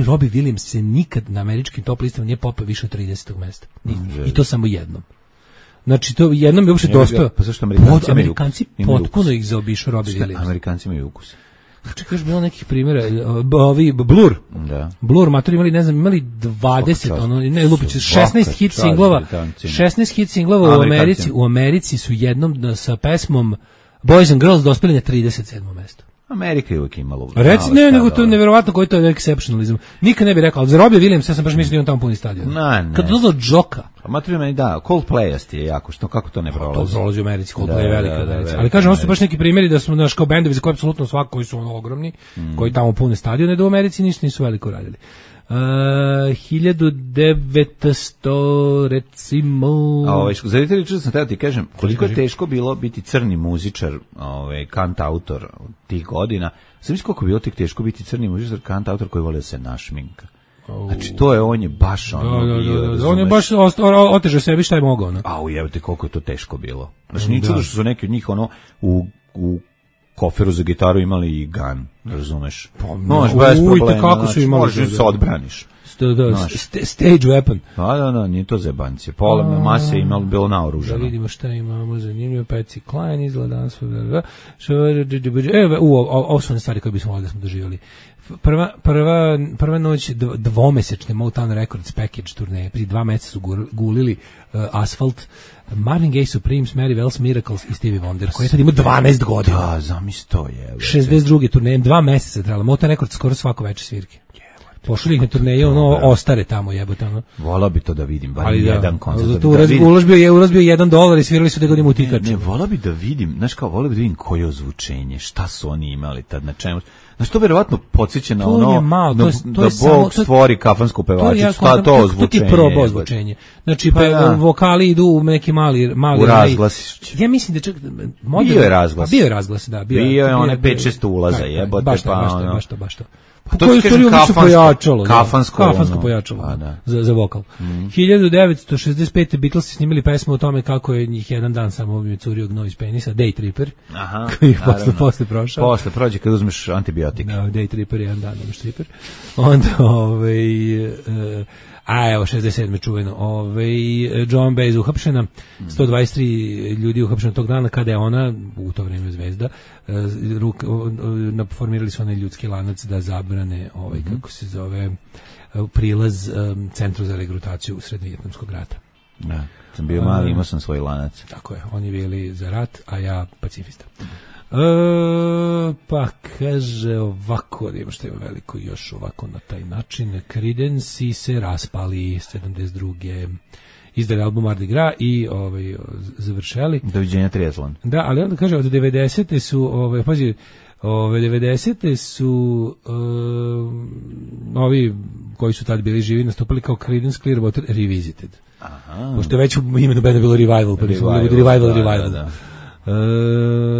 Speaker 7: Robbie Williams se nikad na američkim top listama nije popao više od 30. mesta. I to samo jednom. Znači, to jednom je uopšte dospeo.
Speaker 6: Pa zašto
Speaker 7: Amerikanci potpuno ih zaobišao Robbie Williams.
Speaker 6: Amerikanci imaju ukus.
Speaker 7: Čekaj, još bilo nekih primjera, Blur. Da. Blur, matori imali 20, ne, lupić, 16 hit singlova. 16 hit singlova u Americi. U Americi su jednom sa pesmom Boys and Girls dospeli na 37. mesto.
Speaker 6: Amerika je uvijek imala.
Speaker 7: Reci, ne, nego to je nevjerovatno koji to je exceptionalizam. Nikad ne bih rekao, ali za Robbie Williams, ja sam baš mislio da on tamo puni stadion. Kad dozlo Džoka.
Speaker 6: Matori meni da, Coldplay je jako, kako to ne prolazi?
Speaker 7: To prolazi u Americi, Coldplay je velika. Ali kažem, ono su baš neki primjeri da smo naš kao bendovi za koje apsolutno svako koji su ogromni, koji tamo pune stadione, da u Americi ništa nisu veliko radili. 1900 recimo.
Speaker 6: Za Richarda sam teo ti kažem koliko je teško bilo biti crni muzičar, kantautor tih godina. Sam mislio koliko je bilo teško biti crni muzičar, kantautor koji voli da se našminka. Znači to je, on je baš
Speaker 7: on je baš otežao sebi šta je mogao.
Speaker 6: Jebate koliko je to teško bilo. Znači nije čudo što su neki od njih u koferu za gitaru imali i gun, razumeš? Možeš bez problema,
Speaker 7: kako su imali,
Speaker 6: možeš se odbraniš.
Speaker 7: Stage weapon.
Speaker 6: Da, nije to zebancije. Pola mase je imalo bilo naoružano.
Speaker 7: Da vidimo šta imamo, zanimljivo, Patsy Cline izgleda danas. Ovo su one stvari koje bismo ovdje smo doživjeli. Prva noć dvomesečne Motown Records package turneje, prije 2 meseca su gulili Asphalt, Marvin Gaye, Supremes, Mary Wells, Miracles i Stevie Wonder, koji je tad imao 12 godina.
Speaker 6: Da, zamisli to je.
Speaker 7: 62. turneje, 2 meseca trebalo. Motown Records skoro svako veče svirke. Pošli ih na turneju, ono, ostare tamo, jebote, ono.
Speaker 6: Volao bi to da vidim, bar jedan koncert.
Speaker 7: Zato uložbio $1 i svirali su da godinu u tikaču.
Speaker 6: Ne, volao bi da vidim, znaš kao, volao bi da vidim koje ozvučenje, šta su oni imali tad, na čemu. Znaš, to verovatno podsjeća na ono, da Bog stvori kafansku pevačicu, to ozvučenje.
Speaker 7: To ti je probao ozvučenje. Znači, vokali idu u neki mali...
Speaker 6: U razglas.
Speaker 7: Ja mislim da čak...
Speaker 6: Bio je razglas.
Speaker 7: Bio je razglas, da.
Speaker 6: Bio je one 5-6 ulaza, jebote,
Speaker 7: baš to. Pa koju stvari ubišu pojačalo. Kafansko pojačalo za vokal. 1965. Beatlesi snimili pesmu o tome kako je njih jedan dan samo curio gnoj iz penisa, Day Tripper, koji je posle prošao.
Speaker 6: Posle prođe kad uzmeš antibiotik.
Speaker 7: Da, Day Tripper je jedan dan, nemaš Tripper. Onda, evo, 67. čuveno. Joan Baez uhapšena, 123 ljudi uhapšena tog dana kada je ona, u to vreme zvezda, formirali su onaj ljudski lanac da zabrane, kako se zove, prilaz centru za regrutaciju usred Vijetnamskog rata.
Speaker 6: Da, sam bio mali, imao sam svoj lanac.
Speaker 7: Tako je, oni bili za rat, a ja pacifista. Pa kaže ovako, da ima što ima veliko još ovako na taj način. Creedence se raspali 72. Izdali album Mardi Gras i završali.
Speaker 6: Doviđenja triatlon.
Speaker 7: Da, ali onda kaže od 90. su pazi, 90. su ovi koji su tad bili živi nastupali kao Creedence Clearwater Revisited. Aha. Pošto je već u imenu benda bilo Revival, pa nisu Revival. Da.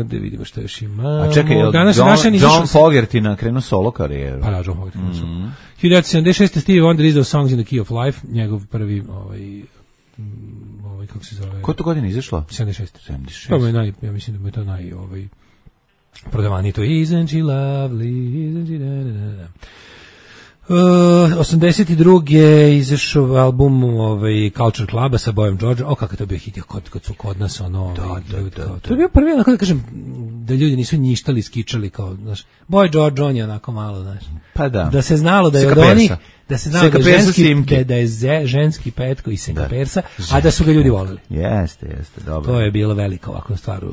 Speaker 7: Da vidimo što još ima.
Speaker 6: A čekaj, John Fogerty krenuo solo karijeru.
Speaker 7: Pa da, John Fogerty krenuo solo. 1976. Stevie Wonder izdao Songs in the Key of Life, njegov prvi kako se zove?
Speaker 6: Koje to godine izašlo?
Speaker 7: 76. To je ja mislim da je to prodavaniji, to Isn't she lovely, isn't she da. 82. je izašao album Culture Cluba sa Boyom Georgeom. Kakav to bio hit kad su kod nas to je bio prvi, onako da kažem, da ljudi nisu njištali, skičali kao, znaš, Boy George, on je onako malo, znaš.
Speaker 6: Pa
Speaker 7: da se znalo da je od onih, da se znalo da je ženski Petko i Senka Persa, a da su ga ljudi voleli.
Speaker 6: Jeste, dobro.
Speaker 7: To je bilo velika ovakva stvar.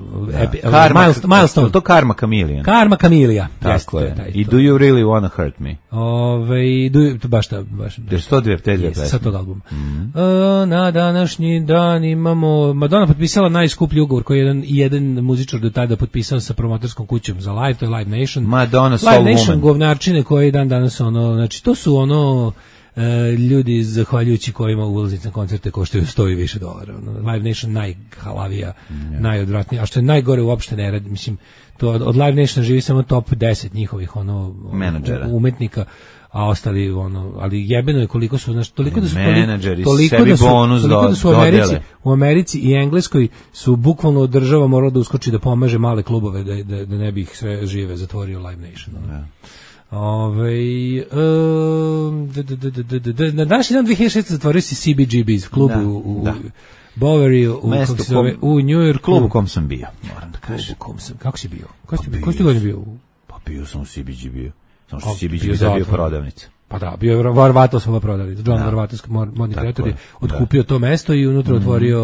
Speaker 6: Milestone. To Karma Chameleon.
Speaker 7: Karma Chameleon.
Speaker 6: Tako je. I Do You Really Wanna Hurt Me?
Speaker 7: Baš.
Speaker 6: Jer 102 te dvije pesme.
Speaker 7: Sa tog albuma. Na današnji dan imamo... Madonna potpisala najskuplji ugovor koji je jedan muzičar do tada potpisao sa promotorskom kućom za Live, to je Live Nation.
Speaker 6: Madonna Soul
Speaker 7: Live Nation
Speaker 6: Woman.
Speaker 7: govnarčine koji danas znači to su ljudi zahvaljujući kojima ulaznice na koncerte koštaju $100 i više. Live Nation najhalavija, najodvratnija, a što je najgore uopšte ne radi, mislim, to od Live Nation živi samo top 10 njihovih
Speaker 6: menadžera,
Speaker 7: umetnika, a ostali ali jebeno je koliko su, znači, toliko da su
Speaker 6: menadžeri sebi bonus dodele.
Speaker 7: U Americi i Engleskoj su bukvalno od država morala da uskoči da pomaže male klubove da ne bi ih sve žive zatvorio Live Nation. Na današnji dan 2006. zatvorio si CBGB's klub u Bowery u New York,
Speaker 6: klub u kom sam bio, moram da kažem.
Speaker 7: Kako si bio? Ko si godin bio?
Speaker 6: Pa bio sam u CBGB-u. Samo što CBGB je bio prodavnica.
Speaker 7: Pa da, bio je Varvatos prodavnica. John Varvatos, modni kreator, je otkupio to mesto i unutra otvorio,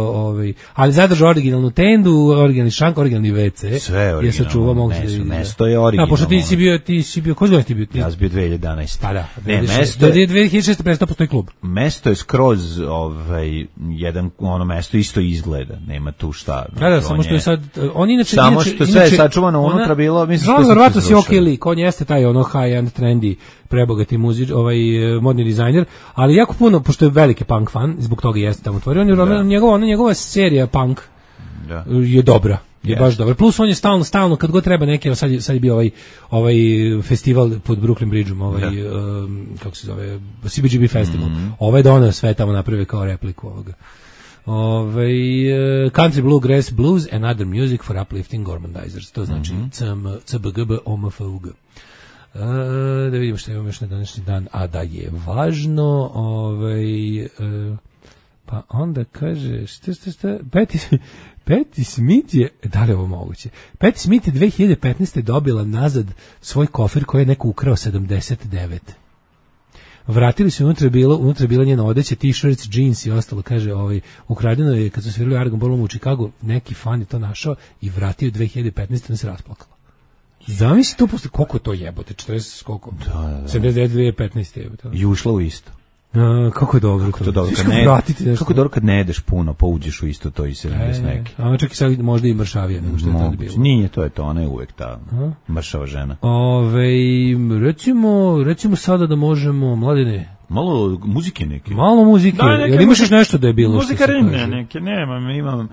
Speaker 7: ali zadržao originalnu tendu, originalni šank, originalni WC.
Speaker 6: Sve originalno, mesto je originalno.
Speaker 7: Pošto ti si bio, koji godin ti bio?
Speaker 6: Ja sam bio 2011.
Speaker 7: Pa da, 2006. prestao postoji klub.
Speaker 6: Mesto je skroz, jedan, mesto isto izgleda, nema tu šta.
Speaker 7: Da, samo što je sad, on inače...
Speaker 6: Samo što sve je sačuvano unutra bilo, mislim...
Speaker 7: John Varvatos je okej lik, on jeste taj high-end, trendy, prebogati modni dizajner, ali jako puno, pošto je veliki punk fan, zbog toga jeste tamo otvorio, njegova serija punk je dobra, je baš dobra. Plus on je stalno, kad god treba neke, sad je bio ovaj festival pod Brooklyn Bridgeom, kako se zove, CBGB festival, ovaj doneo sve tamo napravio kao repliku ovoga. Country Bluegrass Blues and Other Music for Uplifting Gormandizers, to znači CBGB OMFUG. Da vidimo što imamo još na današnji dan, a da je važno, pa onda kaže, šta, Patti Smith je, da li je ovo moguće? Patti Smith je 2015. dobila nazad svoj kofer koji je neko ukrao 79. Vratili su, unutra je bila njena odeća, t-shirts, jeans i ostalo, kaže, ukradeno je, kad su svirali Argon Ballroom u Chicagu, neki fan je to našao i vratio 2015. da se rasplakalo. Zamisli to posle, koliko to jebote, 40 koliko?
Speaker 6: Da.
Speaker 7: 79, 2015 jebote.
Speaker 6: I ušla u isto.
Speaker 7: Kako je dobro.
Speaker 6: Kako dobro kad ne jedeš puno, pa uđeš u isto to i 70 neki.
Speaker 7: A čak i sad možda i mršavije nego što je tada bilo.
Speaker 6: Nije, to je to, ona je uvek ta mršava žena.
Speaker 7: Recimo sada da možemo, Mladene,
Speaker 6: malo muzike neke.
Speaker 7: Malo muzike. Jel imaš još nešto da je bilo?
Speaker 6: Muzika neke, imam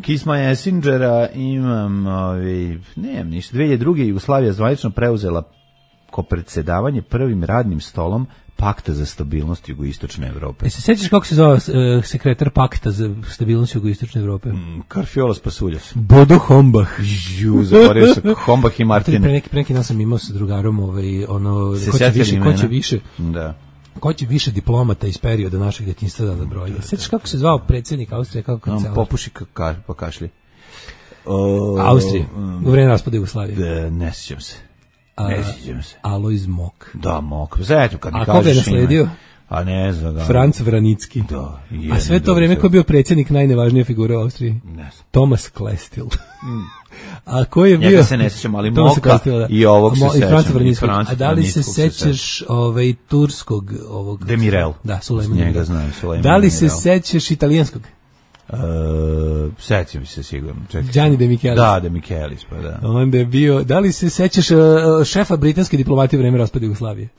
Speaker 6: Kiss My Assingera, imam nemam ništa. 2002. Jugoslavija zvanično preuzela ko predsjedavanje prvim radnim stolom Pakta za stabilnost jugoistočne Evrope.
Speaker 7: Se sećaš kako se zove sekretar Pakta za stabilnost jugoistočne Evrope?
Speaker 6: Karfiolas Pasuljas.
Speaker 7: Bodo Hombach.
Speaker 6: Zaboravio se Hombach i Martin.
Speaker 7: Pre neki dan sam imao sa drugarom ko će više. Da. Ko će više diplomata iz perioda našeg djetinjstva da nabroji. Sećaš kako se zvao predsjednik Austrije, kako kancelar?
Speaker 6: Popuši pa kašlji.
Speaker 7: Austrije, u vreme raspada Jugoslavije.
Speaker 6: Ne sjećam se.
Speaker 7: Alojz Mok.
Speaker 6: Da, Mok. Zatim kad mi kažeš.
Speaker 7: A koga je nasledio?
Speaker 6: A ne znam ga.
Speaker 7: Franc Vranicki.
Speaker 6: Da.
Speaker 7: A sve to vrijeme ko je bio predsjednik najnevažnije figure u Austriji?
Speaker 6: Ne znam.
Speaker 7: Thomas Klestil. A ko je bio?
Speaker 6: Ja se ne sjećam, ali Moka i ovog se sećam.
Speaker 7: A da li se sećaš turskog ovog?
Speaker 6: Demirel.
Speaker 7: Da, Sulejman.
Speaker 6: Njega znam, Sulejman.
Speaker 7: Da li se sećaš italijanskog?
Speaker 6: Sećam se sigurno.
Speaker 7: Gianni De Michelis.
Speaker 6: Da, De Michelis, pa da.
Speaker 7: Onda je bio, da li se sećaš šefa britanske diplomatije u vreme raspada Jugoslavije?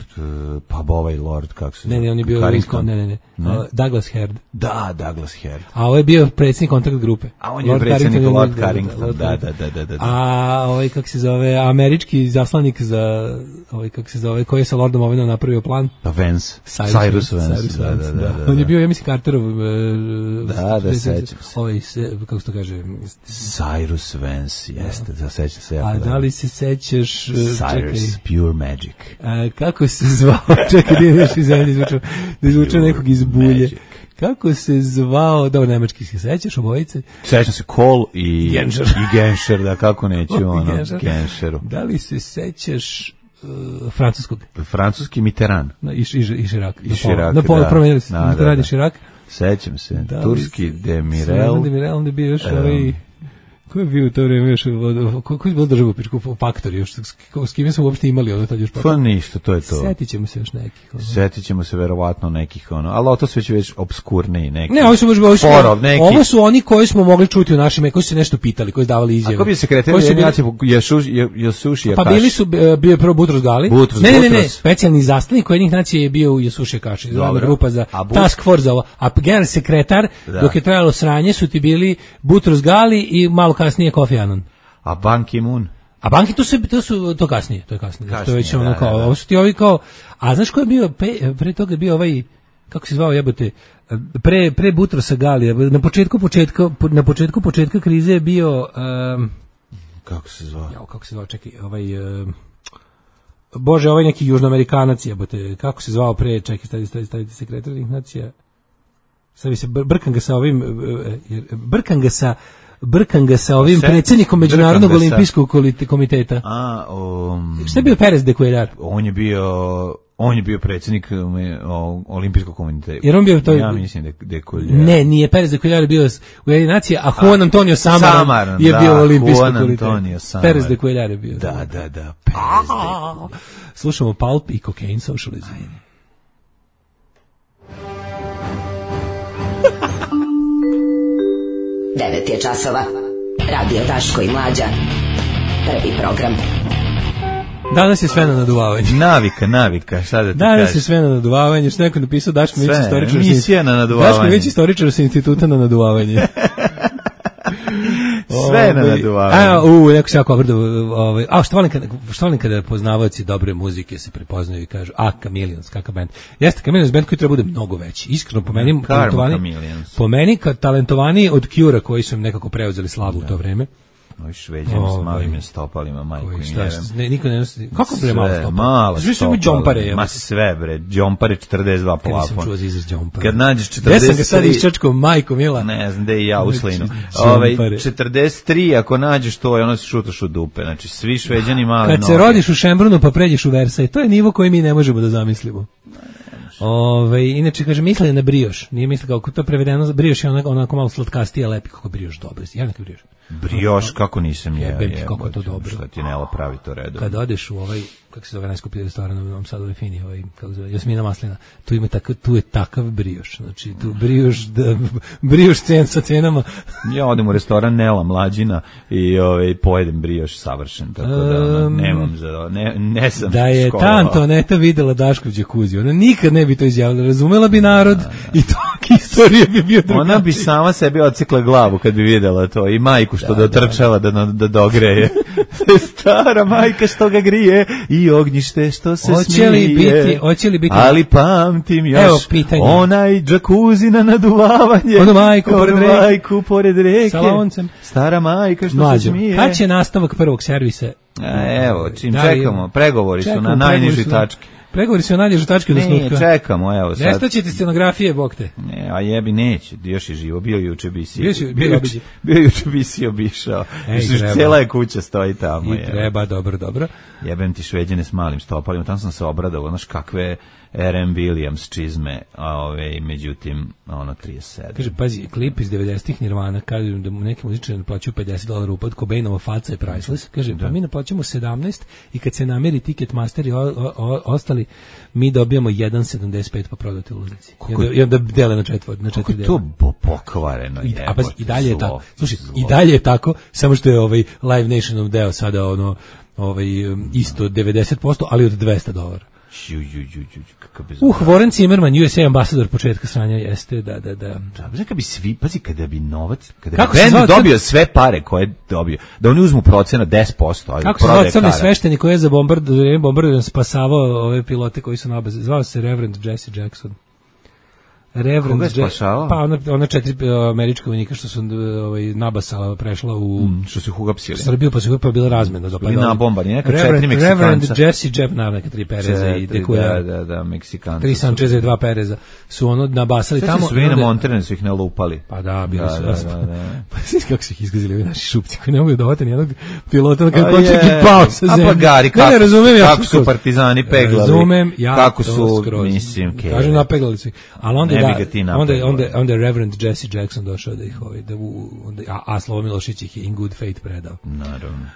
Speaker 6: Pa ovaj lord, kako se...
Speaker 7: Ne, on je bio... Ne. Douglas Herd.
Speaker 6: Da, Douglas Herd.
Speaker 7: A ovo je bio predsjednik kontakt grupe.
Speaker 6: A on je predsjednik Lord Carrington, da.
Speaker 7: A ovaj, kako se zove, američki zaslanik za, kako se zove, koji je sa Lordom Owenom napravio plan?
Speaker 6: Pa Vance. Cyrus Vance, da.
Speaker 7: On je bio, ja mislim, Carterov...
Speaker 6: Da, sećam
Speaker 7: se. Kako se to kaže?
Speaker 6: Cyrus Vance, jeste, da sećam se.
Speaker 7: A da li se sećaš...
Speaker 6: Cyrus, Pure Magic.
Speaker 7: Kako se zvao? Čekaj, nije nešto iz zemlje izvučao nekog iz bulje. Kako se zvao, da nemački se sećaš obojice?
Speaker 6: Sećam se Kohl i Genscher, da kako neću Genscheru.
Speaker 7: Da li se sećaš francuskog?
Speaker 6: Francuski Mitterrand.
Speaker 7: I Chirac.
Speaker 6: Na
Speaker 7: pola promenili se. Mitterrand i Chirac.
Speaker 6: Sećam se. Turski Demirel.
Speaker 7: Demirel, onda je bio još ko je bio u to vreme još, ko je bilo državu u Faktori, još, s kime smo uopšte imali ono tad još paktor?
Speaker 6: Pa ništa, to je to.
Speaker 7: Setit ćemo se još nekih.
Speaker 6: Setit ćemo se verovatno nekih, ali to sve će već obskurniji neki.
Speaker 7: Ne, ovo su oni koji smo mogli čuti u našim, koji su se nešto pitali, koji su davali izjave.
Speaker 6: Ako bi se kretili Jesuši Akaš.
Speaker 7: Pa bili su, bio je prvo Butros Gali. Ne, specijalni zastavnik jednih nacija je bio Jesuši Akaš, izravna grupa za task force za ovo. A generalni sekretar, dok je trajalo sranje, su ti bili Butros Gali i malo kasnije Kofi Annan.
Speaker 6: A Ban Ki-moon?
Speaker 7: A banki to kasnije, to je već ono kao, ovo su ti ovi kao, a znaš ko je bio, pre toga je bio ovaj, kako se zvao jebote, pre Butrosa Galija, na početku krize je bio,
Speaker 6: kako se zvao,
Speaker 7: čekaj, Bože, ovaj neki južnoamerikanac jebote, kako se zvao pre, čekaj, stavite sekretarnih nacija, stavi se, brkam ga sa ovim predsjednikom Međunarodnog olimpijskog komiteta. Šta je bio Perez de Cuellar?
Speaker 6: On je bio predsjednik olimpijskog komiteta.
Speaker 7: Jer on bio to...
Speaker 6: Ja mislim de Cuellar.
Speaker 7: Ne, nije Perez de Cuellar bio u jednej naciji, a Juan Antonio Samaran je bio u olimpijskom komitetu. Perez de Cuellar je bio.
Speaker 6: Da.
Speaker 7: Slušamo Pulp i Cocaine Socialism.
Speaker 4: 9 je časova. Radio Daško i Mlađa. Prvi program.
Speaker 7: Danas je sve na naduvavanje.
Speaker 6: Navika, šta da ti
Speaker 7: Danas je sve na naduvavanje, što neko napisao Daško Mić istoričar.
Speaker 6: Misija na naduvavanje.
Speaker 7: Daško Mić istoričar sa instituta na naduvavanje.
Speaker 6: Sve na naduvavanje.
Speaker 7: Neko se jako obradao. Što volim kada poznavaoci dobre muzike se prepoznaju i kažu, Chameleons, kakav band. Jeste, Chameleons band koji treba bude mnogo veći. Iskreno, po meni talentovani od Cure-a koji su im nekako preuzeli slavu u to vreme.
Speaker 6: Ovi Šveđani s malim stopalima, majku i nevem.
Speaker 7: Niko ne nosi. Kako bre malo stopala?
Speaker 6: Malo
Speaker 7: stopala. Džompare.
Speaker 6: Ma sve bre, džompare 42 plafon.
Speaker 7: Kad sam čuo za izraz džompare.
Speaker 6: Kad nađeš 43...
Speaker 7: Gde sam ga sad iščačkao, majko mila?
Speaker 6: Ne znam, gde i ja uslinu. 43, ako nađeš to, ono se šutaš u dupe. Znači, svi Šveđani mali noge.
Speaker 7: Kad se rodiš u Šembrunu pa pređeš u Versaj, to je nivo koji mi ne možemo da zamislimo. Inače, kaže, misle na brioš. Nije misle kako to prevedeno, brioš je onako malo slatkastije, lepi kako brioš dobro. Ja neka brioš.
Speaker 6: Brioš, kako nisam jeo.
Speaker 7: Kako to dobro.
Speaker 6: Šta ti Nela pravi to redom.
Speaker 7: Kad odeš u kako se zove najskuplji restoran u Novom Sadu, fini, kako se zove, Jasmina Maslina, tu je takav brioš. Znači, tu brioš sa cenama. Ja
Speaker 6: odem u restoran Nela Mlađina i pojedem brioš savršen, tako da nemam ne sam
Speaker 7: da je ta Antoneta videla Daškov đakuzi, ona nikad ne bi to izjavila, razumela bi narod i to istorija bi bio drugačija.
Speaker 6: Ona bi sama sebi odsekla glavu kad bi videla to i majku što dotrčava da dogreje. Stara majka što ga grije i ognjište što se smije.
Speaker 7: Hoće li biti?
Speaker 6: Ali pamtim još onaj džakuzi na naduvavanje.
Speaker 7: Ono majku
Speaker 6: pored reke.
Speaker 7: Sa loncem.
Speaker 6: Stara majka što se smije.
Speaker 7: Kad će nastavak prvog servisa?
Speaker 6: Evo, čim čekamo. Pregovori su na najnižoj tački.
Speaker 7: Pregovori su na najnižoj tački od osnutka.
Speaker 6: Ne, čekamo, evo sad.
Speaker 7: Nestaćete scenografije, bog te.
Speaker 6: Ne, a jebi neće, još je živo, bio juče Bio juče bisi obišao. Cijela je kuća stoji tamo.
Speaker 7: I treba, dobro.
Speaker 6: Jebem ti Šveđane s malim stopalima, tamo sam se obradovao, znaš kakve R.M. Williams čizme, međutim, 37.
Speaker 7: Kaže, pazi, klip iz 90-ih Nirvana, kažem da mu neki muzičari naplaćuju $50 upad, Cobainova faca je priceless, kaže, pa mi naplaćamo 17 i kad se nameri Ticketmaster i ostali, mi dobijamo 1,75 pa prodati u ulaznici. I onda dele na četiri dela.
Speaker 6: Kako je to pokvareno?
Speaker 7: A pazi, i dalje je tako. Slušaj, i dalje je tako, samo što je Live Nationov deo sada isto 90%, ali od $200. Warren Zimmerman, USA ambasador početka sranja, jeste, da.
Speaker 6: Kada bi novac, kada bi band dobio sve pare koje je dobio, da oni uzmu procenat 10%.
Speaker 7: Kako se zvao crni svešteni koji je za bombardiran spasavao ove pilote koji su na obazi, zvao se Reverend Jesse Jackson.
Speaker 6: Koga je spašavao?
Speaker 7: Pa ona 4 američka vojnika što su nabasala, prešla u
Speaker 6: što su ih uhapsili.
Speaker 7: Srbiju, pa su bila razmena.
Speaker 6: Na bombardanje, neka 4 Meksikanca.
Speaker 7: Reverend Jesse Jackson, neka 3 Pereza i Dekuja.
Speaker 6: Da, Meksikanca.
Speaker 7: 3 Sančeza i 2 Pereza su nabasali tamo.
Speaker 6: Sve su bili na Monterenu, su ih nalupali.
Speaker 7: Pa da, bili su. Pa kako su ih izgazili naši šupci koji ne mogu dovati nijednog pilota kad počne pao sa zemlje.
Speaker 6: A pa gari, kako su partizani peglali.
Speaker 7: Razumem, ja
Speaker 6: kako su, mislim,
Speaker 7: kažem, napeglali su ih. Ali onda je Reverend Jesse Jackson došao da ih a Slovo Milošić ih je in good faith predao.
Speaker 6: Naravno.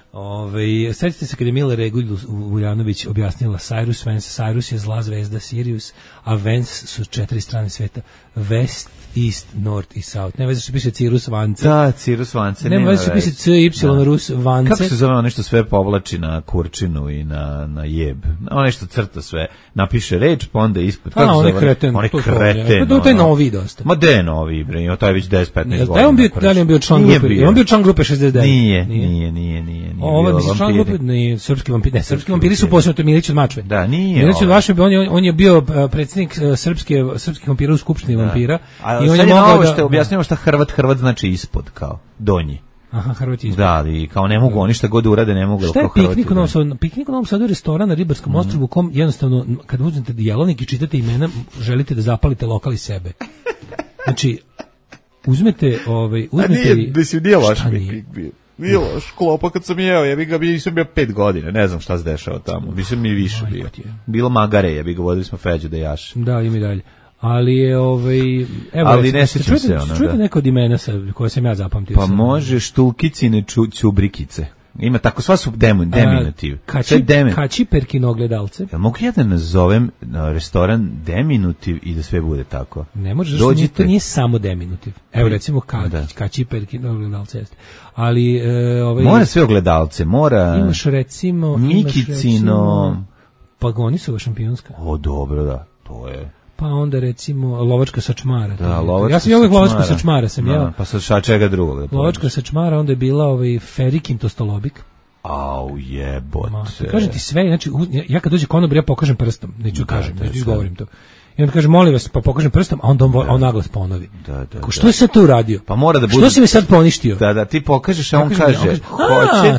Speaker 7: Sjetite se kad je Mila Regulj Vuljanović objasnila Cyrus Vance. Cyrus je zla zvezda Sirius, a Vance su 4 strane sveta. West, East, North i South. Ne veze što piše Cirrus Vance.
Speaker 6: Da, Cirrus Vance.
Speaker 7: Ne veze što piše CY Rus Vance.
Speaker 6: Kako se zove nešto sve povlači na kurčinu i na jeb? Ono nešto crta sve. Napiše reč, pa onda ispod.
Speaker 7: Kako se zove? On je kreten. To je novi dosta.
Speaker 6: Ma de novi, bre. To je već 10-15 godina.
Speaker 7: Da li je bio član grupe? On bio član grupe 69.
Speaker 6: Nije.
Speaker 7: Ovo bi član grupe, nije srpski vampiri. Ne, srpski vampiri su posebno, to je Milić od Mačve.
Speaker 6: Da, nije.
Speaker 7: Milić od Mačve, on je bio predsjednik srpskih vampira u Skupštini vampira.
Speaker 6: I on je mogao da objasnimo šta Hrvat znači ispod, kao donji.
Speaker 7: Aha, Hrvat ispod.
Speaker 6: Da, i kao ne mogu oni šta god urade, ne mogu.
Speaker 7: Šta je piknik u Novom Sadu? Piknik u Novom Sadu je restoran na Ribarskom ostrvu u kom jednostavno kad uzmete jelovnik i čitate imena, želite da zapalite lokal iz sebe. Znači, uzmete
Speaker 6: nije loš piknik bio. Bilo šklopa kad sam jeo, nisam bio 5 godina, ne znam šta se dešava tamo, mislim mi više bio. Bilo magare, vodili smo Feđu da jaše.
Speaker 7: Da, ima i dalje. Ali je evo,
Speaker 6: ali ne sećam se ona.
Speaker 7: Čujete neko od imena koje sam ja zapamtio?
Speaker 6: Pa može Štulkicine Ćubrikice. Ima tako, sva su deminutiv.
Speaker 7: Kačiperkino ogledalce.
Speaker 6: Ja mogu ja da nazovem restoran deminutiv i da sve bude tako?
Speaker 7: Ne možeš, to nije samo deminutiv. Evo recimo Kačiperkino ogledalce jeste. Ali
Speaker 6: mora sve ogledalce, mora.
Speaker 7: Imaš recimo
Speaker 6: Nikicino.
Speaker 7: Pagonisova šampionska.
Speaker 6: O, dobro, da, to je.
Speaker 7: Pa onda recimo lovačka sačmara.
Speaker 6: Da, lovačka
Speaker 7: ja sam uvijek lovačka sačmara sam jeo.
Speaker 6: Pa sa čega drugog?
Speaker 7: Lovačka sačmara, onda je bila Ferikin tostolobik.
Speaker 6: Au jebote.
Speaker 7: Kažem ti sve, znači ja kad dođe konobar ja pokažem prstom, neću izgovorim to. I onda kaže, molim vas, pa pokažem prstom, a onda on naglas ponovi. Što je sad to uradio?
Speaker 6: Pa mora da bude.
Speaker 7: Što si mi sad poništio?
Speaker 6: Da, ti pokažeš, a on kaže,
Speaker 7: hoćete.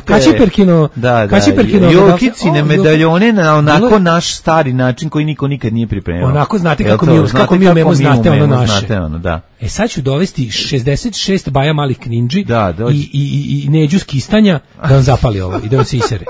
Speaker 7: Kačiperkino.
Speaker 6: Jokicine medaljone na onako naš stari način koji niko nikad nije pripremio.
Speaker 7: Onako znate kako mi umemo, znate ono naše.
Speaker 6: Da.
Speaker 7: Sad ću dovesti 66 baja malih kninđi i neđu skistanja da on zapali ovo i da on se isere.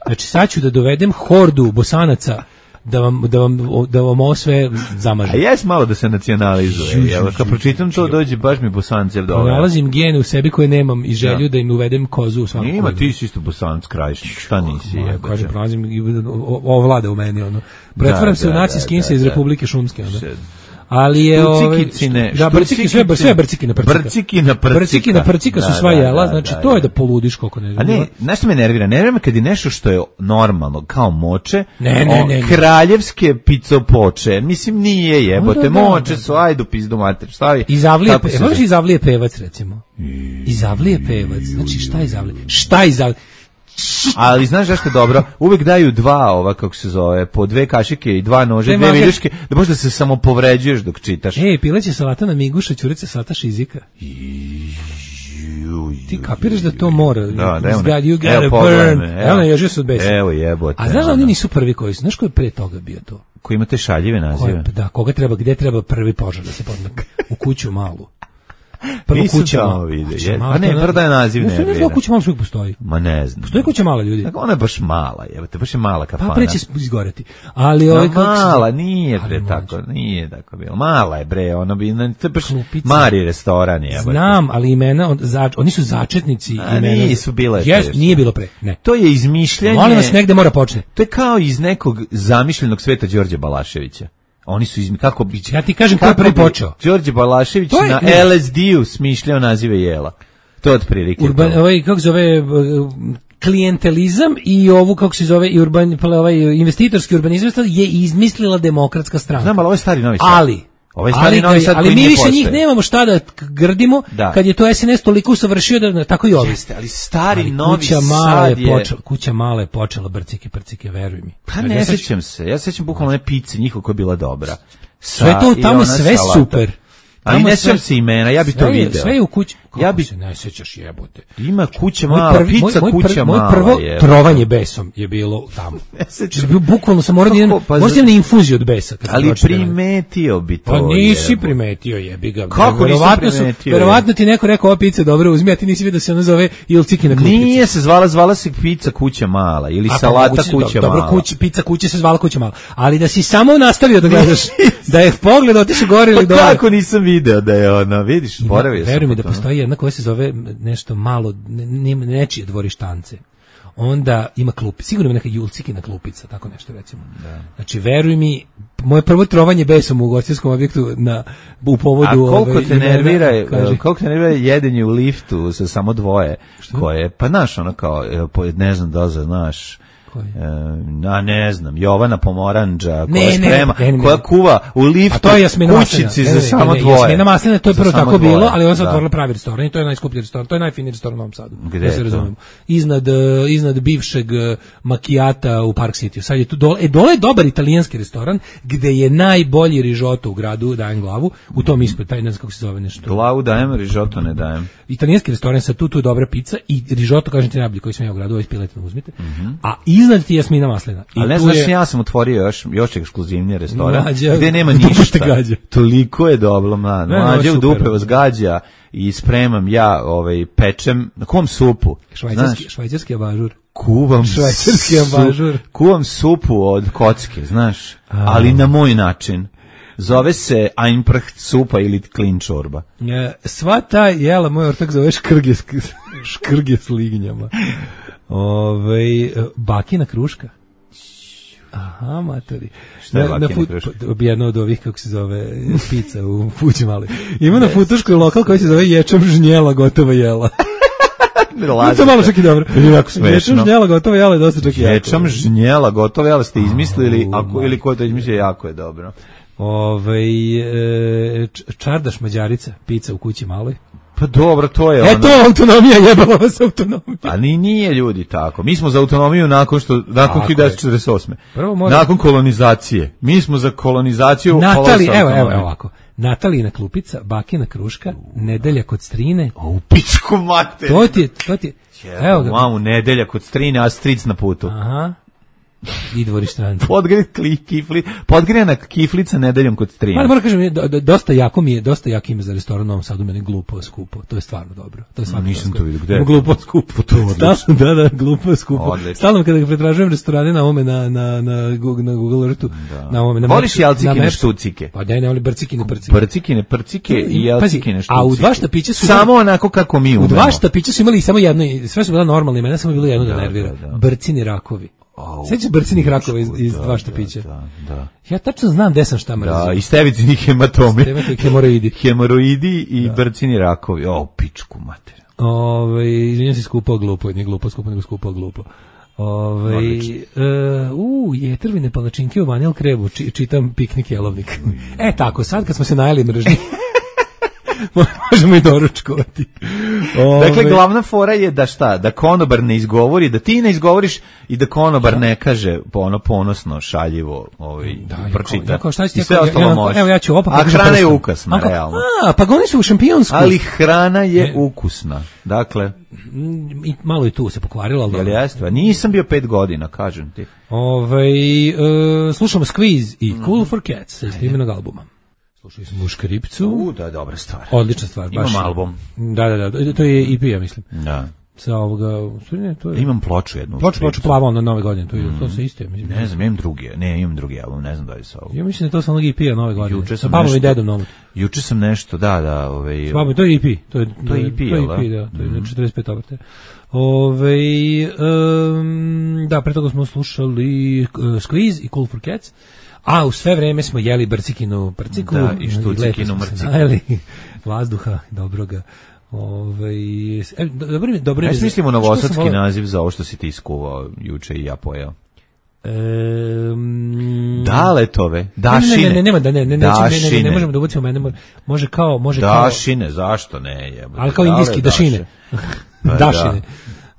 Speaker 7: Znači sad ću da dovedem hordu Bosanaca da vam ovo sve zamaže.
Speaker 6: A jes malo da se nacionalizuje. Evo, kad pročitam to, dođe baš mi Bosancev dobro.
Speaker 7: Nalazim gene u sebi koje nemam i želju da im uvedem kozu u svakom.
Speaker 6: Ima, ti si isto Bosanac Krajišnik, šta nisi?
Speaker 7: Kažem, prolazim, ovo vlada u meni, ono. Pretvaram se u nacijski insa iz Republike Šumske, ono. Ali je sve brciki na prcika su sva jela, znači to je da poludiš koliko ne.
Speaker 6: A ne, znaš što me nervira? Nervira me kad je nešto što je normalno, kao moče,
Speaker 7: ne.
Speaker 6: kraljevske picopoče, mislim nije jebote, moče su, ajdu pizdu mater, stavi.
Speaker 7: Izavlije pevac, recimo. Izavlije pevac, znači šta izavlije?
Speaker 6: Ali znaš zašto je dobro? Uvek daju dva, kako se zove, po 2 kašike i 2 nože, 2 viljuške, da možda se samo povređuješ dok čitaš.
Speaker 7: Pileće salata na miguša, ćurice salata šizika. Ti kapiraš da to mora. You gotta burn. Evo, ježio se od besa.
Speaker 6: Evo jebote.
Speaker 7: A znaš da oni nisu prvi koji su? Znaš ko je pre toga bio to?
Speaker 6: Ko ima te šaljive nazive?
Speaker 7: Gde treba prvi požar da se podne? U kuću malu.
Speaker 6: Prvo kuća mala vide. A ne, prvo je naziv ne.
Speaker 7: Ne znam kuća mala što postoji.
Speaker 6: Ma ne znam.
Speaker 7: Postoji kuća mala, ljudi.
Speaker 6: Tako ona je baš mala, jebote, baš je mala kafana.
Speaker 7: Pa preće izgoreti. Ali
Speaker 6: mala, nije tako bilo. Mala je bre, ona bi to baš Mari restoran je.
Speaker 7: Znam, ali imena oni su začetnici imena.
Speaker 6: Nisu bile.
Speaker 7: Nije bilo pre. Ne.
Speaker 6: To je izmišljanje.
Speaker 7: Molim vas, negde mora početi.
Speaker 6: To je kao iz nekog zamišljenog sveta Đorđe Balaševića. Oni su kako bi
Speaker 7: ja ti kažem ko je prvi počeo.
Speaker 6: Đorđe Balašević na LSD-u smišljao nazive jela. To je otprilike.
Speaker 7: Kako zove klijentelizam i ovu kako se zove i investitorski urbanizam je izmislila Demokratska stranka.
Speaker 6: Znam, ali ovo je stari Novi Sad.
Speaker 7: Ali mi više njih nemamo šta da grdimo kad je to SNS toliko usavršio da tako i ovi.
Speaker 6: Ali stari Novi Sad je...
Speaker 7: Kuća mala je počela brcike, veruj mi.
Speaker 6: Pa ne sećam se. Ja sećam bukvalno one pice njihova koja je bila dobra.
Speaker 7: Sve to tamo sve super.
Speaker 6: Ali ne sećam se imena, ja bi to video.
Speaker 7: Sve je u kući.
Speaker 6: Ja bi
Speaker 7: se ne sećaš jebote.
Speaker 6: Ima kuća mala, pizza kuća mala.
Speaker 7: Moje prvo trovanje besom je bilo tamo. Bukvalno sam morao možda na infuziju od besa.
Speaker 6: Ali primetio bi to.
Speaker 7: Pa nisi primetio, jebi ga.
Speaker 6: Kako nisi primetio?
Speaker 7: Verovatno ti neko rekao ova pizza dobro, uzmi, a ti nisi vidio da se ona zove Ilciki na klupici.
Speaker 6: Nije se zvala se pizza kuća mala ili salata kuća mala.
Speaker 7: Dobro, pizza kuća se zvala kuća mala. Ali da si samo nastavio da gledaš, da je pogled otišao gore ili dole.
Speaker 6: Kako nisam video da je ona, vidiš, boravio sam.
Speaker 7: Veruj mi da postoji jedna koja se zove nešto malo, nečije dvorištance. Onda ima klupi, sigurno ima neka Julcikina klupica, tako nešto recimo. Da. Znači, veruj mi, moje prvo trovanje besom u ugostiteljskom objektu u povodu...
Speaker 6: A koliko te nervira jedenje u liftu sa samo dvoje? Koje, pa znaš, ono kao, ne znam da znaš... ne znam, Jovana Pomoranđa koja sprema, koja kuva u liftu kućici za samo dvoje.
Speaker 7: Jasmina Maslina, to je prvo tako bilo, ali on se otvorila pravi restoran i to je najskuplji restoran, to je najfiniji restoran u Novom Sadu.
Speaker 6: Gde se razumemo?
Speaker 7: Iznad bivšeg Macchiata u Park City. Sad je tu dole je dobar italijanski restoran gde je najbolji rižoto u gradu, dajem glavu, u tom ispred, taj ne znam kako se zove nešto.
Speaker 6: Glavu dajem, rižoto ne dajem.
Speaker 7: Italijanski restoran sa tu je dobra pizza i rižoto, kažem ti najbolji koji sam ja u gradu, ovaj Piletina uzmite. A iznad ti Jasmina Maslina.
Speaker 6: Ali ne znaš, ja sam otvorio još ekskluzivniji restoran gde nema ništa. Toliko je dobro, mlađe u dupe vas gađa i spremam ja, pečem, na kom supu?
Speaker 7: Švajcarski abažur.
Speaker 6: Kuvam supu od kocke, znaš, ali na moj način. Zove se Einpracht supa ili klinčorba.
Speaker 7: Sva ta jela, moj ortak zove škrge s lignjama. Bakina kruška. Aha, matori.
Speaker 6: Šta je bakina kruška?
Speaker 7: Jedna od ovih, kako se zove, pizza u Fući mali. Ima na Futuškoj lokal koji se zove Ječam žnjela gotova jela. To malo čak i dobro. Ječam žnjela gotova jela je dosta čak i jako.
Speaker 6: Ječam žnjela gotova jela ste izmislili, ili ko to izmislio, jako je dobro.
Speaker 7: Čardaš Mađarica, pizza u Kući maloj.
Speaker 6: Pa dobro, to je ono.
Speaker 7: To autonomija, jebala vas autonomija.
Speaker 6: A nije ljudi tako. Mi smo za autonomiju nakon 1948. Nakon kolonizacije. Mi smo za kolonizaciju.
Speaker 7: Evo ovako. Natalina klupica, bakina kruška, nedelja kod strine.
Speaker 6: U pičku mater.
Speaker 7: To ti je.
Speaker 6: Evo ga. Mamu, nedelja kod strine, a stric na putu.
Speaker 7: Aha. I dvorištanci.
Speaker 6: Podgrijana kiflica nedeljom kod strina.
Speaker 7: Moram kažem, dosta jak ime za restoran u Novom Sadu, meni glupo skupo. To je stvarno dobro. To je stvarno
Speaker 6: nisam to vidio. Gde?
Speaker 7: Glupo skupo.
Speaker 6: To je odlično.
Speaker 7: Da, glupo skupo. Stalno kada pretražujem restorane na ovome na Google Earthu, na ovome na
Speaker 6: voliš jalcikine štucike?
Speaker 7: Pa ne voli brcikine
Speaker 6: prcike i jalcikine štucike.
Speaker 7: A u dva štapića su
Speaker 6: samo onako kako mi umemo.
Speaker 7: U dva štapića su imali samo jedno, sve su bila normalna imena, samo je bilo jedno da nervira. Brcini rakovi. Sećaš brcinih rakova iz dva štapića?
Speaker 6: Da.
Speaker 7: Ja tačno znam gde sam šta mrzio.
Speaker 6: Da, i stevicini hematomi.
Speaker 7: Hemoroidi.
Speaker 6: I brcini rakovi. Pičku mater.
Speaker 7: Izvinjam se, skupao glupo, nije glupo skupo, nego skupao glupo. Jetrvine palačinke u vanil krebu, čitam piknik jelovnik. Tako, sad kad smo se najeli mržnji, možemo i doručkovati.
Speaker 6: Dakle, glavna fora je da šta? Da konobar ne izgovori, da ti ne izgovoriš i da konobar ne kaže ponosno, šaljivo, pročita. I sve ostalo može.
Speaker 7: Evo ja ću
Speaker 6: a hrana je ukasna, realno.
Speaker 7: Pa oni su u šampionsku.
Speaker 6: Ali hrana je ukusna. Dakle,
Speaker 7: i malo i tu se pokvarilo, ali
Speaker 6: jel jeste? Nisam bio 5 godina, kažem ti.
Speaker 7: Slušamo Squeeze i Cool for Cats iz imenog albuma. Slušali smo Škripcu.
Speaker 6: Da je dobra stvar.
Speaker 7: Odlična stvar.
Speaker 6: Imam album.
Speaker 7: Da. To je EP, ja mislim.
Speaker 6: Da.
Speaker 7: Sa ovoga... To je...
Speaker 6: Imam ploču jednu.
Speaker 7: Ploču plava na Nove godine. To se isto je.
Speaker 6: Ne znam, imam drugi album. Ne znam da je sa ovo.
Speaker 7: Ja mislim da to sa onog EP-a Nove godine. Sa Pavlom i Dedom Novog.
Speaker 6: Juče sam nešto, da.
Speaker 7: To je EP. To je EP,
Speaker 6: da?
Speaker 7: To je 45 obrte. Da, pre toga smo slušali Squeeze i Cool for Cats. A u sve vreme smo jeli brcikinu prciku.
Speaker 6: Da, i štucikinu mrciku.
Speaker 7: Vazduha, dobroga. Dobro
Speaker 6: je. Mislimo novosadski naziv za ovo što si ti iskuvao juče i ja pojao. Daletove, dašine.
Speaker 7: Ne možemo da ubacimo mene. Može kao.
Speaker 6: Dašine, zašto ne?
Speaker 7: Ali kao indijski dašine. Dašine.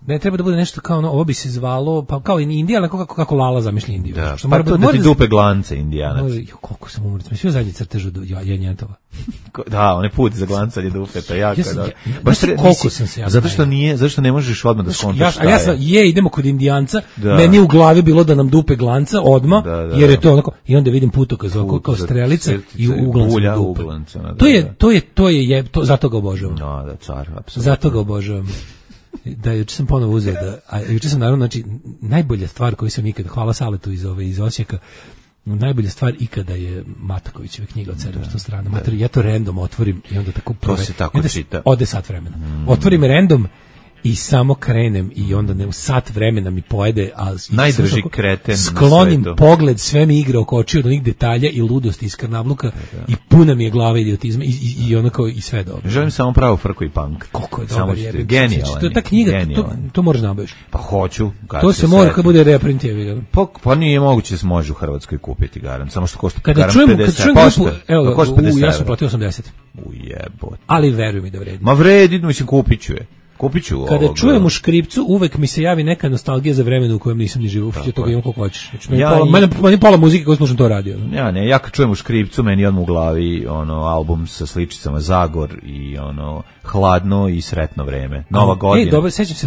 Speaker 7: Ne, treba da bude nešto kao ovo bi se zvalo, pa kao Indija, ali kako Lala zamišlja Indiju.
Speaker 6: Da, pa to da ti dupe glance Indijanac.
Speaker 7: Koliko sam umrec, mi svi zadnji crtež od Janjetova.
Speaker 6: Da, on je put za glancanje dupeta, jako da.
Speaker 7: Koliko sam se ja.
Speaker 6: Zato što ne možeš odmah da skontaš šta
Speaker 7: je. Idemo kod Indijanca, meni u glavi bilo da nam dupe glanca odmah, jer je to onako, i onda vidim putokaz kao strelica i uglanca dupe. To zato ga obožavam.
Speaker 6: Da, car, apsolutno.
Speaker 7: Zato ga obožavam. Da, juče sam ponovo uzeo juče sam naravno, znači, najbolja stvar koju sam ikada, hvala Saletu iz Osijeka, najbolja stvar ikada je Matakovićeva knjiga od 700 strana. Ja to random otvorim i onda tako
Speaker 6: to se tako čita.
Speaker 7: Ode sat vremena. Otvorim random i samo krenem i onda u sat vremena mi pojede, a
Speaker 6: najdrži kreten
Speaker 7: sklonim pogled, sve mi igra oko očiju od onih detalja i ludosti iz Karnavluka i puna mi je glava idiotizma i onako i sve dobro.
Speaker 6: Želim samo pravu frku i punk.
Speaker 7: Koliko je dobar je.
Speaker 6: Genijalan.
Speaker 7: To je ta knjiga, to moraš nabaviš.
Speaker 6: Pa hoću.
Speaker 7: To se mora kad bude reprint je.
Speaker 6: Pa nije moguće da se može u Hrvatskoj kupiti garant, samo što košta
Speaker 7: garant 50. Evo, košta 50. Ja sam platio 80.
Speaker 6: Ujebote.
Speaker 7: Ali veruj mi da vredi.
Speaker 6: Ma vredi, mislim kupit ću je.
Speaker 7: Kada čujem u Škripcu, uvek mi se javi neka nostalgija za vremenu u kojem nisam ni živo. Ja toga imam koliko hoćeš. Meni pola muzike koju slušam to radio.
Speaker 6: Ja kad čujem u Škripcu, meni odmah u glavi album sa sličicama Zagor i Hladno i Sretno vreme. Nova godina.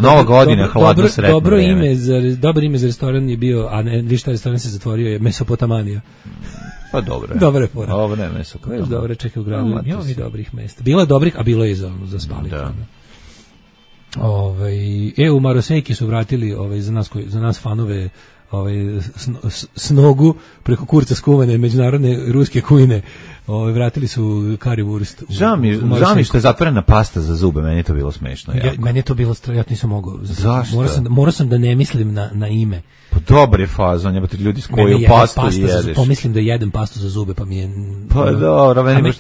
Speaker 6: Nova godina, Hladno, Sretno vreme.
Speaker 7: Dobro ime za restoran je bio, a ne, vi šta restoran se zatvorio, je Mesopotamanija.
Speaker 6: Pa dobro.
Speaker 7: Dobar je fora.
Speaker 6: Ovo ne Mesopotamija.
Speaker 7: Dobro, čekaj u gradu. Ima i dobrih mesta. Bilo je dobrih, a bilo je za spaliti. U Marosejki su vratili za nas fanove snogu preko kurca skuvane međunarodne ruske kujne. Vratili su currywurst.
Speaker 6: Žao mi što je zatvorena pasta za zube, meni je to bilo smešno.
Speaker 7: Meni je to bilo ja nisam mogao.
Speaker 6: Zašto?
Speaker 7: Morao sam da ne mislim na ime.
Speaker 6: Pa dobar je fazon, jebate ljudi s koju pastu jedeš.
Speaker 7: Pomislim da jedem pastu za zube, pa mi je...
Speaker 6: Pa dobro, meni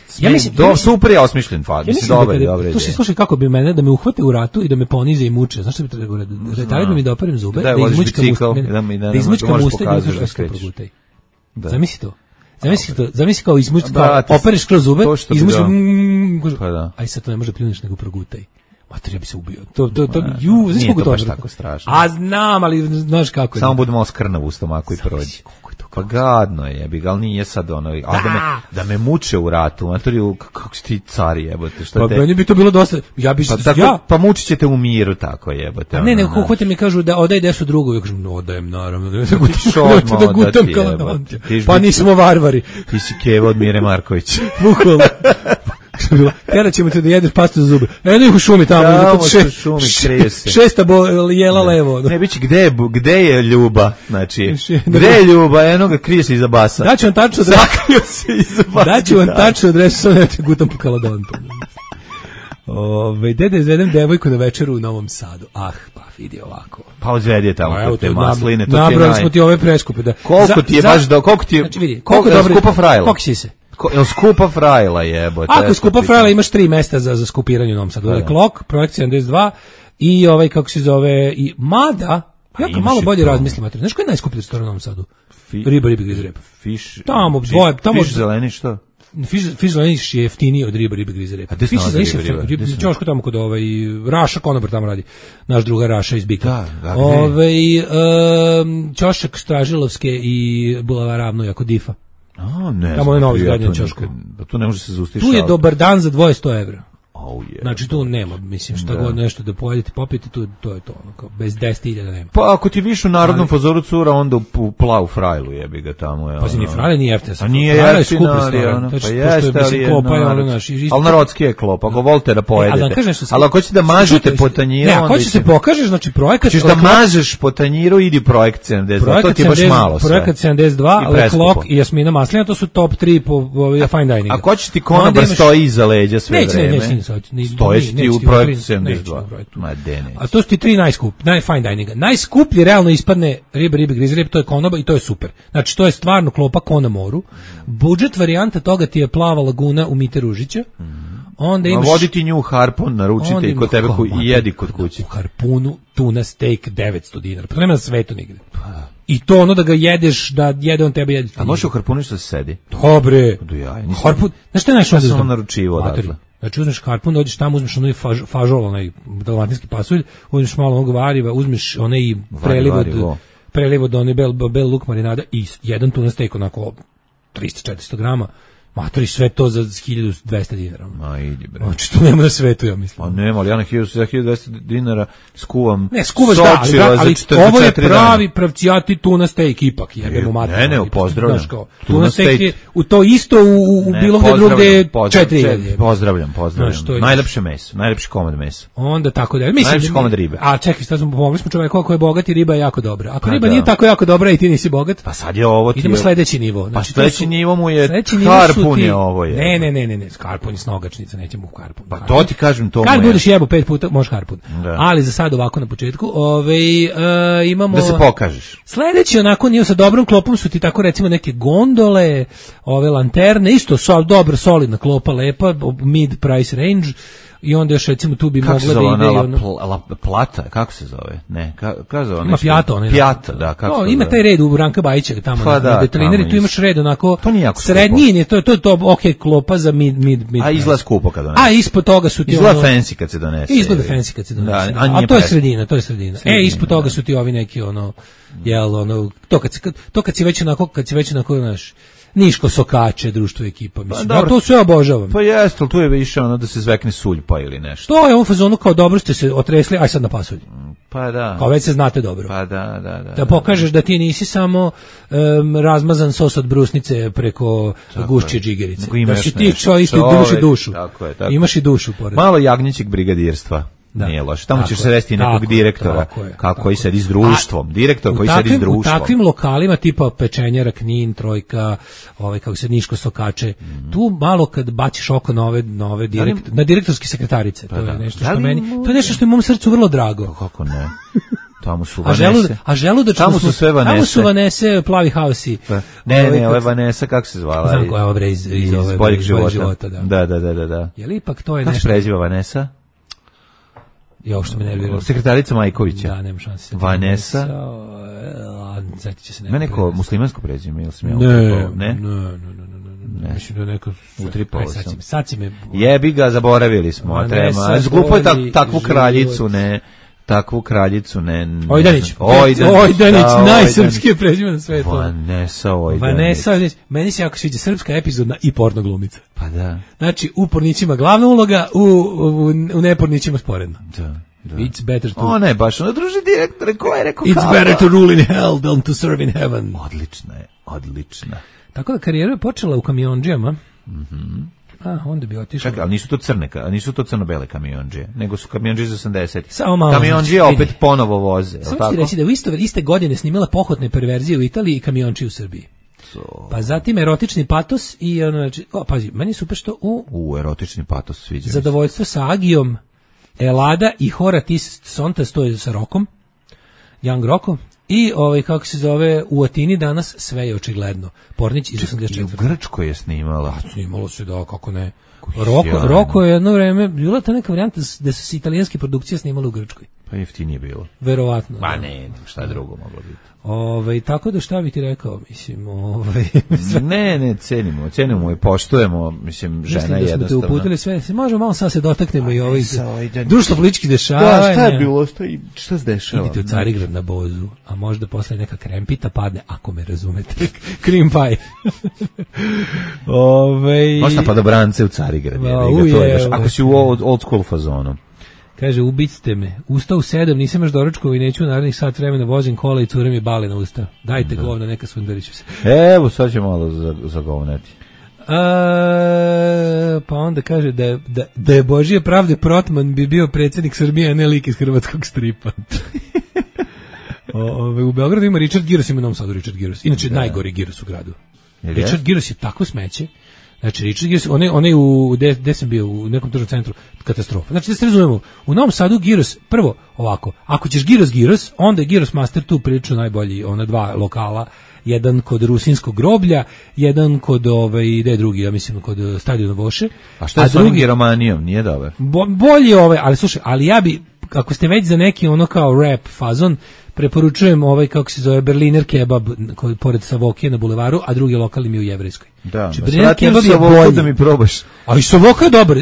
Speaker 6: super je osmišljen faz. Mislim, dobar je.
Speaker 7: Slušaj, kako bi mene, da me uhvate u ratu i da me ponize i muče. Znaš što bi treba govoriti? Retari da mi doparim zube, da izmučkam usta i da izmučkam što progutaj. Zamisli to. Zamisli kao opereš kroz zube, izmučkam... Aj sad to ne može pljuniš nego progutaj. Mater, ja bi se ubio. Nije
Speaker 6: to baš tako strašno.
Speaker 7: A znam, ali znaš kako je.
Speaker 6: Samo bude malo skrnav u stomaku i prođi.
Speaker 7: Koliko je to
Speaker 6: Pa gadno je, ali nije sad ono, da me muče u ratu, matori, kako si ti car jebote, šta te...
Speaker 7: Pa meni bi to bilo dosta,
Speaker 6: pa mučit ćete u miru tako jebote.
Speaker 7: Ne, hoćete mi kažu da odaj desu drugu, ja kažem, odajem naravno, da gutam kaladonte, pa nismo varvari.
Speaker 6: Ti si Keva od Mire Marković.
Speaker 7: Bukvalno. Tera ćemo te da jedeš pastu za zube. Eno ih u šumi tamo. Šesta jela levo.
Speaker 6: Ne, biće, gde je Ljuba? Znači, gde je Ljuba? Eno ga, krije se iza basa.
Speaker 7: Daću vam tačno adresu.
Speaker 6: Sakrio se iza basa.
Speaker 7: Daću vam tačno adresu, sad ne te gutam po kaladontu. Dede izvedem devojku na večeru u Novom Sadu. Pa vidi ovako.
Speaker 6: Pa odvedi je tamo kod te masline.
Speaker 7: Nabrali smo ti ove preskupe.
Speaker 6: Koliko ti je baš do... Koliko je skupa frajla?
Speaker 7: Koliko si se?
Speaker 6: Skupa frajla jebote.
Speaker 7: Ako skupa frajla imaš 3 mesta za skupiranje u Novom Sadu. Klok, Projekt 72 i kako se zove, i Mada, jako malo bolje razmislim. Znaš koji je najskuplji restoran u Novom Sadu? Riba griz repa.
Speaker 6: Fiš zeleni što?
Speaker 7: Fiš zeleni je jeftiniji od riba griz repa. Fiš zeleni je čoško tamo kod Raša Konobar tamo radi. Naš druga Raša iz Bika. Ćošak Stražilovske i Bulevara Ravno jako Difa.
Speaker 6: Ne,
Speaker 7: tamo je novo izgradnje ćošku.
Speaker 6: Tu ne može se zaustaviti.
Speaker 7: Tu je dobar dan za 200 €. Znači tu nema, mislim, šta god nešto da pojedete, popijete, to je to, bez 10.000 nema.
Speaker 6: Pa ako ti viš u Narodnom fazoru cura, onda u plavu frajlu jebi ga tamo.
Speaker 7: Pa si ni frajle nije jeftina.
Speaker 6: A nije jeftina, pa jeste, ali narodski je klop, ako volite da pojedete. Ali ako ćete da mažete po tanjiru...
Speaker 7: Ne, ako ćete se pokažeš, znači projekat...
Speaker 6: Ćeš da mažeš po tanjiru, idi Projekt 72, to ti je baš malo sve.
Speaker 7: Projekat 72, Le Klok i Jasmina Maslina, to su top 3 po fine dininga.
Speaker 6: Ako će ti konobar stoji iza leđa sve vreme... Stojeći ti u Projektu 72.
Speaker 7: A to su ti 3 fine dininga. Najskuplji realno ispadne riba griz rep, to je konoba i to je super. Znači to je stvarno klopa ko na moru. Budžet varijanta toga ti je Plava laguna u Mite Ružića. Onda imaš...
Speaker 6: Voditi nju Harpun, naručite i kod tebe i jedi kod kuće.
Speaker 7: U Harpunu tuna steak $900. Pa nema na svetu nigde. I to ono da ga jedeš, da jede on tebe jedi.
Speaker 6: A može u Harpunu što se sedi?
Speaker 7: Dobre. Harpun, znaš što je najšao?
Speaker 6: Ja sam ono naručivo odatle.
Speaker 7: Znači uzmeš Harpun, dođeš tamo, uzmeš onaj fažol, onaj dalmatinski pasulj, uzmeš malo onog variva, uzmeš onaj preliv od onaj bel luk marinada i jedan tuna steak onako 300-400 grama. Matori, sve to za $1.200.
Speaker 6: Ma idi bre.
Speaker 7: Znači to nema na svetu, ja mislim.
Speaker 6: Pa nema, ali ja na $1.200 skuvam.
Speaker 7: Ne, skuvaš ali ovo je pravi pravcijati tuna steak ipak, jebemo mater.
Speaker 6: Ne, pozdravljam.
Speaker 7: Tuna steak je to isto u bilo gde drugde 4.000.
Speaker 6: Pozdravljam. Najlepše meso, najlepši komad mesa.
Speaker 7: Onda tako da, mislim.
Speaker 6: Najlepši komad ribe.
Speaker 7: A čekaj, sad smo pomogli smo čoveku koji je bogat i riba je jako dobra. Ako riba nije tako jako dobra i ti nisi bogat,
Speaker 6: pa sad je ovo ti.
Speaker 7: Idemo sledeći nivo.
Speaker 6: Pa sledeći nivo mu je Harpun je ovo je.
Speaker 7: Ne, Harpun je snogačnica, nećemo u Harpun.
Speaker 6: Pa to ti kažem, to
Speaker 7: kad budeš jebo 5 puta, možeš Harpun. Ali za sad ovako na početku, imamo...
Speaker 6: Da se pokažeš.
Speaker 7: Sledeći onako nije sa dobrom klopom su ti tako recimo neke gondole, ove lanterne, isto dobra, solidna klopa, lepa, mid price range. I onda još recimo tu bi mogla da ide
Speaker 6: plata, kako se zove? Ne, kako zove?
Speaker 7: Ima
Speaker 6: Pjata, da, kako se zove?
Speaker 7: Ima taj red u Branka Bajića tamo na detrineri, tu imaš red onako
Speaker 6: srednji,
Speaker 7: to je okej klopa za mid.
Speaker 6: A izgleda skupo kad donese.
Speaker 7: A ispod toga su ti
Speaker 6: izgleda fancy kad se donese.
Speaker 7: Izgleda fancy kad se donese. A to je sredina. Ispod toga su ti ovi neki to kad si već onako znaš, Niško Sokače, društvo ekipa, mislim. Ja to sve obožavam.
Speaker 6: Pa jeste, ali tu je više ono da se zvekne suljpa ili nešto.
Speaker 7: To je u fazonu kao dobro ste se otresli, aj sad na pasulj.
Speaker 6: Pa da.
Speaker 7: Kao već se znate dobro.
Speaker 6: Pa da.
Speaker 7: Da pokažeš da ti nisi samo razmazan sos od brusnice preko gušće džigerice. Da si ti imaš i dušu. Tako je. Imaš i dušu pored.
Speaker 6: Malo jagnjećeg brigadirstva. Nije loše. Tamo ćeš sresti nekog direktora koji sedi s društvom. Direktor koji sedi s društvom.
Speaker 7: U takvim lokalima tipa Pečenjara, Knin, Trojka, kako se Niško Sokače, tu malo kad baciš oko na direktorske sekretarice, to je nešto što meni, to je nešto što je mom srcu vrlo drago.
Speaker 6: Kako ne? Tamo su Vanese.
Speaker 7: A želudačno
Speaker 6: tamo su sve Vanese.
Speaker 7: Tamo su Vanese, plavi hausi.
Speaker 6: Ne, ovo je Vanesa, kako se zvala?
Speaker 7: Znam koja je ova iz
Speaker 6: boljeg života. Da.
Speaker 7: Je li ipak to je
Speaker 6: nešto? Kako se preziva Vanesa?
Speaker 7: Ja što me nervira.
Speaker 6: Sekretarica Majkovića.
Speaker 7: Da, nema šanse.
Speaker 6: Vanesa.
Speaker 7: Zatit će se
Speaker 6: ne neko muslimansko prezime, ili sam ja
Speaker 7: Ne. Mislim da neko sad si me
Speaker 6: jebi ga, zaboravili smo. Glupo je takvu kraljicu, ne. takvu kraljicu
Speaker 7: Ojdanić, najsrpskije prezime na svetu.
Speaker 6: Vanessa Ojdanić.
Speaker 7: Meni se jako sviđa srpska epizodna i porno glumica.
Speaker 6: Pa da.
Speaker 7: Znači, u pornićima glavna uloga, u nepornićima sporedna.
Speaker 6: Da.
Speaker 7: It's better to...
Speaker 6: O ne, baš ono druži direktore, ko je rekao
Speaker 7: It's better to rule in hell than to serve in heaven.
Speaker 6: Odlična.
Speaker 7: Tako da karijera je počela u kamiondžijama. Onda bi otišao.
Speaker 6: Čekaj, ali nisu to crno-bele kamiondžije, nego su kamiondžije za 80.
Speaker 7: Samo malo.
Speaker 6: Kamiondžije opet ponovo voze.
Speaker 7: Samo ti reći da u iste godine snimala pohotne perverzije u Italiji i kamionči u Srbiji. Pa zatim erotični patos i pazi, meni je super što u
Speaker 6: erotični patos sviđa.
Speaker 7: Zadovoljstvo sa Agijom, Elada i Horatis Sontas, to je sa Rokom, Young Rockom. I kako se zove, u Atini danas sve je očigledno. Pornić iz 84.
Speaker 6: I u Grčkoj je snimala.
Speaker 7: Snimalo se, da, kako ne. Roko je jedno vreme, bila ta neka varijanta da su se italijanske produkcije snimale u Grčkoj.
Speaker 6: Pa jeftinije bilo.
Speaker 7: Verovatno.
Speaker 6: Pa ne, šta drugo moglo biti.
Speaker 7: Tako da šta bi ti rekao, mislim,
Speaker 6: Ne, cenimo i poštujemo, mislim, žena je jednostavno.
Speaker 7: Mislim da smo te uputili sve, možemo malo sad se dotaknemo i ovih društvo političkih dešavanja.
Speaker 6: Da, šta je bilo, šta se dešava?
Speaker 7: Idite u Carigrad na Bozu, a možda posle neka krempita padne, ako me razumete, cream pie.
Speaker 6: Možda pa dobrance u Carigrad, ako si u old school fazonu.
Speaker 7: Kaže, ubicite me. Ustao u 7, nisam još doručkao i neću narednih sat vremena vozim kola i cure mi bale na usta. Dajte govna, neka svundariću se.
Speaker 6: Evo, sad će malo zagovneti.
Speaker 7: Pa onda kaže da je Božije pravde Protman bi bio predsjednik Srbije, a ne lik iz hrvatskog stripa. U Beogradu ima Richard Giros, ima u Novom Sadu Richard Giros. Inače, najgori Giros u gradu. Richard Giros je tako smeće. Znači, Richard Giros, on je gde sam bio, u nekom tržnom centru, katastrofa. Znači, da se razumemo, u Novom Sadu Giros, prvo, ovako, ako ćeš Giros, onda je Giros Master tu prilično najbolji, ona dva lokala, jedan kod Rusinskog groblja, jedan kod, gde je drugi, ja mislim, kod Stadiona Voše.
Speaker 6: A što je s onim Giromanijom, nije dobar?
Speaker 7: Bolji ali slušaj, ali ja bi, ako ste već za neki ono kao rap fazon, preporučujem kako se zove, Berliner kebab pored Savokije na bulevaru, a drugi lokal mi je u Jevrejskoj.
Speaker 6: Da, Berliner kebab je bolji. Da mi probaš.
Speaker 7: A i Savoka je dobar,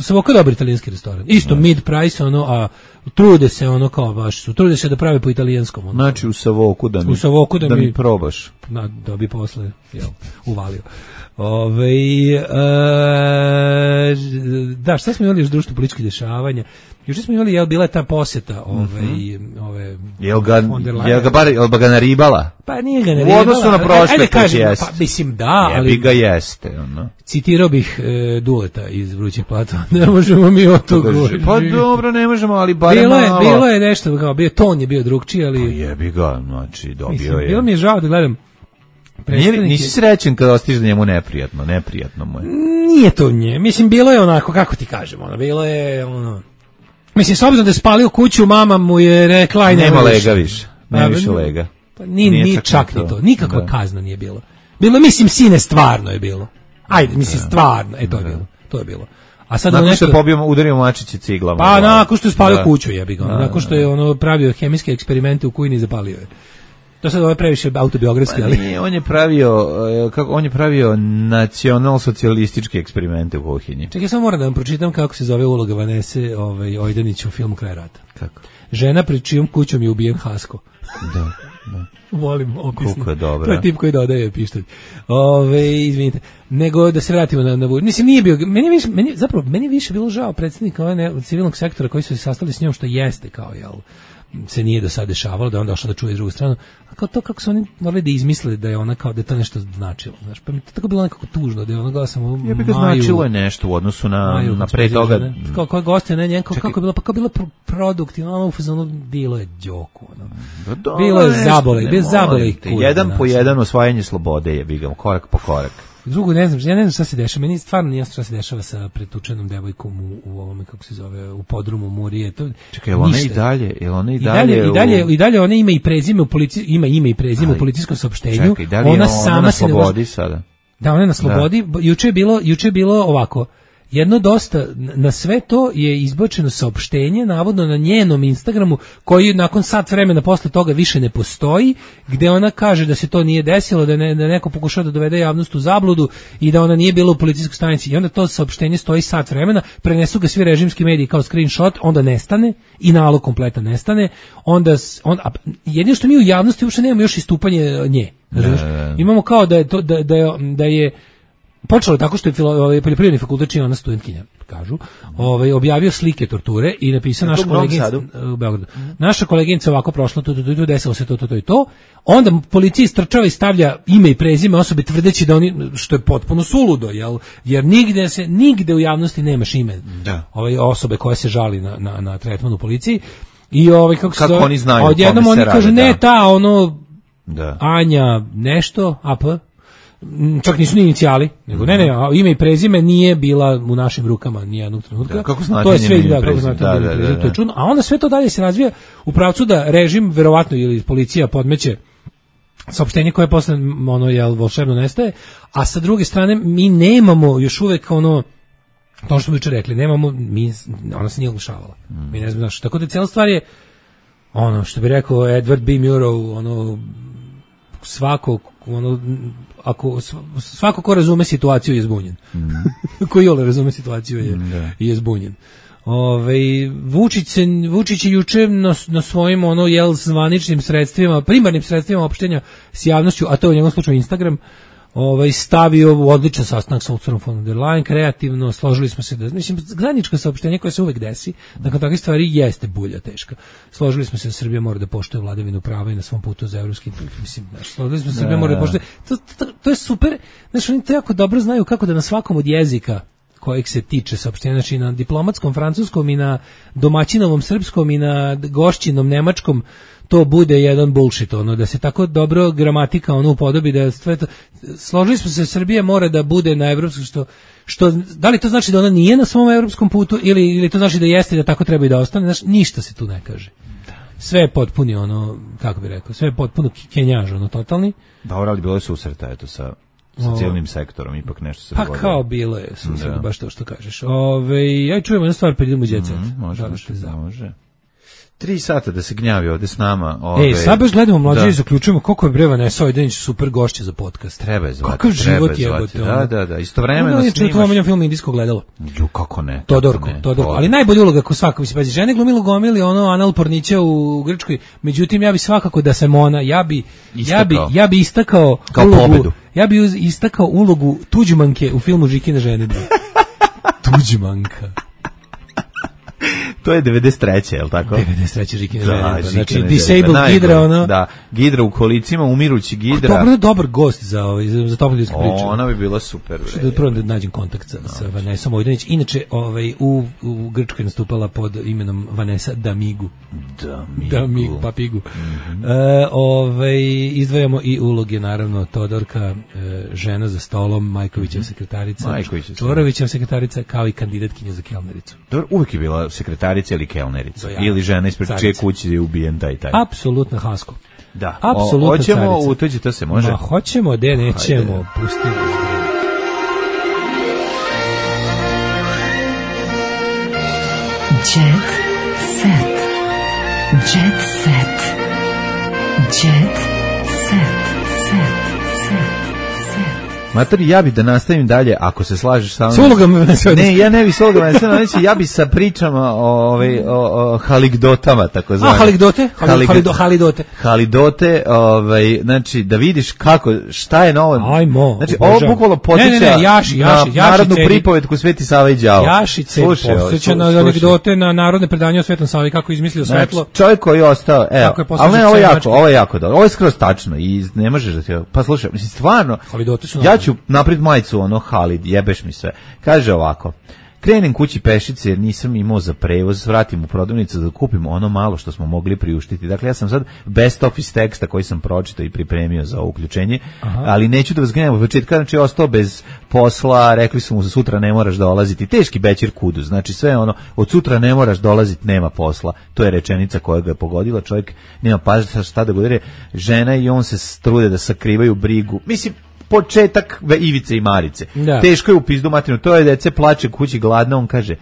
Speaker 7: Savoka je dobar italijanski restoran. Isto mid price, a trude se trude se da prave po italijanskom.
Speaker 6: Znači u Savoku da mi probaš.
Speaker 7: Da bi posle uvalio. Da, šta smo imali još društvo političkih dešavanja? Još smo imali, bila je ta posjeta
Speaker 6: Jel ga naribala?
Speaker 7: Pa nije ga naribala.
Speaker 6: U odnosu na prošle put jeste.
Speaker 7: Pa mislim da, ali...
Speaker 6: Jebi ga jeste.
Speaker 7: Citirao bih Duleta iz Vrućih platova. Ne možemo mi o to govoriti.
Speaker 6: Pa dobro, ne možemo, ali barem malo.
Speaker 7: Bilo je nešto, ton je bio drugčiji, ali...
Speaker 6: Pa jebi ga, znači dobio je.
Speaker 7: Bilo mi je žao da gledam.
Speaker 6: Nisi srećen kada ostiš da njemu neprijatno mu je.
Speaker 7: Nije to nje, mislim, bilo je onako, kako ti kažem, bilo je mislim, s obzirom da je spalio kuću, mama mu je rekla i
Speaker 6: nema lega više, nema više lega.
Speaker 7: Pa nije čak ni to, nikakva kazna nije bilo. Bilo, mislim, sine, stvarno je bilo. Ajde, mislim, stvarno, to je bilo. A sad
Speaker 6: nakon što je udario mačići ciglama.
Speaker 7: Pa nakon što je spalio kuću, jebi ga. Nakon što je pravio hemijske eksperimente u kujini, zapalio je. To sad je previše autobiografski, ali...
Speaker 6: On je pravio nacional-socijalističke eksperimente u kuhinji.
Speaker 7: Čekaj, samo moram da vam pročitam kako se zove uloga Vanese Ojdanić u filmu Kraj rata.
Speaker 6: Kako?
Speaker 7: Žena pred čijom kućom je ubijen Hasko.
Speaker 6: Da.
Speaker 7: Volim opisno.
Speaker 6: Koliko je dobro.
Speaker 7: To je tip koji dodaje pištolj. Izvinite. Nego da se vratimo na mislim, nije bio... Meni više bilo žao predsjednika civilnog sektora koji su se sastali s njom, što jeste kao, se nije do sada dešavalo, da je on došao da čuje drugu stranu, a kao to kako su oni morali da izmisle da je ona kao da je to nešto značilo, znaš, pa mi to tako bilo nekako tužno, da je ona gleda samo
Speaker 6: ja bih ga značilo je nešto u odnosu na pre toga.
Speaker 7: Kao goste, ne, kako je bilo, pa kao bilo produktivno, ono u fazonu bilo je đoku, bilo je zabole,
Speaker 6: jedan po jedan osvajanje slobode je bigam, korak po korak.
Speaker 7: Drugo, ja ne znam šta se dešava, meni stvarno nije šta se dešava sa pretučenom devojkom u ovome, kako se zove, u podrumu Murije.
Speaker 6: Čekaj, je ona
Speaker 7: i dalje ona ima i prezime u ime i prezime u policijskom saopštenju.
Speaker 6: Čekaj, da li je ona na slobodi sada?
Speaker 7: Da, ona je na slobodi. Juče je bilo ovako. jedno dosta, na sve to je izbačeno saopštenje, navodno na njenom Instagramu, koji nakon sat vremena posle toga više ne postoji, gde ona kaže da se to nije desilo, da neko pokušao da dovede javnost u zabludu i da ona nije bila u policijskoj stanici. I onda to saopštenje stoji sat vremena, prenesu ga svi režimski mediji kao screenshot, onda nestane i nalog kompletan nestane. Jedino što mi u javnosti uopšte nemamo još istupanje nje. Imamo kao da je počelo tako što je poljoprivredni fakultet, čini ona studentkinja, kažu, objavio slike torture i napisao naša koleginica u Beogradu. Naša koleginica ovako prošla, desilo se to i to. Onda policija istrčava i stavlja ime i prezime osobe tvrdeći da oni, što je potpuno suludo, jer nigde u javnosti nemaš ime osobe koja se žali na tretman u policiji. I kako
Speaker 6: oni znaju,
Speaker 7: odjednom oni kažu Anja nešto, AP, čak nisu ni inicijali, nego ne, ime i prezime nije bila u našim rukama nijednog trenutka.
Speaker 6: Kako znate,
Speaker 7: to je sve to je čudno. A onda sve to dalje se razvija u pravcu da režim verovatno ili policija podmeće saopštenje koje posle volšebno nestaje, a sa druge strane mi nemamo još uvek to što smo juče rekli, ona se nije oglašavala. Mi ne znamo tako da cijela stvar je što bi rekao Edward B. Murrow, svako ko razume situaciju je zbunjen. Ko iole razume situaciju je zbunjen. Vučić je juče na svojim zvaničnim sredstvima, primarnim sredstvima opštenja s javnošću, a to je u njegovom slučaju Instagram, stavio odličan sastanak sa Ursulom von der Leyen, kreativno, složili smo se zajedničko saopštenje koje se uvek desi, nakon takvih stvari jeste bulja teška. Složili smo se da Srbija mora da poštuje vladavinu prava i na svom putu za evropski, složili smo se da Srbija mora da poštuje, to je super, oni to jako dobro znaju kako da na svakom od jezika kojeg se tiče saopštenja, znači na diplomatskom francuskom i na domaćinovom srpskom i na gošćinom nemačkom, to bude jedan bullshit, da se tako dobro gramatika upodobi, da sve to, složili smo se, Srbija mora da bude na evropskom, što da li to znači da ona nije na svom evropskom putu ili to znači da jeste i da tako treba i da ostane, znači ništa se tu ne kaže. Sve je potpuni kako bi rekao, sve je potpuno kenjaž, totalni.
Speaker 6: Dobro, ali bilo je susreta, eto, sa cijelnim sektorom, ipak nešto se dogodilo.
Speaker 7: Pa kao bilo je susret, baš to što kažeš. Ja čujemo jednu stvar, pa idemo u Jet Set.
Speaker 6: Može. 3 sata da se gnjavi ovde s nama.
Speaker 7: Sad baš gledamo mlađe i zaključujemo koliko je bre Vanessa Ojdanić super gošća za podcast.
Speaker 6: Treba je zvati.
Speaker 7: Kakav život jebote.
Speaker 6: Da. Istovremeno snimaš.
Speaker 7: To je film Indijsko gledalo.
Speaker 6: Kako ne?
Speaker 7: Todorko. Ali najbolja uloga ko svaka, mislim, žene glumilo gomili anal pornića u Grčkoj. Međutim, ja bi svakako da sam ona, ja bi istakao
Speaker 6: kao
Speaker 7: ulogu,
Speaker 6: pobedu.
Speaker 7: Ja bi istakao ulogu Tuđmanke u filmu Žikine žene. Tuđmanka.
Speaker 6: To je 93. je li tako?
Speaker 7: 93. Žikine žene. Znači, disabled Gidra,
Speaker 6: Da, Gidra u kolicima, umirući Gidra.
Speaker 7: To je dobar gost za toplu ljudsku priču.
Speaker 6: Ona bi bila super.
Speaker 7: Prvo da nađem kontakt sa Vanessom Ojdanić. Inače, u Grčkoj nastupala pod imenom Vanessa Damigu. Damigu, papigu. Izdvajamo i uloge, naravno, Todorka, žena za stolom, Majkovićeva sekretarica, Čvorovićeva sekretarica, kao i kandidatkinja za kelnericu.
Speaker 6: Dobro, uvijek je bila sekretarica ili kelnerica, ili žena ispred čije kuće je ubijen taj.
Speaker 7: Apsolutno Hasko.
Speaker 6: Da, hoćemo utuđi, to se može?
Speaker 7: Hoćemo, nećemo, pustimo.
Speaker 4: Jet set. Jet set. Jet set.
Speaker 6: Matori, ja bi da nastavim dalje, ako se slažeš sa mnom.
Speaker 7: S ulogama
Speaker 6: ne, ja ne bi s ulogama, ja bi sa pričama o haligdotama, tako zvane.
Speaker 7: Haligdote?
Speaker 6: Halidote, znači, da vidiš šta je novo.
Speaker 7: Ajmo.
Speaker 6: Znači, ovo bukvalno podsjeća na narodnu pripovetku Sveti Sava i đavo.
Speaker 7: Jašice, podsjeća na anegdote, na narodne predanje o Svetom Savi, kako je izmislio svetlo.
Speaker 6: Znači, čovjek koji je ostao, ali ne, ovo je jako dobro. Ovo je skroz tačno i ne možeš da ti... Pa slušaj, mislim, stvarno, ja ću napred majicu, Halid, jebeš mi sve. Kaže ovako, krenem kući pešice jer nisam imao za prevoz, vratim u prodavnicu da kupim ono malo što smo mogli priuštiti. Dakle, ja sam sad best of iz teksta koji sam pročitao i pripremio za uključenje, ali neću da vas gnjavim od početka, znači ostao bez posla, rekli su mu za sutra ne moraš dolaziti, teški bećir kudu, znači sve od sutra ne moraš dolaziti, nema posla, to je rečenica koja ga je pogodila, čovjek nema pažnje šta da govori, žena i on se trude da sakrivaju brigu, mislim, početak Ivice i Marice. Da. Teško je u pizdu materinu, to je dece plače kući gladno, on kaže,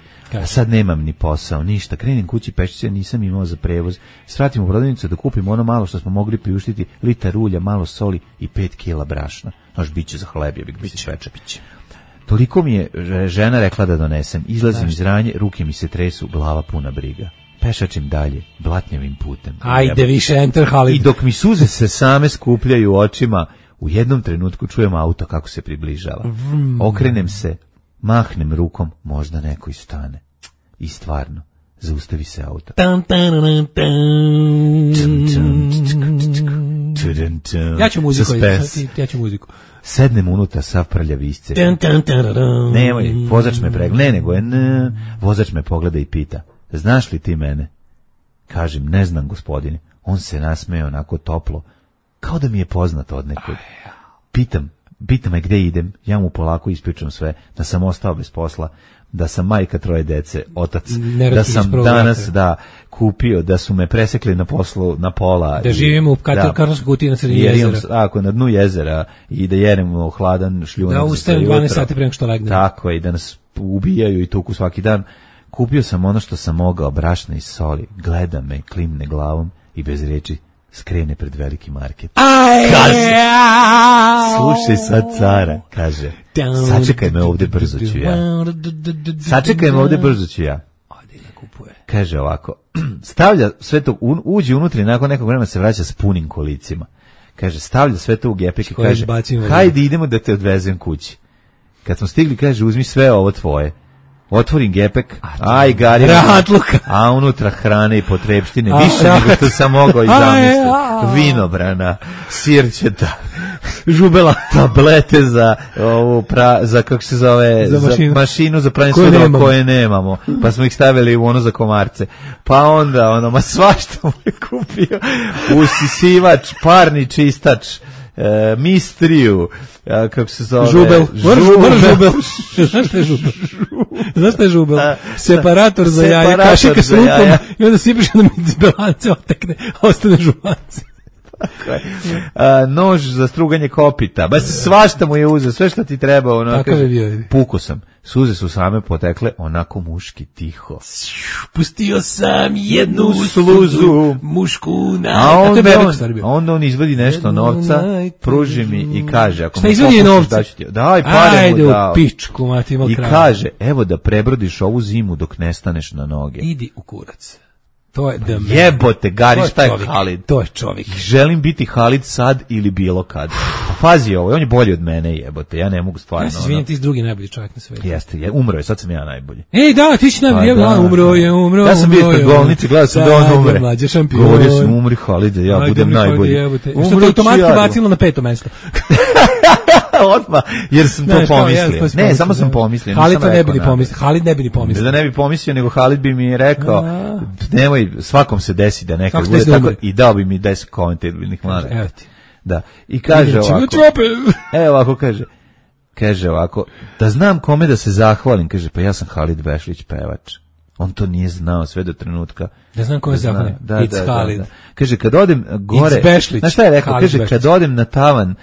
Speaker 6: sad nemam ni posao, ništa, krenem kući pešice, nisam imao za prevoz, svratim u prodavnicu da kupim ono malo što smo mogli priuštiti, litar ulja, malo soli i 5 kila brašna. Znaš, biće za hleb, ja bih da se sveče. Toliko mi je žena rekla da donesem, izlazim iz ranje, ruke mi se tresu, glava puna briga. Pešačim dalje, blatnjavim putem.
Speaker 7: Ajde više, enter Halid.
Speaker 6: I dok mi suze se same skupljaju očima, u jednom trenutku čujem auto kako se približava. Okrenem se, mahnem rukom, možda neko i stane. I stvarno, zaustavi se auto.
Speaker 7: Ja ću muziku.
Speaker 6: Sednem unutra, sav prljav isce. Nemoj, vozač me pregleda, nego je vozač me pogleda i pita, znaš li ti mene? Kažem, ne znam, gospodine. On se nasmeo onako toplo, kao da mi je poznato od nekud. Pitam me gde idem, ja mu polako ispričam sve, da sam ostao bez posla, da sam majka 3 dece, otac, da sam danas kupio, da su me presekli na poslu na pola.
Speaker 7: Da živimo u kartonskoj kutiji na sredini jezera.
Speaker 6: Tako, na dnu jezera i da jedemo hladan šljunak. Da
Speaker 7: ustajem 12 sati pre nego što legnem.
Speaker 6: Tako je, i da nas ubijaju i tuku svaki dan. Kupio sam ono što sam mogao, brašna i soli, gleda me, klimne glavom i bez reči skrene pred veliki market. Kaže, slušaj sad cara, kaže, sačekaj me ovde, brzo ću ja. Sačekaj me ovde, brzo ću ja. Kaže ovako, stavlja sve to, uđe unutra i nakon nekog vremena se vraća s punim kolicima. Kaže, stavlja sve to u gepek i kaže, hajde idemo da te odvezem kući. Kad smo stigli, kaže, uzmi sve ovo tvoje. Otvorim gepek, gari, a unutra hrane i potrebštine, više nego što sam mogao i zamisliti. Vinobrana, sirćeta, žubela, tablete za kako se zove, za mašinu za pranje sudova koje nemamo, pa smo ih stavili u ono za komarce. Pa onda, ma svašta mu je kupio, usisivač, parni čistač, mistriju, kako se zove,
Speaker 7: žubel. Znaš šta je žubel? Separator za jaja, kašika s lupom i onda sipiš na bilance, otekne, ostane žubance.
Speaker 6: Nož za struganje kopita, svašta mu je uzeo, sve što ti treba. Puko sam, suze su same potekle, onako muški tiho.
Speaker 7: Pustio sam jednu sluzu mušku
Speaker 6: a onda on izvadi nešto novca, pruži mi i kaže,
Speaker 7: šta izvadi novca?
Speaker 6: Daj pare mu
Speaker 7: dao. Pičku,
Speaker 6: i kaže, evo da prebrodiš ovu zimu dok ne staneš na noge.
Speaker 7: Idi u kurac. To je
Speaker 6: jebote, Gari, šta je Halid?
Speaker 7: To je čovjek.
Speaker 6: Želim biti Halid sad ili bilo kad. Pa pazi ovo, on je bolji od mene, jebote, ja ne mogu stvarno.
Speaker 7: Ja se izvinjam, ti si drugi najbolji čovjek na svijetu.
Speaker 6: Jeste, umro je, sad sam ja najbolji.
Speaker 7: Ej, da, ti si najbolji, umro je.
Speaker 6: Ja sam bio ispred bolnice, gledao sam da on umre. Govorio sam, umri Halid, ja budem najbolji.
Speaker 7: Što te automatski bacilo na 5. mesto.
Speaker 6: Odmah, jer sam to pomislio. Ne, samo sam pomislio.
Speaker 7: Halid ne bi ni pomislio.
Speaker 6: Da ne bi pomislio, nego Halid bi mi rekao, nemoj, svakom se desi da nekad bude tako, i dao bi mi 10 komentabilnih mlada.
Speaker 7: Evo ti.
Speaker 6: Da. I kaže ovako. Evo ovako kaže ovako, da znam kome da se zahvalim, kaže, pa ja sam Halid Bešlić, pevač. On to nije znao sve do trenutka.
Speaker 7: Da znam kome se zahvalim. It's Halid.
Speaker 6: Kaže, kad odem gore, znaš šta je rekao? Kaže, kad odem na tavan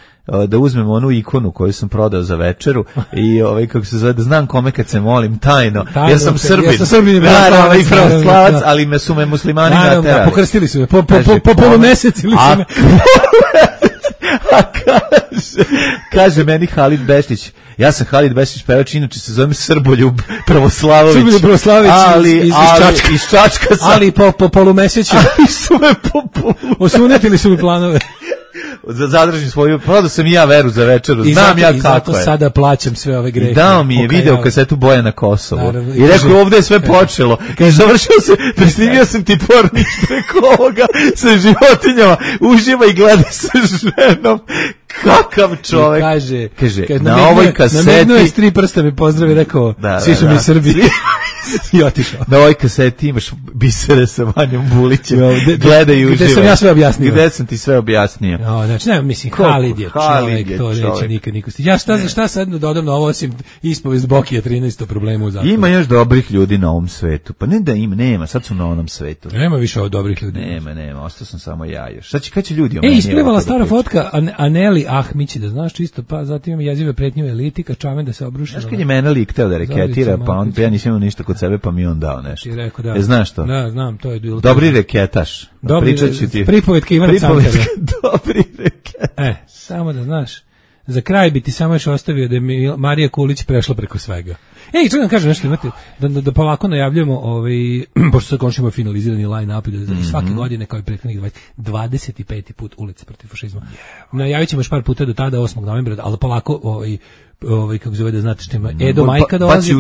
Speaker 6: da uzmem onu ikonu koju sam prodao za večeru i kako se zove, da znam kome kad se molim tajno, jer sam Srbin, naravno i pravoslavac, ali su me muslimani naterali.
Speaker 7: Pokrstili su me, po polumesec ili su me.
Speaker 6: A kaže meni Halid Bešlić, ja sam Halid Bešlić pevač, inače se zovem Srboljub Pravoslavović, iz Čačka sam.
Speaker 7: Ali po polumeseću
Speaker 6: su me
Speaker 7: osunetili su mi planove.
Speaker 6: Zadržim svoju, prodao sam i ja veru za večeru, znam ja kako je. I
Speaker 7: zato sada plaćam sve ove grehe.
Speaker 6: I dao mi je video kasetu Boja na Kosovu. Naravno, i rekao, ovdje je sve počelo. I završio se, presnimio sam ti pornić preko ovoga sa životinjama, uživa i gleda sa ženom. Kakav čovjek.
Speaker 7: Kaže, na ovoj kaseti. Na mednu je 3 prsta mi pozdravi, rekao, svi su mi Srbi. I otišao.
Speaker 6: Na ovoj kaseti imaš bisere sa Vanjom Bulićem. Gledaj i uživaj.
Speaker 7: Gde sam ja sve objasnio.
Speaker 6: Gde sam ti sve objasnio.
Speaker 7: No, znači, ne, mislim, Halid je čovjek, to neće nikad niko stići. Ja šta sad dodam na ovo, osim ispovest Bokija 13 problema u zakonu.
Speaker 6: Ima još dobrih ljudi na ovom svetu. Pa ne da ima, nema, sad su na onom svetu.
Speaker 7: Nema više od dobrih ljudi.
Speaker 6: Nema, ostao sam samo ja još. Sad kad će ljudi o meni...
Speaker 7: Isplivala stara fotka Aneli Ahmići, da znaš čisto, pa zatim ima jezive pretnje u eliti, kad čamen da se obruši.
Speaker 6: Znaš kad je mene lik teo da reketira, pa ja nisam imao ništa kod sebe, pa mi on dao nešto.
Speaker 7: Ti rekao da.
Speaker 6: Znaš to?
Speaker 7: Da, znam, to je bilo.
Speaker 6: Dobri reketaš.
Speaker 7: Pričat ću ti. Pripovetke Ivana Cankara.
Speaker 6: Dobri reketaš.
Speaker 7: Samo da znaš. Za kraj bi ti samo još ostavio da je Marija Kulić prešla preko svega. Čekaj da kažem nešto, imate, da polako najavljujemo, pošto sad končimo finalizirani line-up i da svake godine, kao i prethodnih 25. put Ulice protiv fašizma. Najavit ćemo još par puta do tada, 8. novembra, ali polako, kako zove da znate što ima, Edo Majka dolazi.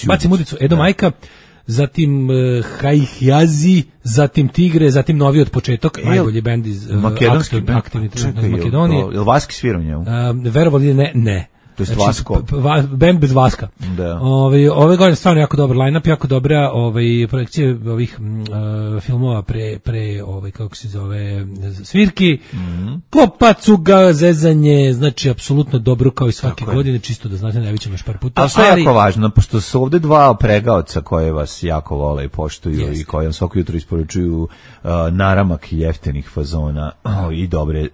Speaker 7: Bacim udicu. Edo Majka, zatim Hajhjazi, zatim Tigre, zatim Novi od početak, najbolji bend iz aktivni trenutno iz Makedonije.
Speaker 6: Je li Vaski svirao njemu?
Speaker 7: Verovali ne.
Speaker 6: To je Vasko.
Speaker 7: Band bez Vaska.
Speaker 6: Da.
Speaker 7: Ove godine stvarno jako dobar line-up, jako dobra projekcije ovih filmova pre kako se zove, svirki, Klopacuga, zezanje, znači apsolutno dobro kao i svake godine, čisto da znate, najviše još par puta.
Speaker 6: Ali što je jako važno, pošto su ovde dva pregaoca koje vas jako vole i poštuju i koje vam svako jutro isporučuju naramak jeftinih fazona i dobre,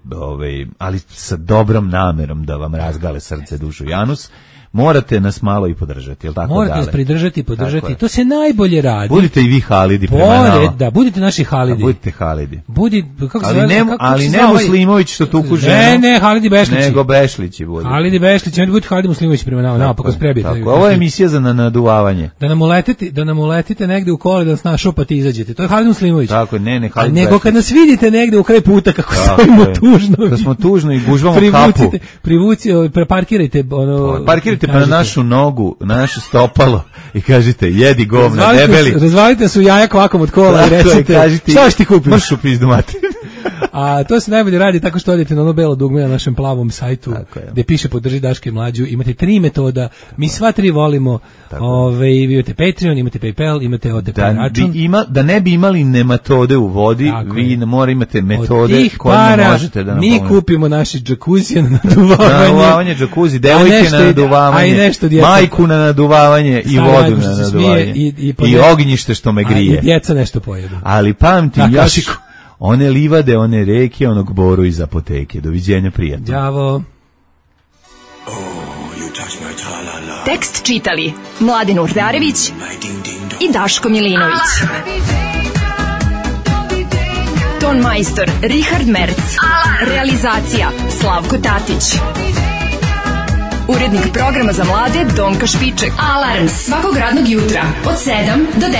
Speaker 6: ali sa dobrom namerom da vam razgale srce, dušu i anus, morate nas malo i podržati, jel tako?
Speaker 7: Morate nas pridržati i podržati, to se najbolje radi.
Speaker 6: Budite i vi Halidi prema nama.
Speaker 7: Da, budite naši Halidi.
Speaker 6: Budite Halidi.
Speaker 7: Ali
Speaker 6: ne Muslimović što tuku ženu.
Speaker 7: Ne, Halidi Bešlići.
Speaker 6: Nego Bešlići budu.
Speaker 7: Halidi Bešlići, budite Halidi Muslimović prema nama, napokon sprebite.
Speaker 6: Ovo je emisija za naduvavanje.
Speaker 7: Da nam uletite negde u kole, da nas našopate i izađete. To je Halidi Muslimović.
Speaker 6: Tako, ne, Halidi.
Speaker 7: Nego kad nas vidite negde u kraj puta kako stojimo tužno.
Speaker 6: Da smo tužno i gužvamo kapu.
Speaker 7: Parkirajte
Speaker 6: pa na našu nogu, na naše stopalo i kažite, jedi govna, debeli.
Speaker 7: Razvalite su jaja kvakom od kola i recite, šta ćeš ti kupiti?
Speaker 6: Mršu pizdu mati.
Speaker 7: A to se najbolje radi tako što odete na ono belo dugme na našem plavom sajtu gde piše podrži Daška i Mlađu. Imate 3 metoda, mi sva 3 volimo. Vi imate Patreon, imate PayPal, imate OTP račun.
Speaker 6: Da ne bi imali nematode u vodi, vi mora imate metode koje možete da nam
Speaker 7: mi kupimo naši džakuzije na naduvavanje.
Speaker 6: Džakuzi, devojke na naduvavanje, majku na naduvavanje i vodu na naduvavanje. I ognjište što me grije.
Speaker 7: I djeca nešto pojedu.
Speaker 6: Ali pamti, još one livade, one reke, onog boru iz apoteke. Doviđenja, prijatno.
Speaker 7: Đavo.
Speaker 1: Tekst čitali Mladen Urdarević i Daško Milinović. Ton majstor Richard Merc. Realizacija Slavko Tatić. Urednik programa za mlade Donka Špiček. Alarms svakog radnog jutra od 7 do 10.